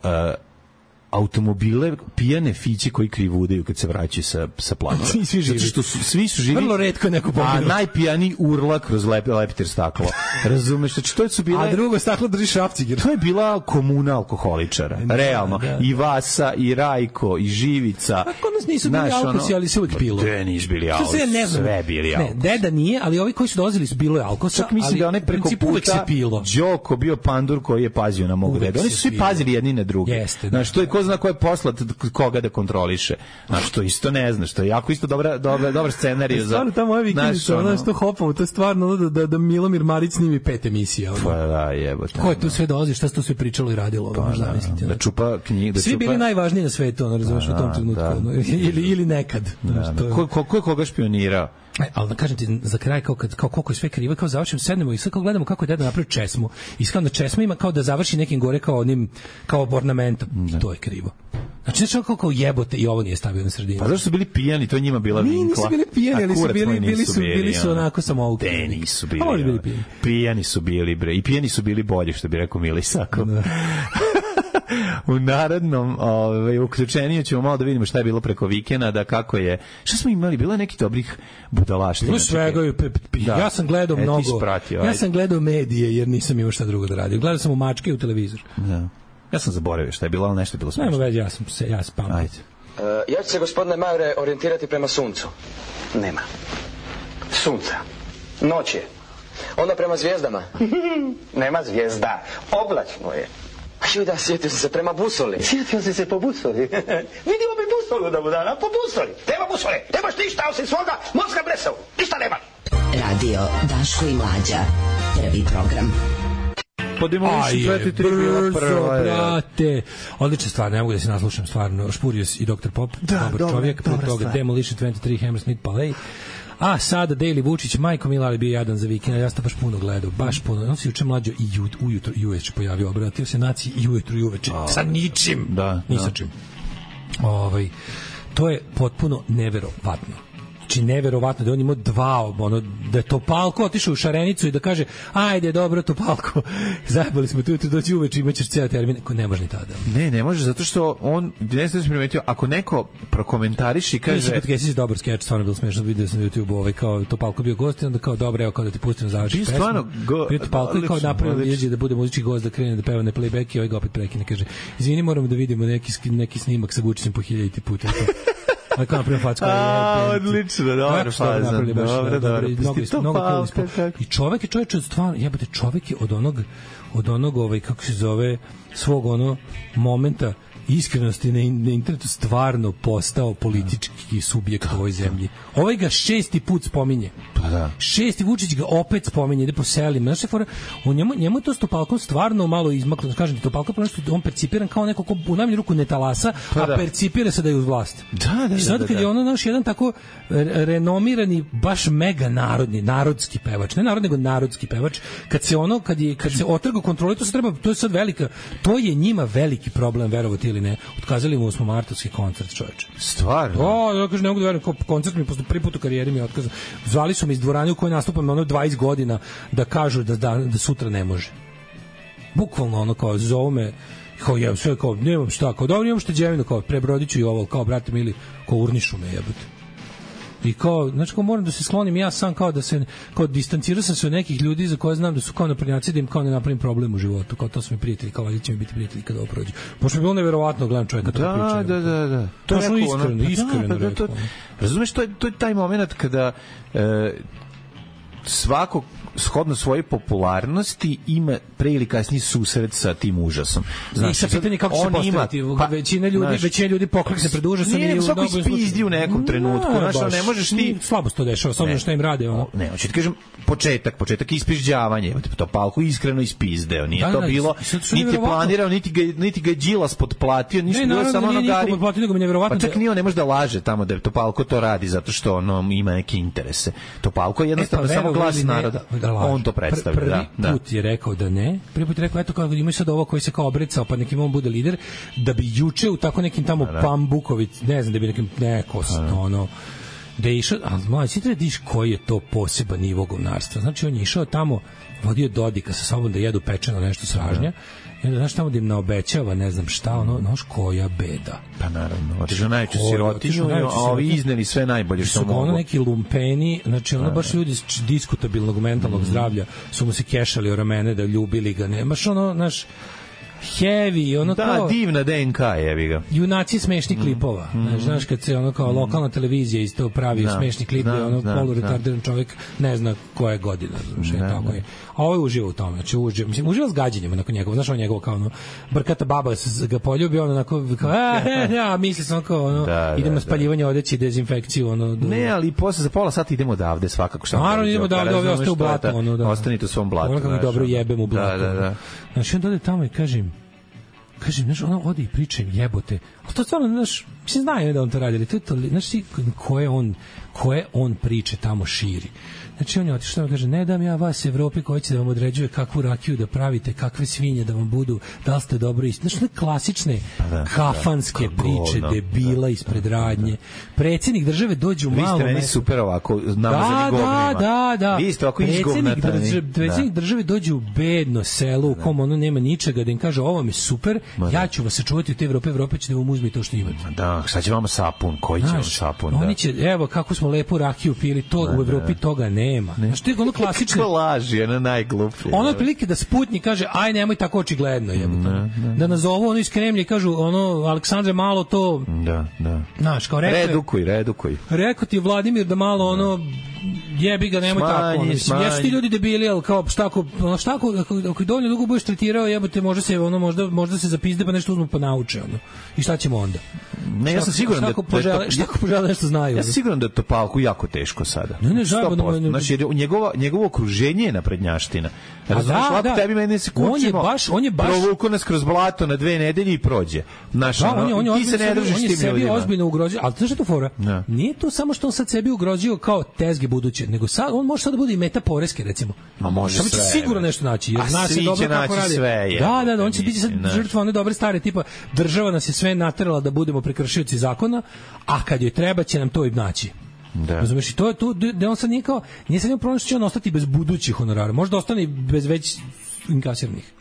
S7: automobile pijane fiće koji krivudaju kad se vraćaju sa placa. Zato što svi su živi.
S6: Vrlo retko neko poginuo.
S7: A najpijaniji urla kroz leptir staklo. Razumeš? Znači, to su bile...
S6: A drugo staklo drži šrafciger.
S7: To je bila komuna alkoholičara. Realno. I Vasa, i Rajko, i Živica.
S6: A kod nas nisu bili alkosi, ali se uvijek pilo.
S7: Te nisu bili alkosi. Sve bili alkosi.
S6: Ne, deda nije, ali ovi koji su dolazili su bilo je alkosa.
S7: Čak mislim da onaj preko puta Đoko bio pandur koji je pazio na mogu deda. Oni su svi pazili jedni na druge. Znaš, to je ko zna ko je poslat koga da kontroliše. Znaš, to isto ne znaš. To je jako isto dobar scenarij za...
S6: Stvarno, ta moja vikendica, ono što Hopovo, to je stvarno da Milomir Marić snimi 5 emisija.
S7: Pa da, jebote.
S6: Ko je tu sve dolazi, šta se tu sve pričalo i radilo?
S7: Da čupa knjige.
S6: Svi bili najvažniji na svetu, ono, razumeš, u tom trenutku. Ili nekad.
S7: Ko je koga špionirao?
S6: Ali da kažem ti za kraj kao koliko je sve krivo, kao završim, sednemo i sad kao gledamo kako je deda napravio česmu. I kao na česma ima kao da završi nekim gore kao onim kao ornamentom. To je krivo. Znači kao jebote i ovo nije stavio na sredinu.
S7: Pa zašto su bili pijani, to je njima bila vinkla.
S6: Nisu bili pijani, ali bili su onako samoukli.
S7: Te nisu bili. Pijani su bili, bre. I pijani su bili bolji, što bi rekao Mili Isakov. U narednom uključenju ćemo malo da vidimo šta je bilo preko vikenda, kako je, šta smo imali, bilo je neki dobrih budalaština.
S6: Bilo svega, ja sam gledao mnogo, ja sam gledao medije jer nisam imao šta drugo da radim. Gledao sam u mačke u televizor.
S7: Da. Ja sam zaboravio šta je bilo, ali nešto je bilo smešno.
S6: Nema već, ja spam.
S7: Ajde.
S10: Ja ću se, gospodine Majore, orijentirati prema suncu. Nema. Sunca. Noć je. Onda prema zvijezdama. Nema zvijezda. Oblačno je. Da, sjetio sam se prema busoli. Sjetio sam se po busoli. Vidimo bi busolu da budana, po busoli. Nema busole, nemaš ništa osim svoga mozga blesavu. Ništa nema.
S5: Radio Daško i Mlađa. Prvi program.
S6: Brzo, brate. Odlična stvar, ne mogu da se naslušam stvarno. Špurius i Dr. Pop, dobar čovjek. Prvo toga Demolition 23, Hammersmith Palais. A sada Daily Vučić, majko mila, ali bio jadan za vikend, ja sam to baš puno gledao, baš puno. On se juče Mlađo i ujutro i uveče pojavio, obratio se naciji i ujutro i uveče, sa ničim, ni sa čim. To je potpuno neverovatno. Znači, neverovatno da on imao da je Topalko otišao u Šarenicu i da kaže, ajde, dobro, Topalko, zajebali smo tu doći uveče, imaćeš cijel termin. Ne može ni tada.
S7: Ne može, zato što on, ne znam da sam primetio, ako neko prokomentariši i kaže...
S6: Kesić je dobar skeč, stvarno bilo smiješno, vidio sam na YouTube kao Topalko bio gost i onda kao, dobro, evo, kao da ti pustim završi pesmu. Bio Topalko i kao napravio jeđe da bude muzički gost, da krene da peva na playback i ovaj ga opet prekine, kaže, izvini, moramo da vidimo neki snimak sa Vučićem po 1000 puta. Ali kao napravim facku.
S7: Odlično, dobro fazan. Dobro.
S6: I čovek je stvarno, jebate, čovek je od onog kako se zove, svog momenta iskrenosti na internetu stvarno postao politički subjekt u ovoj zemlji. Ovaj ga 6. put spominje.
S7: Pa da.
S6: 6. Vučić ga opet spominje, ide po selima. Znaš, njemu to s Topalkom stvarno malo izmaklo. Kažem ti, Topalko on percipiran kao neko ko u najmanju ruku ne talasa, a percipira se da je uz vlast.
S7: Da.
S6: I sad kad je naš jedan tako renomirani, baš mega narodski pevač, ne narod, nego narodski pevač, kad se otrga kontrole, to je sad velika, to je njima veliki problem, verovati ili ne. Otkazali mu 8. martovski koncert, čoveče.
S7: Stvarno?
S6: Ja kažem, ne mogu da verujem, koncert mi posle prvi put u karijeri mi je otkazan. Zvali su me iz dvorane u kojoj nastupam 20 godina da kažu da sutra ne može. Bukvalno kao zovu me, kao jeb, sve kao, nemam šta, kao dobro, imam šteđevinu, kao prebrodiću i ovo, kao brate mili, kao urnišu me jebate. I kao, znači, kao moram da se sklonim ja sam, kao da se, kao distancirao sam se od nekih ljudi za koje znam da su kao naprednjaci, da im kao ne napravim problem u životu, kao to su mi prijatelji, kao valjda će mi biti prijatelji kada ovo prođe. Pošto mi bilo neverovatno gledam čovjeka to priča.
S7: Da.
S6: To je iskreno rekao.
S7: Razumeš, to je taj moment kada svako shodno svoje popularnosti ima pre ili kasnije susret sa tim užasom.
S6: Znači, sa pitanje kako se postaviti. Većina ljudi poklekne pred užasom.
S7: Nije svako ispizdi u nekom trenutku. Ne možeš ti...
S6: Slabo se to dešava, samo šta im rade.
S7: Ne, hoću ti kažem, početak ispižđavanje. Topalko iskreno ispizdeo. Nije to bilo, niti je planirao, niti ga je Đilas potplatio, ništa bilo samo ono gari. Pa čak nije on ne može da laže tamo da Topalko to radi, zato što ono ima neke interese. Topalko je jednostavno samo glas naroda. On to predstavlja.
S6: Prvi put je rekao da ne. Prvi put je rekao, eto kao ima sad ovo koji se kao obrecao, pa nekim on bude lider, da bi juče u tako nekim tamo Pambuković, ne znam, da bi nekim neko da je išao, ali moj, si treba diš koji je to poseban nivo govnarstva. Znači, on je išao tamo, vodio Dodika sa sobom da jedu pečeno nešto sražnja, i onda, znaš, tamo da im naobećava, ne znam šta, ono, znaš, koja beda.
S7: Pa naravno, otišao najveću sirotinju, a ovi izneli sve najbolje što mogu.
S6: Ono neki lumpeni, znači, ono baš ljudi diskutabilnog mentalnog zdravlja su mu se kešali o ramene da ljubili ga, nemaš ono, znaš, heavy, ono
S7: da,
S6: kao...
S7: divna DNK, jebi ga.
S6: Junaci smešnih klipova. Znaš, kad se ono kao lokalna televizija isto pravi smešni klip, ono poluretardiran čovjek ne zna koja je godina. Znaš, tako je. A ovo je uživa u tome. Znači, uživa s gađenjem nakon njegov. Znaš, on njegov kao ono, brkata baba ga poljubi, ono onako, kao, misli sam kao, ono, idemo spaljivanje odeći, dezinfekciju, ono.
S7: Ne, ali posle za pola sata idemo odavde svakako.
S6: Naravno, idemo odavde, ovi ostaje u blatu, ono, da.
S7: Ostanite u svom blatu.
S6: Ono kako dobro jebem u blatu.
S7: Da.
S6: Znači, onda ode tamo i kažem, znaš, ono ode i priča im jebote. A to stvarno, znaš, mislim, znaju da on to radi, ali to je to, znaš, koje on priče tamo širi. Znači, on je otišao tamo, kaže, ne dam ja vas Evropi koji će da vam određuje kakvu rakiju da pravite, kakve svinje da vam budu, da li ste dobro isti. Znači, klasične kafanske priče, debila ispred radnje. Predsjednik države dođe u malo mesto. Vi ste meni super ovako namazani govnima. Da.
S7: Vi ste ovako izgovnatani.
S6: Predsjednik države dođe u bedno selo u kom ono nema ničega, da im kaže, ovo mi je super, ja ću vas sačuvati u te Evrope će da vam uzme to što imate.
S7: Da, šta će vama sapun? Koji će vam sapun?
S6: Oni će, evo, kako smo lepu rakiju pili, to u Evropi toga nema. Znači, to je ono klasično.
S7: Kako laži, ono najgluplje.
S6: Ono otprilike da Sputnik kaže, aj nemoj tako očigledno, jebote. Da nazovu ono iz Kremlja i kažu, ono, Aleksandre, malo to...
S7: Da.
S6: Znaš, kao
S7: Redukuj.
S6: Rekao ti Vladimir da malo, ono, jebi ga, nemoj tako. Ono, mislim, jesu ti ljudi debili, ali kao, šta ako je dovoljno dugo budeš tretirao, jebote, možda se zapizde pa nešto uzmu pa nauče, ono. I šta ćemo onda?
S7: Ne, ja sam siguran da...
S6: Šta ako požele nešto znaju?
S7: Ja sam siguran da je Topalku jako teško sada.
S6: Ne,
S7: znači, njegovo okruženje je naprednjaština.
S6: Da.
S7: Tebi meni se kućimo,
S6: on je baš
S7: provuku nas kroz blato na 2 nedelje i prođe. Znaš, ti se ne držiš tim ljudima.
S6: On je sebi ozbiljno ugrozio, ali znaš što je to fora? Nije to samo što on sad sebi ugrozio kao tezge buduće, nego sad, on može sad da bude i meta poreske, recimo.
S7: Ma može sve.
S6: Će sigurno nešto naći, jer zna se dobro kako radi. Da, on će biti sad žrtva one dobre stare, tipa država nas je sve naterala da budemo prekršioci zakona, a kad joj treba će nam to i naći.
S7: Da.
S6: Razumeš, i to je tu da on sad nije sad njom problem što će on ostati bez budućih honorara, možda ostane i bez već inkasiranih.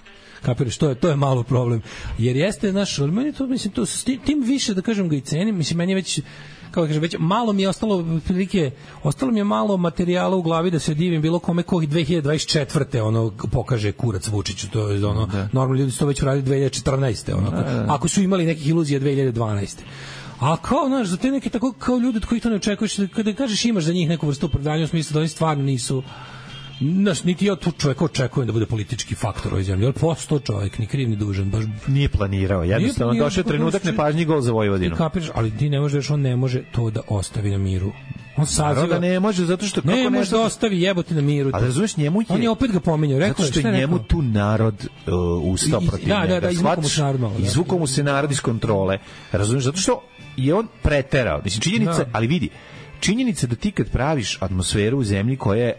S6: Kapiraš, to je malo problem. Jer jeste, znaš, meni to, mislim, to tim više, da kažem, ga i cenim, mislim, meni je već, kako kažem, već malo mi je ostalo mi je malo materijala u glavi da se divim bilo kome koji 2024. ono pokaže kurac Vučiću, to je ono, normalni ljudi su to već uradili 2014. ono, ako su imali nekih iluzija 2012. A kao, znaš, za te neke tako kao ljudi od kojih to ne očekuješ, kada kažeš imaš za njih neku vrstu opravdanja u smislu da oni stvarno nisu, znaš, niti ja tu čovjeka očekujem da bude politički faktor u ovoj zemlji, ali postao čovjek, ni kriv ni dužan, baš
S7: nije planirao, jednostavno došao trenutak nepažnji gol za Vojvodinu.
S6: Kapiraš, ali ti ne možeš, on ne može to da ostavi na miru. On saziva,
S7: ne može, zato što
S6: ne može da ostavi jebote na miru.
S7: A razumeš, njemu je,
S6: on je opet ga pominjao, rekao
S7: što je njemu tu narod ustao protiv njega.
S6: Da,
S7: izvukao mu se narod iz kontrole. Razumeš, zato što je on preterao. Mislim, činjenica, ali vidi, činjenica da ti kad praviš atmosferu u zemlji koja je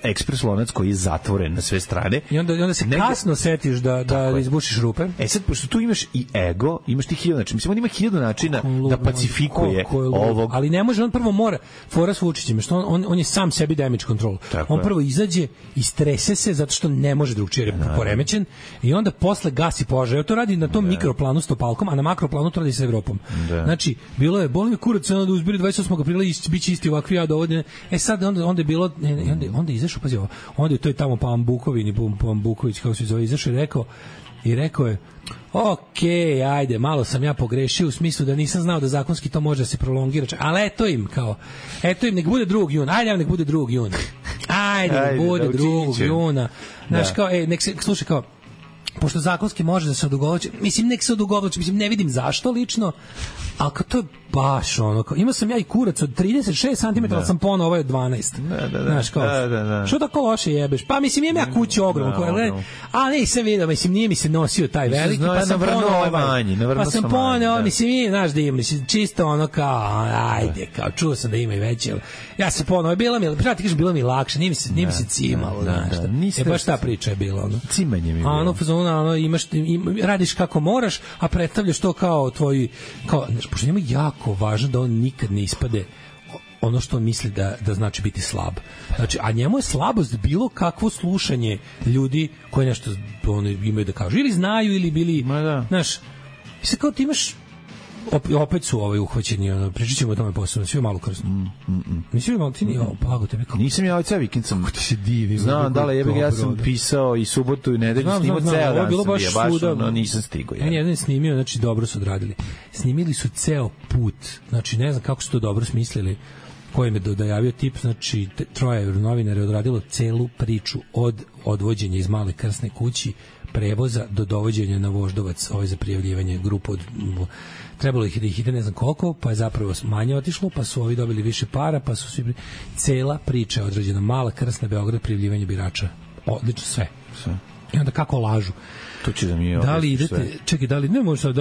S7: ekspres lonac koji je zatvoren na sve strane
S6: i onda se kasno setiš da izbušiš rupe.
S7: Sad, pošto tu imaš i ego, imaš ti 1000 načina. Mislim, on ima 1000 načina da pacifikuje ovog.
S6: Ali ne može, on prvo mora fora s Vučićem, što on je sam sebi damage control. On prvo izađe i strese se zato što ne može drugčije, jer je poremećen, i onda posle gasi požar. To radi na tom mikroplanu s Topalkom, a na makroplanu to radi sa Evropom. Znači, bilo je boli mi kurac, onda uzbili 28. aprila i biće isti ovakvi ja dovodine. Sad onda je bilo, onda je izašao, pazi ovo, onda je to je tamo Pambuković, kako se zove, izašao i rekao je, okej, ajde, malo sam ja pogrešio u smislu da nisam znao da zakonski to može da se prolongira, ali eto im, nek bude 2. juna, nek bude 2. juna. Ajde, nek bude 2. juna. Znaš, kao, nek se, slušaj, kao, pošto zakonski može da se odugovlači, mislim, nek se odugovlači, mislim, ne vidim zašto lično, ali kao to je baš ono, kao, imao sam ja i kurac od 36 cm, ali sam pono, ovo je od 12. Znaš, kao, što tako loše jebeš? Pa, mislim, imam ja kuću ogromnu, a nisam vidio, mislim, nije mi se nosio taj veliki, pa sam pono ovaj, mislim, znaš da ima, mislim, čisto ono kao, ajde, kao, čuo sam da ima i veće, ja se pono, bilo mi lakše, nije mi se cimalo, znaš, baš ta priča je bila, ono.
S7: Cimanje mi je
S6: bilo. Radiš kako moraš, a predstavljaš to kao tvoj, kao, pošto njemu jako važno da on nikad ne ispade ono što on misli da znači biti slab. Znači, a njemu je slabost bilo kakvo slušanje ljudi koji nešto imaju da kažu. Ili znaju, ili bili... Znaš, i sad kao ti imaš... opet su uhvaćeni, pričat ćemo o tome posebno, svi malo krsno. Nisi malo, ti nije blago tebe kao...
S7: Nisam ja ovaj vikend sam...
S6: Kako ti se divi.
S7: Znam, da li ja sam pisao i subotu i nedelju, snimao ceo dan sam bio, baš nisam stigao.
S6: Jedan snimio, znači dobro su odradili. Snimili su ceo put, znači ne znam kako su to dobro smislili, koji me dojavio tip, znači troje novinara je odradilo celu priču od odvođenja iz Male Krsne kući, prevoza do dovođenja na Voždovac, za prijavljivanje grupu od... Trebalo ih da ih ide ne znam koliko, pa je zapravo manje otišlo, pa su ovi dobili više para, pa su svi... Cela priča je određena. Mala Krsna, Beograd, prijavljivanje birača. Odlično, sve. I onda kako lažu.
S7: To će da mi je
S6: da li idete, sve. Čekaj, da li, ne možeš,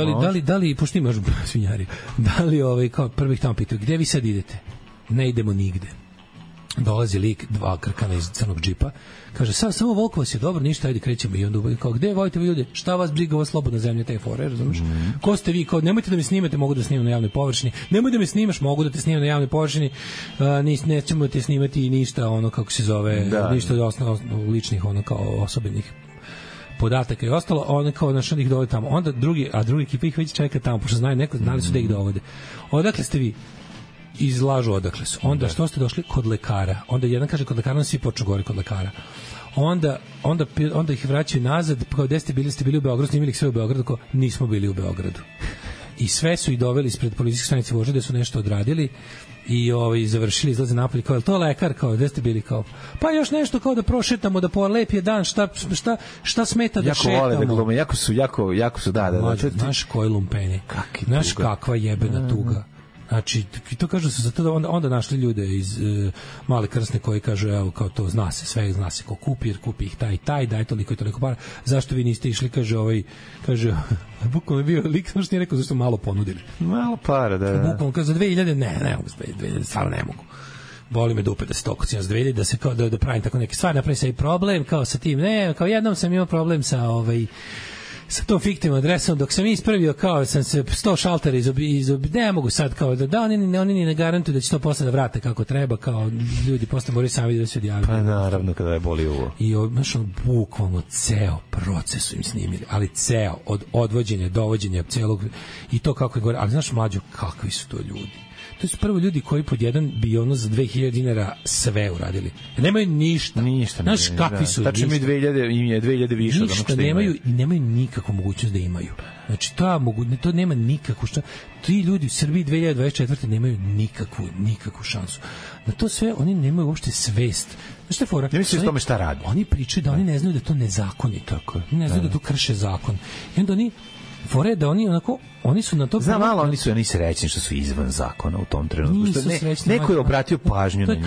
S6: da li, pošto imaš svinjari, da li kao prvih tamo pitaju, gde vi sad idete? Ne idemo nigde. Dolazi lik, 2 krkana iz crnog džipa, kaže, samo Volkovac je dobro, ništa, ajde krećemo. I onda kao, gde volite vi ljudi? Šta vas briga, ovo slobodna zemlja, te fore, razumiješ? Ko ste vi? Kao, nemojte da me snimate, mogu da snimam na javnoj površini. Nemoj da me snimaš, mogu da te snimam na javnoj površini. Nećemo da te snimati i ništa, kako se zove, ništa ličnih, kao osobenih podataka i ostalo, one kao našli ih dovode tamo. Onda drugi ekipa ih već čeka tamo, pošto znali su da ih dovode. Odakle ste vi? Izlažu odakle su. Onda što ste došli? Kod lekara. Onda jedan kaže kod lekara, onda svi počnu govori kod lekara. Onda ih vraćaju nazad, kao gde ste bili u Beogradu, snimili ih sve u Beogradu, kao nismo bili u Beogradu. I sve su ih doveli ispred policijske stanice Vožda, gde su nešto odradili i završili, izlaze napolje, kao, je to lekar, kao, gde ste bili, kao, pa još nešto, kao da prošetamo, da po lep je dan, šta smeta da šetamo.
S7: Jako vole da glume, jako su, da.
S6: Znaš koji lumpeni, znaš kakva jebena tuga. Znači, to kažu se zato da onda našli ljude iz Male Krsne koji kažu, evo, kao to, zna se ko kupi, jer kupi ih taj, daj toliko i toliko para. Zašto vi niste išli, kaže, bukvalno je bio lik, što nije rekao, zašto malo ponudili.
S7: Malo para, da.
S6: Bukvalno, kaže, za 2000, ne mogu za 2000, stvarno ne mogu. Boli me dupe da se toliko cijena za 2000, da se kao da pravim tako neke stvari, napravim se i problem, kao sa tim, ne, kao jednom sam imao problem sa sa tom fiktivnom adresom, dok sam ispravio, kao sam se 100 šaltera ne mogu sad, kao da oni ni ne garantuju da će to posle da vrate kako treba, kao ljudi posle moraju sami da se odjavljaju.
S7: Pa naravno, kada je boli uvo.
S6: I bukvalno ceo proces su im snimili, ali ceo, od odvođenja, dovođenja celog, i to kako je gore, ali znaš, mlađo, kakvi su to ljudi? To su prvo ljudi koji pod jedan bi za 2000 dinara sve uradili. Nemaju ništa. Znaš kakvi su?
S7: Tačno im je 2000 više od onog što imaju.
S6: I nemaju nikakvu mogućnost da imaju. Znači, to nema nikakvu šta. Ti ljudi u Srbiji 2024. nemaju nikakvu šansu. Na to sve oni nemaju uopšte svest. Znaš šta je fora?
S7: Ne misliš o tome šta radi.
S6: Oni pričaju da oni ne znaju da to nezakonito. Oni ne znaju da to krše zakon. I onda fore da oni su na to...
S7: Znam, malo oni srećni što su izvan zakona u tom trenutku. Neko je obratio pažnju na njih.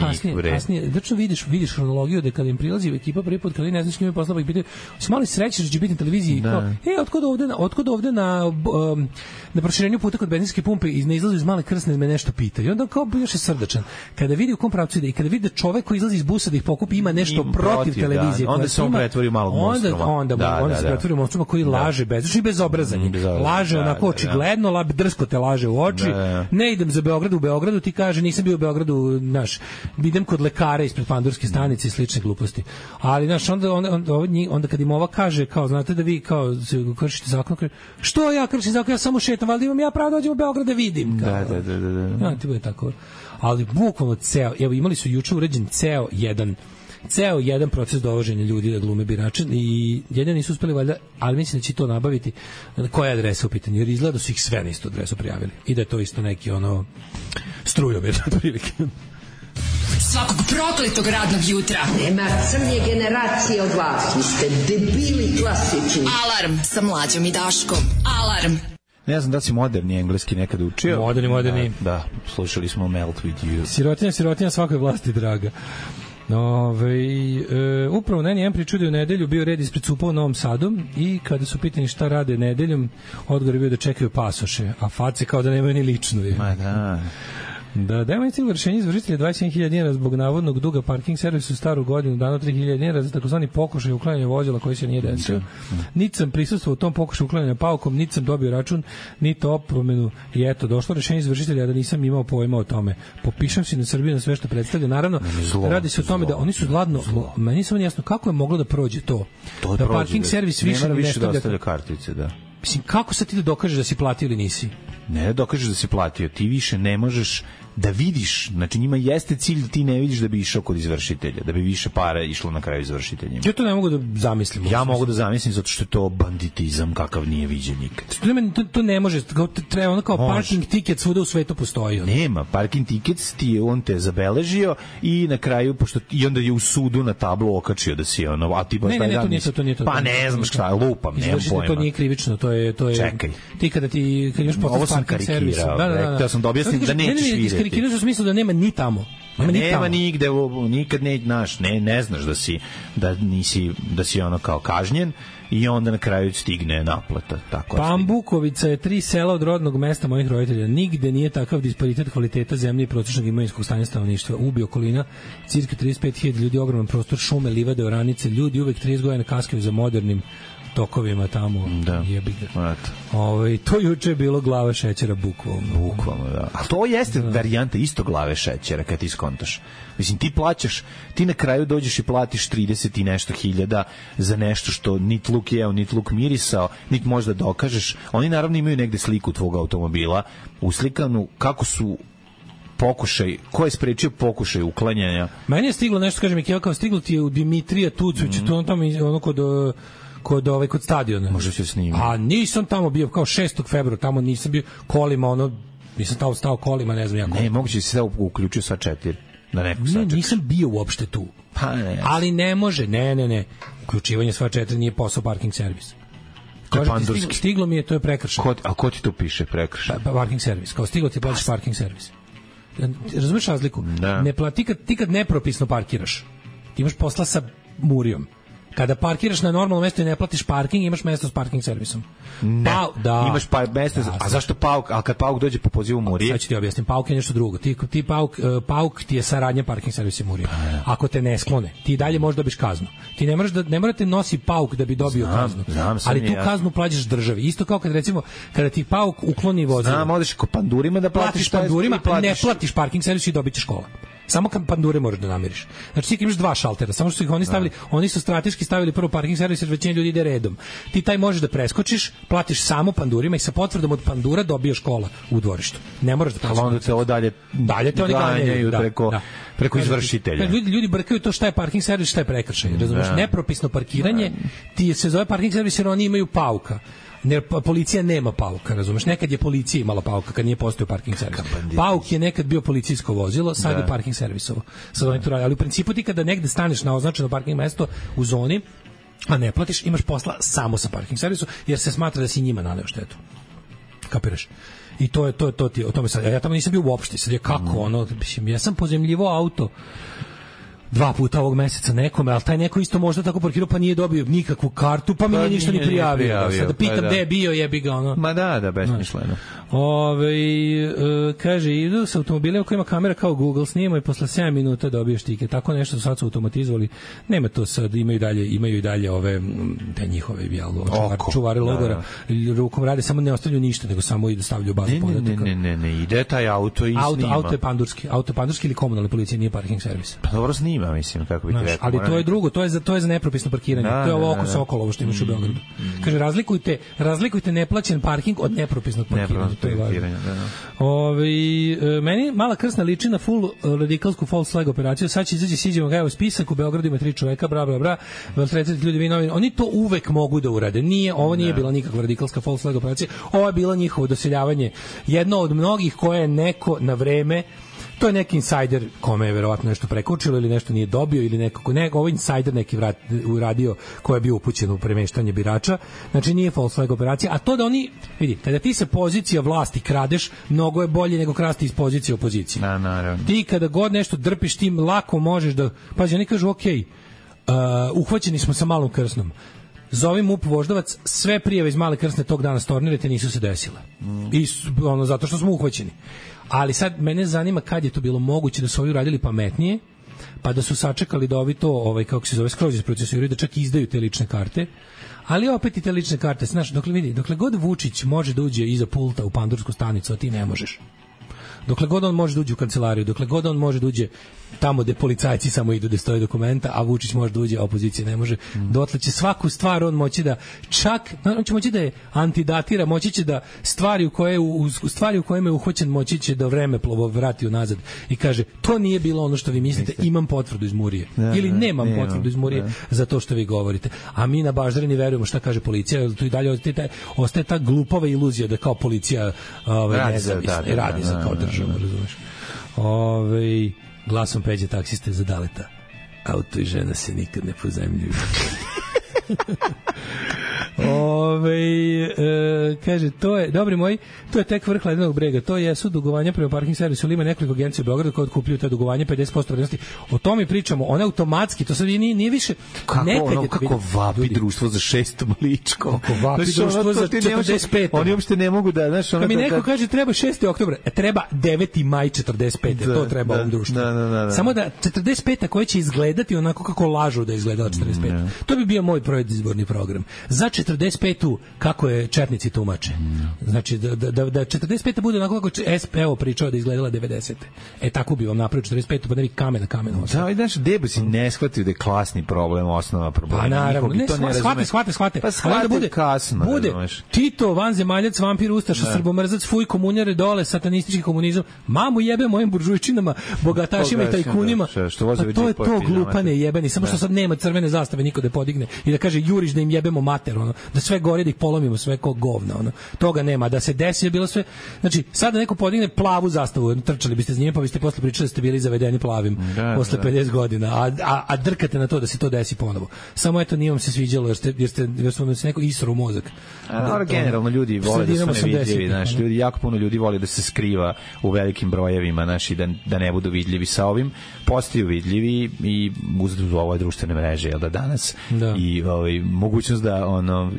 S6: Kasnije, znači vidiš hronologiju da kada im prilazi ekipa prvi put, kada ne znaš njima poslaba ih pitaju, su mali srećni što će biti na televiziji. Otkud ovde na proširenju puta kod benzinske pumpe ne izlazi iz Male Krsne, me nešto pita. I onda kao još je srdačan. Kada vidi u kom pravcu ide i kada vidi da čovek koji izlazi iz busa da ih pokupi ima nešto protiv televizije.
S7: Onda se on pretvori u malog monstruma.
S6: Onda se pretvori u monstruma koji laže bezobrazan. Laže onako očigledno, drsko te laže u oči. Ne idem za Beograd, u Beogradu ti kaže nisam bio u Beogradu, znaš, idem kod lekara ispred pandurske stanice i slične gluposti. Ali znaš, onda kad im ova kaže, kao znate da vi kao kršite zakon, što ja kršim zakon, ja samo šetam, valjda imam ja pravo da dođem u Beograd da vidim. Da. Ti bude tako. Ali bukvalno evo imali su juče uređen ceo jedan proces dovoženja ljudi da glume birače i jedino nisu uspeli valjda, ali mislim da će to nabaviti. Koja je adresa u pitanju? Jer izgleda da su ih sve na istu adresu prijavili i da je to isto neki strujomir otprilike.
S5: Svakog prokletog radnog jutra.
S11: Nema crnje generacije od vas. Vi ste debili klasični.
S5: Alarm sa Mlađom i Daškom. Alarm.
S7: Ne znam da si moderni engleski nekad učio.
S6: Moderni.
S7: Da, slušali smo Melt With You.
S6: Sirotinja svakoj vlasti draga. Upravo na N1 priču da je u nedelju bio red ispred CUP-a u Novom Sadu i kada su pitani šta rade nedeljom, odgovor je bio da čekaju pasoše, a face kao da nemaju ni ličnu.
S7: Ma da.
S6: Da, dajmo je cijelo rešenje izvršitelja 27.000 dinara zbog navodnog duga parking servisu staru godinu, dano 3.000 dinara za takozvani pokušaj uklanjanja vozila koji se nije desio. Niti sam prisustvovao u tom pokušaju uklanjanja paukom, niti sam dobio račun, niti opomenu i eto, došlo rešenje izvršitelja da nisam imao pojma o tome. Popišem se na Srbiju na sve što predstavlja. Naravno, radi se o tome da oni su zladno, meni samo jasno kako je moglo da prođe to da parking servis više ne stavlja
S7: kartice, da.
S6: Mislim, kako sad ti da dokažeš da si platio ili nisi?
S7: Ne dokažeš da si platio, ti više ne možeš da vidiš, znači njima jeste cilj da ti ne vidiš da bi išao kod izvršitelja, da bi više para išlo na kraju izvršiteljima.
S6: Ja to ne mogu da zamislim.
S7: Ja mogu da zamislim zato što je to banditizam kakav nije viđen nikad.
S6: To ne može, treba ono kao parking ticket svuda u svetu postoji.
S7: Nema, parking ticket on te zabeležio i na kraju, pošto i onda je u sudu na tablu okačio da si ono, a ti baš taj dan
S6: to.
S7: Pa ne znam šta, lupam, nemam pojma.
S6: To nije krivično, to je...
S7: Čekaj.
S6: Ti kad imaš potas parking servis.
S7: Da sam da objasnim da nećeš vidjeti.
S6: Karikirao u smislu da nema ni tamo.
S7: Nema nigde, nikad ne znaš da si ono kao kažnjen i onda na kraju stigne naplata. Tako
S6: Pambukovica je 3 sela od rodnog mesta mojih roditelja. Nigde nije takav disparitet kvaliteta zemlje i prosječnog imovinskog stanja stanovništva. Ubi okolina, cirka 35.000 ljudi, ogroman prostor, šume, livade, oranice, ljudi uvek 30 godina kaskaju za modernim tokovima tamo, jebi ga. To juče je bilo glava šećera bukvalno.
S7: Da. A to jeste varijanta isto glave šećera kad ti skontaš. Mislim, ti na kraju dođeš i platiš 30 i nešto hiljada za nešto što nit luk jeo, nit luk mirisao, nit možda dokažeš. Oni naravno imaju negde sliku tvog automobila, uslikanu kako su pokušaj, ko je sprečio pokušaj uklanjanja.
S6: Meni je stiglo nešto, kažem, kao stiglo ti je u Dimitrija Tucovića, to on tamo ono kod stadiona.
S7: Može se snimiti.
S6: A nisam tamo bio, kao 6. februara, tamo nisam bio kolima, nisam tamo stao kolima, ne znam ja koliko.
S7: Ne, moguće se da uključio sva 4.
S6: Ne, nisam bio uopšte tu.
S7: Pa ne.
S6: Ali ne može, ne. Uključivanje sva 4 nije posao parking servis. Stiglo mi je, to je prekršaj.
S7: A ko ti to piše prekršaj?
S6: Parking servis. Kao stiglo ti plaćaš parking servis. Razumeš razliku? Ne plati, ti kad nepropisno parkiraš, ti imaš posla sa murijom. Kada parkiraš na normalno mesto i ne platiš parking, imaš mesto s parking servisom.
S7: Imaš mesto, a zašto pauk? A kad pauk dođe po pozivu murije?
S6: Sad ću ti objasnim, pauk je nešto drugo. Ti pauk ti je saradnja parking servisa i murije. Ako te ne sklone, ti dalje možeš dobiti kaznu. Ti ne morate nosi pauk da bi dobio kaznu. Ali tu kaznu plaćaš državi. Isto kao kad recimo kada ti pauk ukloni vozilo.
S7: Odeš kod pandurima da platiš
S6: pandurima, ne platiš parking servis i dobićeš kola. Samo kad pandure možeš da namiriš. Znači ti imaš 2 šaltera, samo što su ih oni stavili, oni su strateški stavili prvo parking servis, jer većina ljudi ide redom. Ti taj možeš da preskočiš, platiš samo pandurima i sa potvrdom od pandura dobiješ kola u dvorištu. Ne moraš da platiš.
S7: Ali onda te ovo dalje
S6: te oni ganjaju
S7: preko izvršitelja.
S6: Ljudi brkaju to šta je parking servis, šta je prekršaj. Razumeš? Nepropisno parkiranje ti se zove parking servis jer oni imaju pauka. Policija nema pauka, razumeš? Nekad je policija imala pauka kad nije postojao parking servis. Pauk je nekad bio policijsko vozilo, sad je parking servisovo. Sad oni to rade, ali u principu ti kada negde staneš na označeno parking mesto u zoni, a ne platiš, imaš posla samo sa parking servisom, jer se smatra da si njima naneo štetu. Kapiraš? I to ti, o tome sad, ja tamo nisam bio uopšte, sad je kako ja sam pozemljivo auto 2 puta ovog meseca nekome, ali taj neko isto možda tako parkirao pa nije dobio nikakvu kartu, pa mi nije ništa ni prijavio. Sada pitam gde je bio, jebi ga ono.
S7: Ma da, besmisleno.
S6: Kaže, idu sa automobilima koji ima kamera kao Google, snima i posle 7 minuta dobiješ tiket. Tako nešto sad su automatizovali. Nema to sad, imaju i dalje ove te njihove čuvari logora. Rukom rade, samo ne ostavljaju ništa, nego samo i da stavljaju bazu podataka.
S7: Ne, ide taj auto i snima.
S6: Auto je pandurski ili komunalne policije, nije parking servis.
S7: Pa dobro snima, mislim, kako bi ti rekao.
S6: Ali to je drugo, to je za nepropisno parkiranje. To je ovo oko Sokola, ovo što imaš u Beogradu. Kaže, razlikujte neplaćen parking od nepropisnog parkiranja. Meni mala krsna liči na full radikalsku false flag operaciju. Sad će izaći, siđemo ga u spisak, u Beogradu ima 3 čoveka, bra, 30 ljudi, oni to uvek mogu da urade. Ovo nije bila nikakva radikalska false flag operacija, ovo je bilo njihovo doseljavanje. Jedno od mnogih koje je neko na vreme, to je neki insajder kome je verovatno nešto prekočilo ili nešto nije dobio ili ovo insajder neki uradio ko je bio upućen u premeštanje birača. Znači nije false flag operacija, a to da oni, vidi, kada ti se pozicija vlasti kradeš, mnogo je bolje nego krasti iz pozicije opozicije. Ti kada god nešto drpiš, tim lako možeš da, pazi, oni kažu uhvaćeni smo sa malom krsnom. Zovi MUP Voždovac, sve prijave iz Male Krsne tog dana stornirate, nisu se desile. I zato što smo uhvaćeni. Ali sad mene zanima kad je to bilo moguće da su ovi uradili pametnije, pa da su sačekali da ovi to, kako se zove, skroz isprocesuiraju, da čak izdaju te lične karte. Ali opet i te lične karte, znaš, dokle god Vučić može da uđe iza pulta u pandursku stanicu, a ti ne možeš. Dokle god on može da uđe u kancelariju, dokle god on može da uđe tamo gde policajci samo idu da stoje dokumenta, a Vučić može da uđe, a opozicija ne može, dotle će svaku stvar on moći da čak, on će moći da je antidatira, moći će da stvari u kojima je uhoćen, moći će da vreme plovo vrati unazad i kaže, to nije bilo ono što vi mislite, imam potvrdu iz Murije. Ili nemam potvrdu iz Murije za to što vi govorite. A mi na baždarini verujemo šta kaže policija, tu i dalje ostaje ta glupava iluzija da kao policija nezavisna i radi za kao država, razumeš. Glasom Peđe taksiste za Daleta. Auto i žena se nikad ne pozajmljuju. Kaže, to je, dobri moji, to je tek vrh ledenog brega, to jesu dugovanja prema parking servisu, ili ima nekoliko agencija u Beogradu koje otkupljuju te dugovanja 50% vrednosti. O tome pričamo, one automatski, to sad nije više
S7: kako vapi društvo za 6. ličko.
S6: Kako vapi društvo za 45.
S7: Oni uopšte ne mogu da, znaš,
S6: ono. Kad mi neko kaže treba 6. oktobar, treba 9. maj 45. To treba ovom društvu. Samo da 45. koja će izgledati onako kako lažu da izgledala 45. To bi bio moj predizborni program. Za 45. kako je četnici tumače. Znači, da 45. bude onako kako SPO pričao da izgledala 90. Tako bi vam napravio 45. pa ne bi kamen na kamenu.
S7: Da, i znaš, debo si ne shvatio da je klasni problem osnova problema.
S6: Pa naravno, ne, shvate.
S7: Pa shvate bude kasno.
S6: Bude Tito, vanzemaljac, vampir, ustaša, srbomrzac, fuj, komunjare, dole, satanistički komunizam. Mamu jebe mojim buržujčinama, bogatašima i tajkunima. Pa to je to glupane jebeni. Samo što sad nema crvene zastave niko da podigne i da kaže juriš da im jebemo mater, da sve gore da ih polomimo, sve ko govna, toga nema, da se desi je bilo sve, znači sada neko podigne plavu zastavu, trčali biste s njim, pa biste posle pričali da ste bili zavedeni plavim posle 50 godina, a drkate na to da se to desi ponovo. Samo eto nije vam se sviđalo jer ste se neko isro u mozak.
S7: Generalno ljudi vole da su nevidljivi, znaš, jako puno ljudi vole da se skriva u velikim brojevima, znaš, i da ne budu vidljivi. Sa ovim postaju vidljivi i uz ove društvene mreže, jel da danas i mogućnost da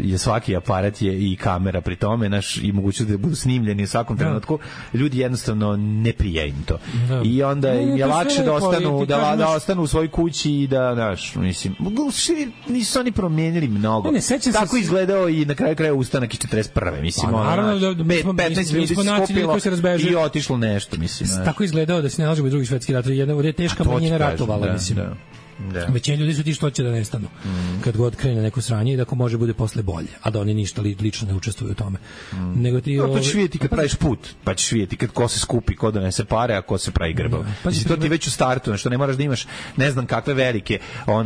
S7: je svaki aparat je i kamera pri tome, naš, i mogućnost da budu snimljeni u svakom trenutku, ljudi jednostavno ne prija im to. I onda je lakše da ostanu u svojoj kući i da, znaš, mislim, nisu oni promijenili mnogo. Tako izgledao i na kraju kraja ustanak iz 41. Mislim, 15 ljudi skupilo i otišlo nešto, mislim.
S6: Tako izgledao da se ne nalažemo u drugi svetski rat, jedna je teška manjina ratovala, mislim. Većina ljudi su ti što će da nestanu kad god krene neko sranje i da ako može bude posle bolje, a da oni ništa lično ne učestvuju u tome. Nego ti
S7: to ćeš vidjeti kad praviš put, pa ćeš vidjeti kad ko se skupi, ko donese pare, a ko se pravi grbav. To ti već u startu, što ne moraš da imaš ne znam kakve velike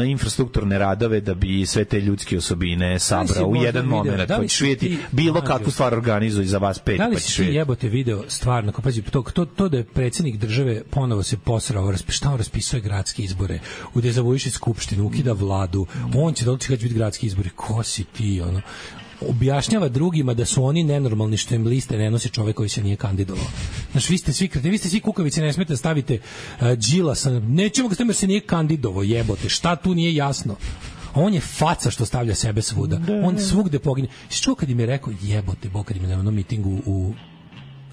S7: infrastrukturne radove da bi sve te ljudske osobine sabrao u jedan moment. Pa ćeš vidjeti bilo kakvu stvar organizuju za vas pet, pa ćeš vidjeti.
S6: Jebote video stvarno, pazi, to da je predsjednik države ponovo se posrao, raspisuje gradske izbore, Vujišić skupštinu, ukida vladu, on će doći kad će biti gradski izbori. Ko si ti, objašnjava drugima da su oni nenormalni što im liste ne nosi čovek koji se nije kandidovao. Znaš, vi ste svi kukavici, ne smete stavite Đilasa, nećemo ga staviti jer se nije kandidovao, jebote, šta tu nije jasno? On je faca što stavlja sebe svuda. On svugde pogine. Što kad im je rekao, jebote, Bog, kad im je na onom mitingu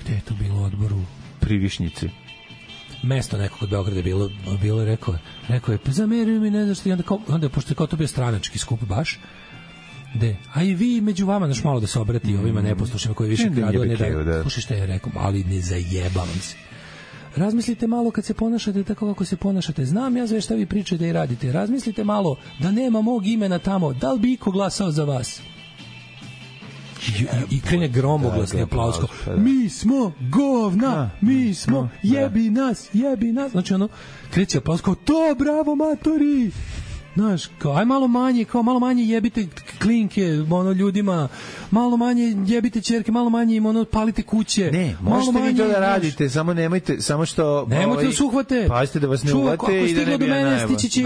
S6: gde je to bilo odboru?
S7: Pri Višnjici.
S6: Mesto neko kod Beograda je bilo rekao je, pa zameruju mi, ne znaš što, onda pošto je kao to bio stranački skup baš, a i vi među vama, znaš, malo da se obrati ovima neposlušnjima koji više kradu, ne da, slušaj šta je rekao, ali ne zajebavam se. Razmislite malo kad se ponašate tako kako se ponašate. Znam ja sve šta vi pričate i radite. Razmislite malo da nema mog imena tamo. Da li bi iko glasao za vas? I krene gromoglasni aplauz. Mi smo govna, mi smo, jebi nas. Znači kreće aplauz kao to, bravo matori. Znaš, aj malo manje jebite klinke ljudima, malo manje jebite ćerke, malo manje im palite kuće.
S7: Ne, možete vi to da radite, samo nemojte, samo što
S6: nemojte da se uhvate.
S7: Pazite da vas ne uhvate i da ne bi
S6: najbolje. Stići će i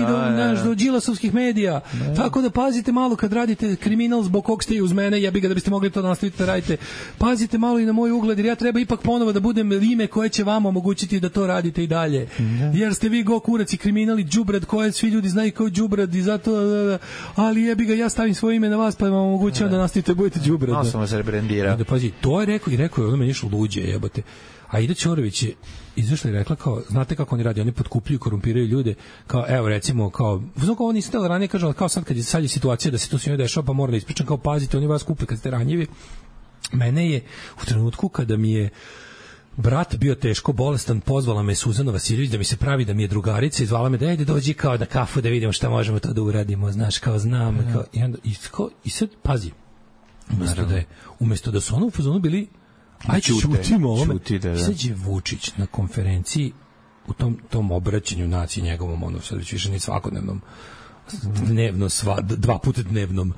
S6: do Đilasovskih medija. Tako da pazite malo kad radite kriminal zbog kog ste i uz mene, jebi ga da biste mogli to nastaviti da radite. Pazite malo i na moj ugled, jer ja treba ipak ponovo da budem ime koje će vam omogućiti da to radite i dalje. Jer ste vi kurac i kriminal i đubrad koje svi ljudi znaju kao đubrad i zato, ali jebi ga, ja stavim svoje ime je na vas, pa vam omogućavam da nastavite, budete đubre.
S7: No, sam vas rebrendirao.
S6: Pazi, to je rekao i rekao je, ono meni išlo luđe, jebote. A Ida Ćorović je izašla i rekla kao, znate kako oni radi, oni potkupljuju, korumpiraju ljude, kao, evo recimo, kao, ovo nisam tela ranije, kažem, kao sad kad je sad je situacija da se to svima dešava, pa moram da ispričam, kao, pazite, oni vas kupe kad ste ranjivi. Mene je u trenutku kada mi je brat bio teško bolestan, pozvala me Suzana Vasiljević da mi se pravi da mi je drugarica i zvala me da ajde dođi kao na kafu da vidimo šta možemo to da uradimo, znaš, kao znam, kao, i sad, pazi, umesto da su ono u fazonu bili aj ćutimo ovome. Sad je Vučić na konferenciji u tom obraćanju naciji njegovom, ono sad već više ni svakodnevnom, dnevno, dva puta dnevnom.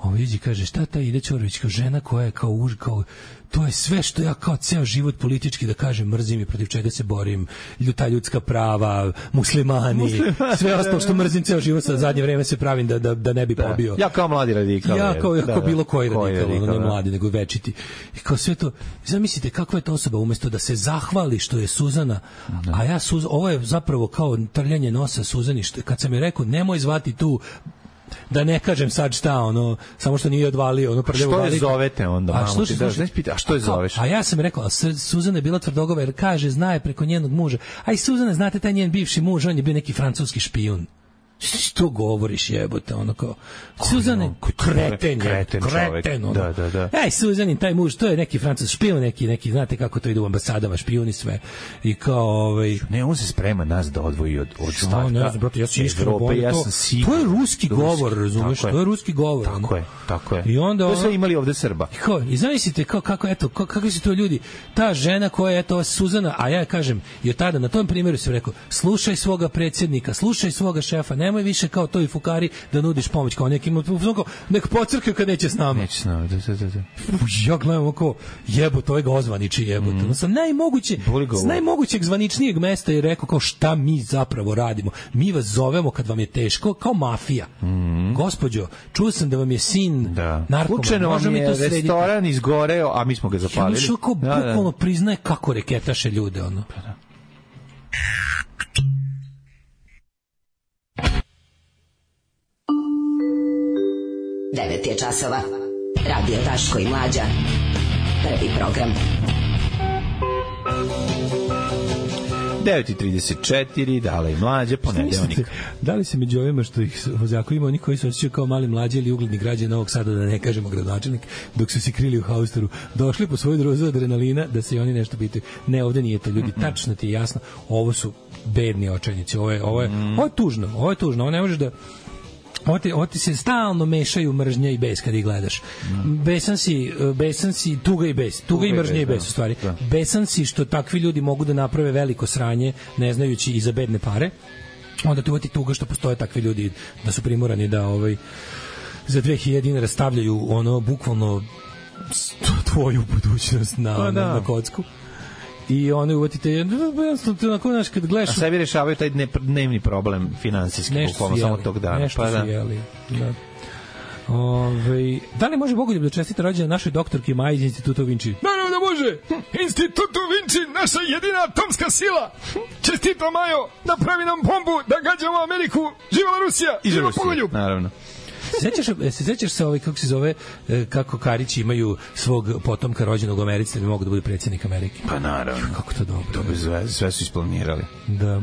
S6: Ovo iđi kaže, šta ta Ida Ćorović, kao žena koja je kao to je sve što ja kao ceo život politički da kažem mrzim i protiv čega se borim, ta ljudska prava, muslimani, sve ostalo što mrzim ceo život, sa zadnje vreme se pravim da ne bi pobio.
S7: Ja kao mladi radikal.
S6: Ja kao bilo koji radikal, ne mladi, nego večiti. I kao sve to, zamislite kakva je to osoba, umesto da se zahvali što je Suzana, a ja ovo je zapravo kao trljanje nosa Suzani, kad sam je rekao, nemoj zvati tu, da ne kažem sad šta, ono, samo što nije odvalio, ono prljavo
S7: veliko.
S6: Što
S7: je zovete onda, mamo, ti daš, a što je zoveš?
S6: A ja sam rekao, Suzana je bila tvrdogava, jer kaže, zna je preko njenog muža. A i Suzana, znate, taj njen bivši muž, on je bio neki francuski špijun. Što govoriš, jebote, ono kao Suzane, kreten, ono.
S7: Da.
S6: Ej, Suzanin, taj muž, to je neki francus špijun, neki, znate kako to ide u ambasadama, špijuni sve. I kao,
S7: Ne, on se sprema nas da odvoji od ostatka.
S6: Ne znam, brate, ja sam iskreno borio to. To je ruski govor, razumeš? To je ruski govor.
S7: Tako je.
S6: I onda
S7: to sve imali ovde Srba.
S6: I zamislite kakvi su to ljudi. Ta žena koja je to Suzana, a ja kažem, i od tada na tom primjeru sam rekao, slušaj svoga predsjednika, slušaj svoga šefa, nemoj više kao to i fukari da nudiš pomoć kao nekim, nek pocrkaju kad neće s nama.
S7: Neće s nama, da.
S6: Ja gledam oko, jebote, ovaj ga ozvaniči, jebote. Sa najmogućeg zvaničnijeg mesta je rekao kao šta mi zapravo radimo. Mi vas zovemo kad vam je teško, kao mafija. Gospođo, čuo sam da vam je sin narkoman.
S7: Slučajno vam je restoran izgoreo, a mi smo ga zapalili.
S6: Ja kao bukvalno priznaje kako reketaše ljude, ono.
S5: 9 je časova. Radio Daško i Mlađa. Prvi program.
S7: 9:34, Dala i Mlađa, ponedeljnik.
S6: Da li se među ovima što ih vozaku ima oni koji se osjećaju kao mali Mlađe ili ugledni građani Novog Sada, da ne kažemo gradonačelnik, dok su se krili u haustoru, došli po svoju dozu adrenalina da se i oni nešto pitaju. Ne, ovde nije to, ljudi, tačno ti je jasno, ovo su bedni očajnici, ovo je tužno, ovo ne možeš da Ovo ti se stalno mešaju mržnja i bes kad ih gledaš. Besan si, tuga i bes. Tuga i mržnja i bes, u stvari. Besan si što takvi ljudi mogu da naprave veliko sranje, ne znajući i za bedne pare. Onda ti uvati tuga što postoje takvi ljudi da su primorani da za 2000 dinara stavljaju ono bukvalno tvoju budućnost na kocku. I oni uvatite jednostavno onako, znaš, kad gledaš...
S7: A sebi rešavaju taj dnevni problem finansijski, bukvalno samo tog dana.
S6: Nešto su jeli, da. Da li može Bogoljub da čestita rođendan našoj doktorki Maji iz Instituta Vinci?
S12: Naravno da može! Institutu Vinci, naša jedina atomska sila! Čestita Majo, napravi nam bombu da gađamo Ameriku! Živa Rusija! Živa Bogoljub!
S7: Naravno.
S6: Sećaš se kako se zove, kako Karići imaju svog potomka rođenog u Americi da bi mogu da bude predsjednik Amerike?
S7: Pa naravno.
S6: Kako to dobro.
S7: To bi sve su isplanirali.
S6: Da.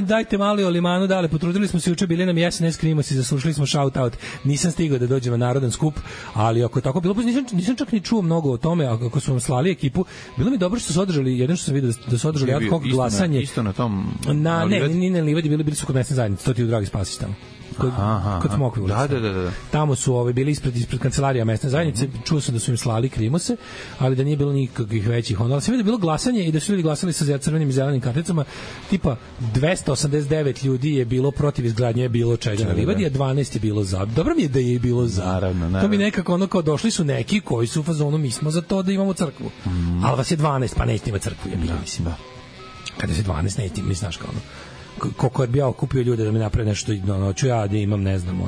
S6: Dajte mali o limanu, dale, potrudili smo se juče, bili nam SNS Krimosi, zaslušali smo shout out. Nisam stigao da dođem na narodan skup, ali ako je tako bilo, nisam čak ni čuo mnogo o tome, ako su vam slali ekipu, bilo mi dobro što su održali, jedno što sam vidio da su održali ad hoc glasanje.
S7: Isto na tom
S6: ne, na Livadi, bili su kod mesne zajednice, to ti u Dragi Spasić tamo. Kod Smokve ulice.
S7: Da.
S6: Tamo su bili ispred kancelarija mesne zajednice, čuo sam da su im slali Krimose, ali da nije bilo nikakvih većih onda. Ali sam vidio da je bilo glasanje i da su ljudi glasali sa crvenim i zelenim karticama, tipa 289 ljudi je bilo protiv izgradnje bilo čega na Livadi, a 12 je bilo za. Dobro mi je da je bilo za.
S7: Naravno.
S6: To mi nekako ono kao došli su neki koji su u fazonu, mi smo za to da imamo crkvu. Ali vas je 12, pa nećete imati crkvu, mislim. Kada se 12 nećete, mi znaš kao ono. Koliko je bio okupio ljude da mi naprave nešto, ću ja da imam, ne znam,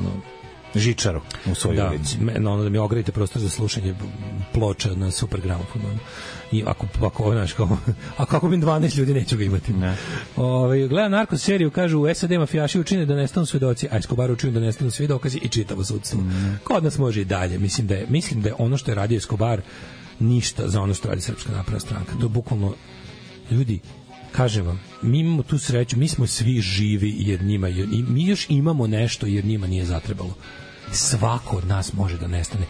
S7: žičaru u svojoj ulici.
S6: Da mi ogradite prostor za slušanje ploča na super gramofonu. I ako kupim 12 ljudi, neću ga imati. Gledam narko seriju, kažu u SAD mafijaši učine da nestanu svedoci, a Escobar učine da nestanu svi dokazi i čitavo sudstvo. Kod nas može i dalje. Mislim da je ono što je radio Escobar ništa za ono što radi Srpska napredna stranka. To je bukvalno, ljudi, kažem vam, mi imamo tu sreću, mi smo svi živi jer njima, mi još imamo nešto jer njima nije zatrebalo. Svako od nas može da nestane.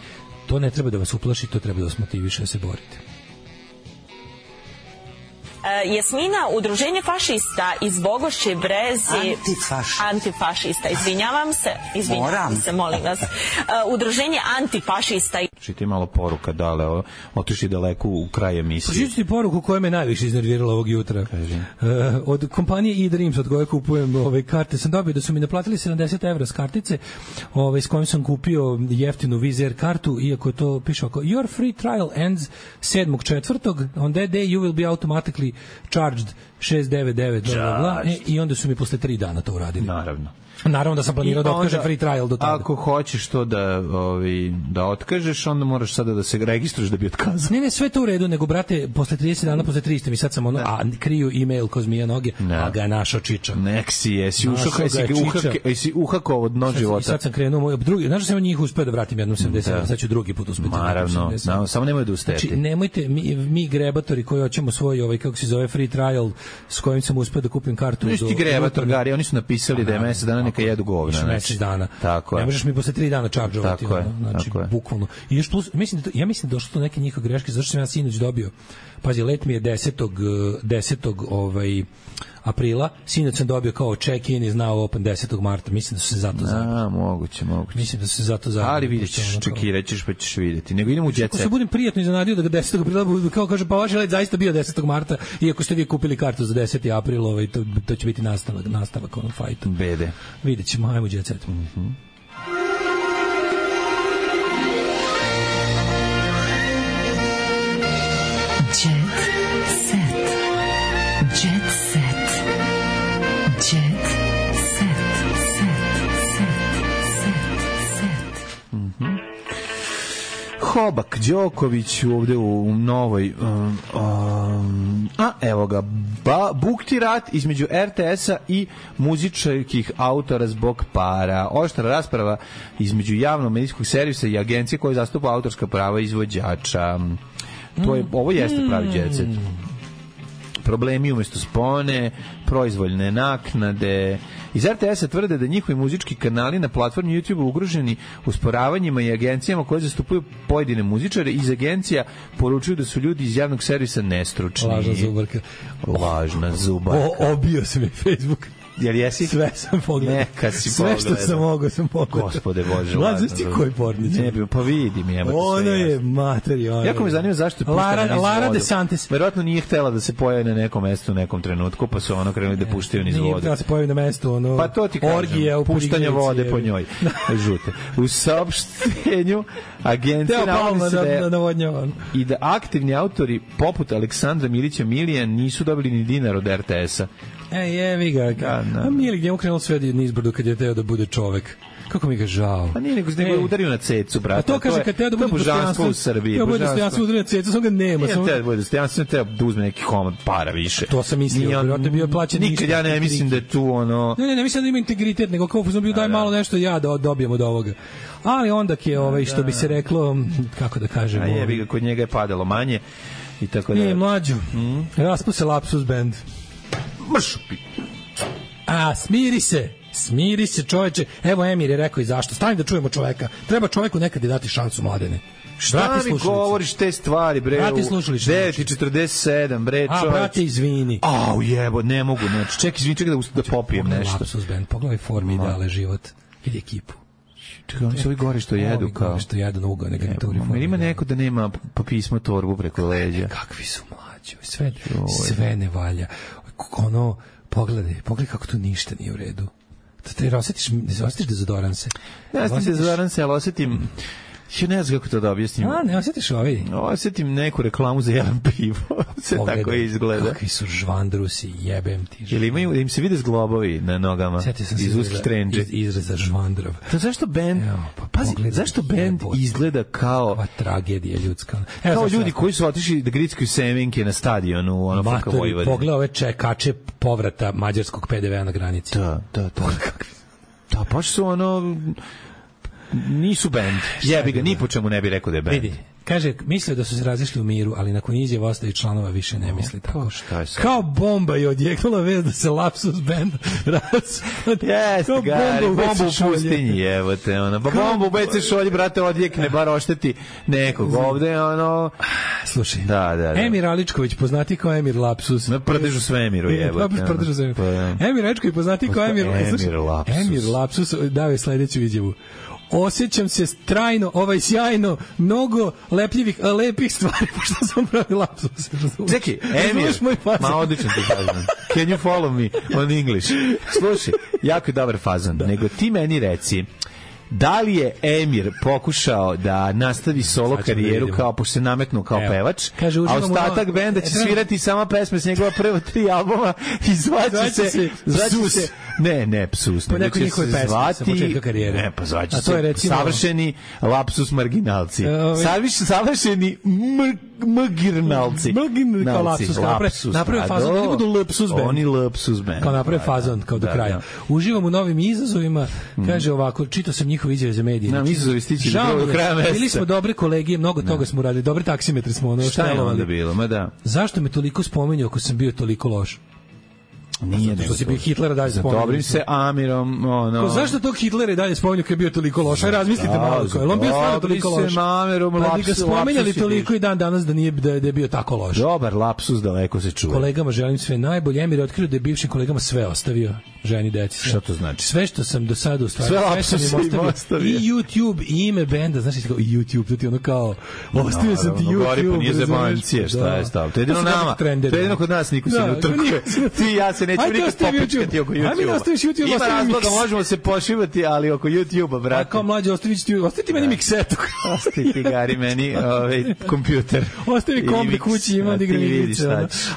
S6: To ne treba da vas uplaši, to treba da vas motiviše da se borite.
S13: Jasmina, udruženje fašista iz Bogošće Brezi... Antifašista, izvinjavam se, molim vas. Udruženje antifašista...
S7: Čiti malo poruka, dale, otišli daleko u kraj emisije.
S6: Pročiti poruku koja me najviše iznervirala ovog jutra. Od kompanije eDreams, od koje kupujem karte, sam dobio da su mi naplatili 70 evra s kartice, s kojom sam kupio jeftinu Wizz Air kartu, iako to piše oko your free trial ends 7.4. On that day you will be automatically charged 699 i onda su mi posle 3 dana to uradili. Naravno da sam planirao da otkažem free trial do tada.
S7: Ako hoćeš to da otkažeš, onda moraš sada da se registruješ da bi otkazao.
S6: Ne, sve to u redu, nego brate, posle 30 dana, posle 300 mi sad sam kriju email ko zmija noge, a ga je našao čiča.
S7: Jesi uhakao od dno života.
S6: I sad sam krenuo, znaš da sam njih uspeo da vratim jednom 70, sad ću drugi put uspeti.
S7: Naravno, samo nemoj da ustete.
S6: Znači, nemojte, mi grebatori koji hoćemo svoj, kako se zove, free trial, s kojim sam uspeo da kupim kartu.
S7: Ništi grebator, Gari, oni su napisali da je mesec dana neka jedu govna.
S6: Mesec dana.
S7: Tako je.
S6: Ne možeš mi posle 3 dana čaržovati. Znači, bukvalno. I još plus, ja mislim da došlo do neke njihove greške, zašto sam ja sinoć dobio. Pazi, let mi je 10. aprila, sinoć sam dobio kao check-in is now open 10. marta. Mislim da su se zato zajedno.
S7: Moguće.
S6: Mislim da su se zato zajedno.
S7: Ali vidjet ćeš, čekirat ćeš pa ćeš vidjeti. Nego idemo u jet set.
S6: Ako se budem prijatno iznenadio da ga 10. aprila, kao kaže, pa vaš let zaista bio 10. marta, iako ste vi kupili kartu za 10. april, to će biti nastavak onom fajtu.
S7: Bede.
S6: Vidjet ćemo, ajmo u jet set.
S7: Hobak Đoković ovde u novoj evo ga bukti rat između RTS-a i muzičkih autora zbog para. Oštra rasprava između javnog medijskog servisa i agencije koja zastupa autorska prava izvođača. Ovo jeste pravi jet set. Problemi umesto spone, proizvoljne naknade. Iz RTS-a tvrde da njihovi muzički kanali na platformi YouTube ugroženi usporavanjima i agencijama koje zastupaju pojedine muzičare. Iz agencija poručuju da su ljudi iz javnog servisa nestručni. Lažna zubarka.
S6: Obio se mi Facebook.
S7: Jel jesi?
S6: Sve sam pogledao.
S7: Neka si
S6: sve
S7: pogledao.
S6: Sve što sam mogao sam pogledao.
S7: Gospode Bože.
S6: Znaš ti koji pornić?
S7: Ne bi, pa vidim.
S6: Ono je materi.
S7: Jako me zanima zašto je puštena niz vodu.
S6: Lara DeSantis.
S7: Verovatno nije htjela da se pojavi na nekom mestu u nekom trenutku, pa su ono krenuli da puštaju niz vodu.
S6: Nije htjela da se pojavi na mestu,
S7: pa to ti kažem,
S6: orgije,
S7: puštanje vode po njoj. Žute. U saopštenju agencije navodi se i da aktivni autori poput Aleksandra Milića Milijan nisu dobili ni dinar od RTS-a.
S6: Jevi ga. A Milik njemu krenulo sve nizbrdo kad je teo da bude čovek. Kako mi ga žao.
S7: Pa nije nego je udario na cecu, brate.
S6: A to kaže kad teo da bude
S7: dostojanstvo u Srbiji.
S6: Bude dostojanstvo udario na cecu, samo ga nema.
S7: Nije teo da bude dostojanstvo, teo da uzme neki komad para više.
S6: To sam mislio, vjerojatno bio plaćen ništa.
S7: Nikad ja ne mislim da je tu ono...
S6: Ne mislim da ima integritet, nego kao sam bio daj malo nešto ja da dobijem od ovoga. Ali onda je što bi se reklo, kako da kažemo...
S7: A jebi ga, kod njega je padalo manje i tako da...
S6: Nije mlađu. Raspu se Lapsus Band.
S7: Mršupi.
S6: Smiri se čoveče. Evo Emir je rekao i zašto. Stani da čujemo čoveka. Treba čoveku nekad i dati šansu, mladene.
S7: Šta mi govoriš te stvari, bre?
S6: Brate, slušališ.
S7: 9:47, bre, čoveč.
S6: Brate, izvini.
S7: Au, jebo, ne mogu, znači. Čekaj da popijem nešto.
S6: Lapsus Band, pogledaj formi ideale život. Ili ekipu.
S7: Čekaj, oni su ovi gore što jedu, kao.
S6: Što jedu na ugo, neka to reformi.
S7: Ima neko da nema pismo torbu preko leđa.
S6: Kakvi su mlađi. Sve ne valja. Ono, pogledaj kako tu ništa nije u redu. Te osjetiš dezodoranse?
S7: Ja osjetim dezodoranse, ali osjetim Ja ne znam kako to da objasnim.
S6: Ne osjetiš ovaj?
S7: Osjetim neku reklamu za jedan pivo. Se tako izgleda.
S6: Kakvi su žvandrusi, jebem ti.
S7: Ili imaju, im se vide zglobovi na nogama iz uskih trendže.
S6: Izraza žvandrav.
S7: To zašto bend, zašto bend izgleda kao...
S6: Ova tragedija ljudska.
S7: Kao ljudi koji su otišli da grickaju semenke na stadionu, ono Faka Vojvodine.
S6: Pogledaj ove čekače povrata mađarskog PDV-a na granici.
S7: Da. Da, pa su ono... Nisu bend. Jebi ga, ni po čemu ne bi rekao da je bend.
S6: Vidi, kaže, mislio da su se razišli u miru, ali nakon izjava ostali članova više ne misli tako. Kao bomba je odjeknula vez da se Lapsus band
S7: jeste, gari, bomba u pustinji, evo te, ono. Pa bomba u BC šolji, brate, odjekne, bar ošteti nekog ovde, ono.
S6: Slušaj,
S7: da.
S6: Emir Aličković, poznati kao Emir Lapsus.
S7: Na prdežu svemiru, evo te.
S6: Emir Aličković, poznati kao Emir Lapsus, dao je sledeću izjavu. Osjećam se trajno, sjajno, mnogo lepih stvari, pošto sam pravi lapsus.
S7: Čekaj, Emir, ma odličan ti fazan. Can you follow me on English? Slušaj, jako je dobar fazan. Nego ti meni reci, da li je Emir pokušao da nastavi solo karijeru kao pošto se nametnuo kao pevač, a ostatak benda će svirati sama pesme s njegova prva 3 albuma i zvaće se ne Psus,
S6: po nekoj njihove pesme sa početka karijere.
S7: Ne, pa zvaće se savršeni Lapsus marginalci. Savršeni mgirnalci.
S6: Kao Lapsus, naprave fazon, oni budu Lapsus band.
S7: Oni Lapsus band.
S6: Kao naprave fazon, kao do kraja. Uživam u novim izazovima, kaže ovako, čitao sam njihove izjave za medije.
S7: Nam izazovi stići do kraja meseca.
S6: Bili smo dobre kolegije, mnogo toga smo uradili, dobre taksimetre smo ono
S7: šta je onda bilo, ma da.
S6: Zašto me toliko spominjao ako sam bio toliko loš?
S7: Nije
S6: što si bio Hitlera dalje spominjao.
S7: Dobrim se Amirom, ono.
S6: Zašto tog Hitlera dalje spominjao kad je bio toliko loš? Aj razmislite malo, kao on bio stvarno toliko loš.
S7: Dobrim se Amirom,
S6: Lapsus. Da ga spominjali toliko i dan danas da je bio tako loš.
S7: Dobar Lapsus, daleko se čuje.
S6: Kolegama želim sve najbolje. Emir je otkrio da je bivšim kolegama sve ostavio, ženi, deci.
S7: Šta to znači?
S6: Sve što sam do sada u stvari,
S7: sve sam im ostavio.
S6: I YouTube, i ime benda, znaš ti kao YouTube, to ti ono kao ostavio sam ti YouTube.
S7: Pa nije zemancije, šta je stav? To je jedino nama, to je jedino kod nas niko se ne utrkuje. Ti i ja se nećemo nikad popičkati oko YouTube-a. Ima razloga, možemo se pošivati, ali oko YouTube-a, brate.
S6: Kao mlađe, ostaviti meni miksetu.
S7: Ostaviti, Gari, meni kompjuter.
S6: Ostavi kombi kući, imam da igram igrice.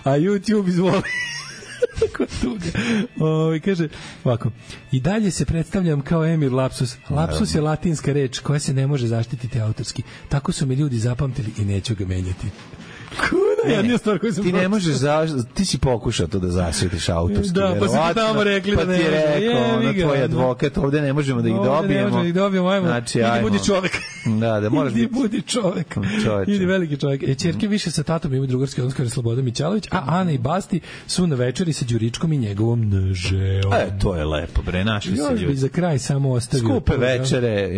S6: A YouTube izvoli. Kaže ovako, i dalje se predstavljam kao Emir Lapsus. Lapsus je latinska reč koja se ne može zaštititi autorski. Tako su me ljudi zapamtili i neću ga menjati.
S7: Ti ne možeš ti si pokušao to da zaštitiš autorski.
S6: Da, pa si ti tamo rekli da ne može.
S7: Pa ti rekao, tvoj advokat, ovde ne možemo da ih dobijemo.
S6: Ne možemo da ih dobijemo, ajmo.
S7: Znači,
S6: idi budi čovek.
S7: Da moraš biti.
S6: Idi budi čovek. Idi veliki čovek. Ćerke više sa tatom imaju drugarski odnos, kaže Slobodan Mićalović, a Ana i Basti su na večeri sa Đuričkom i njegovom nežeom.
S7: To je lepo, bre, našli se ljudi.
S6: Još bi za kraj samo ostavio.
S7: Skupe večere,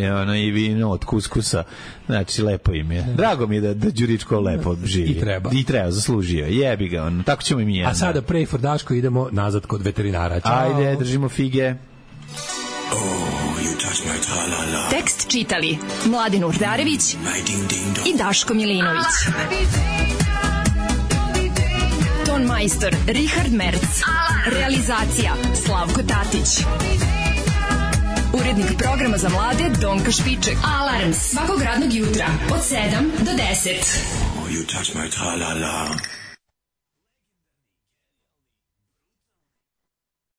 S7: i vino od kuskusa. Znači, lepo im je. Drago mi je da Đuričko lepo živi. I treba, zaslužio. Jebi ga, on. Tako ćemo i mi jedno.
S6: A sada pray for Daško, idemo nazad kod veterinara. Ćao.
S7: Ajde, držimo fige.
S5: Tekst čitali Mladin Urdarević i Daško Milinović. Ton majstor Richard Merc. Realizacija Slavko Tatić. Urednik programa za mlade Donka Špiček. Alarms svakog radnog jutra od 7 do 10.
S8: You touch my tra-la-la.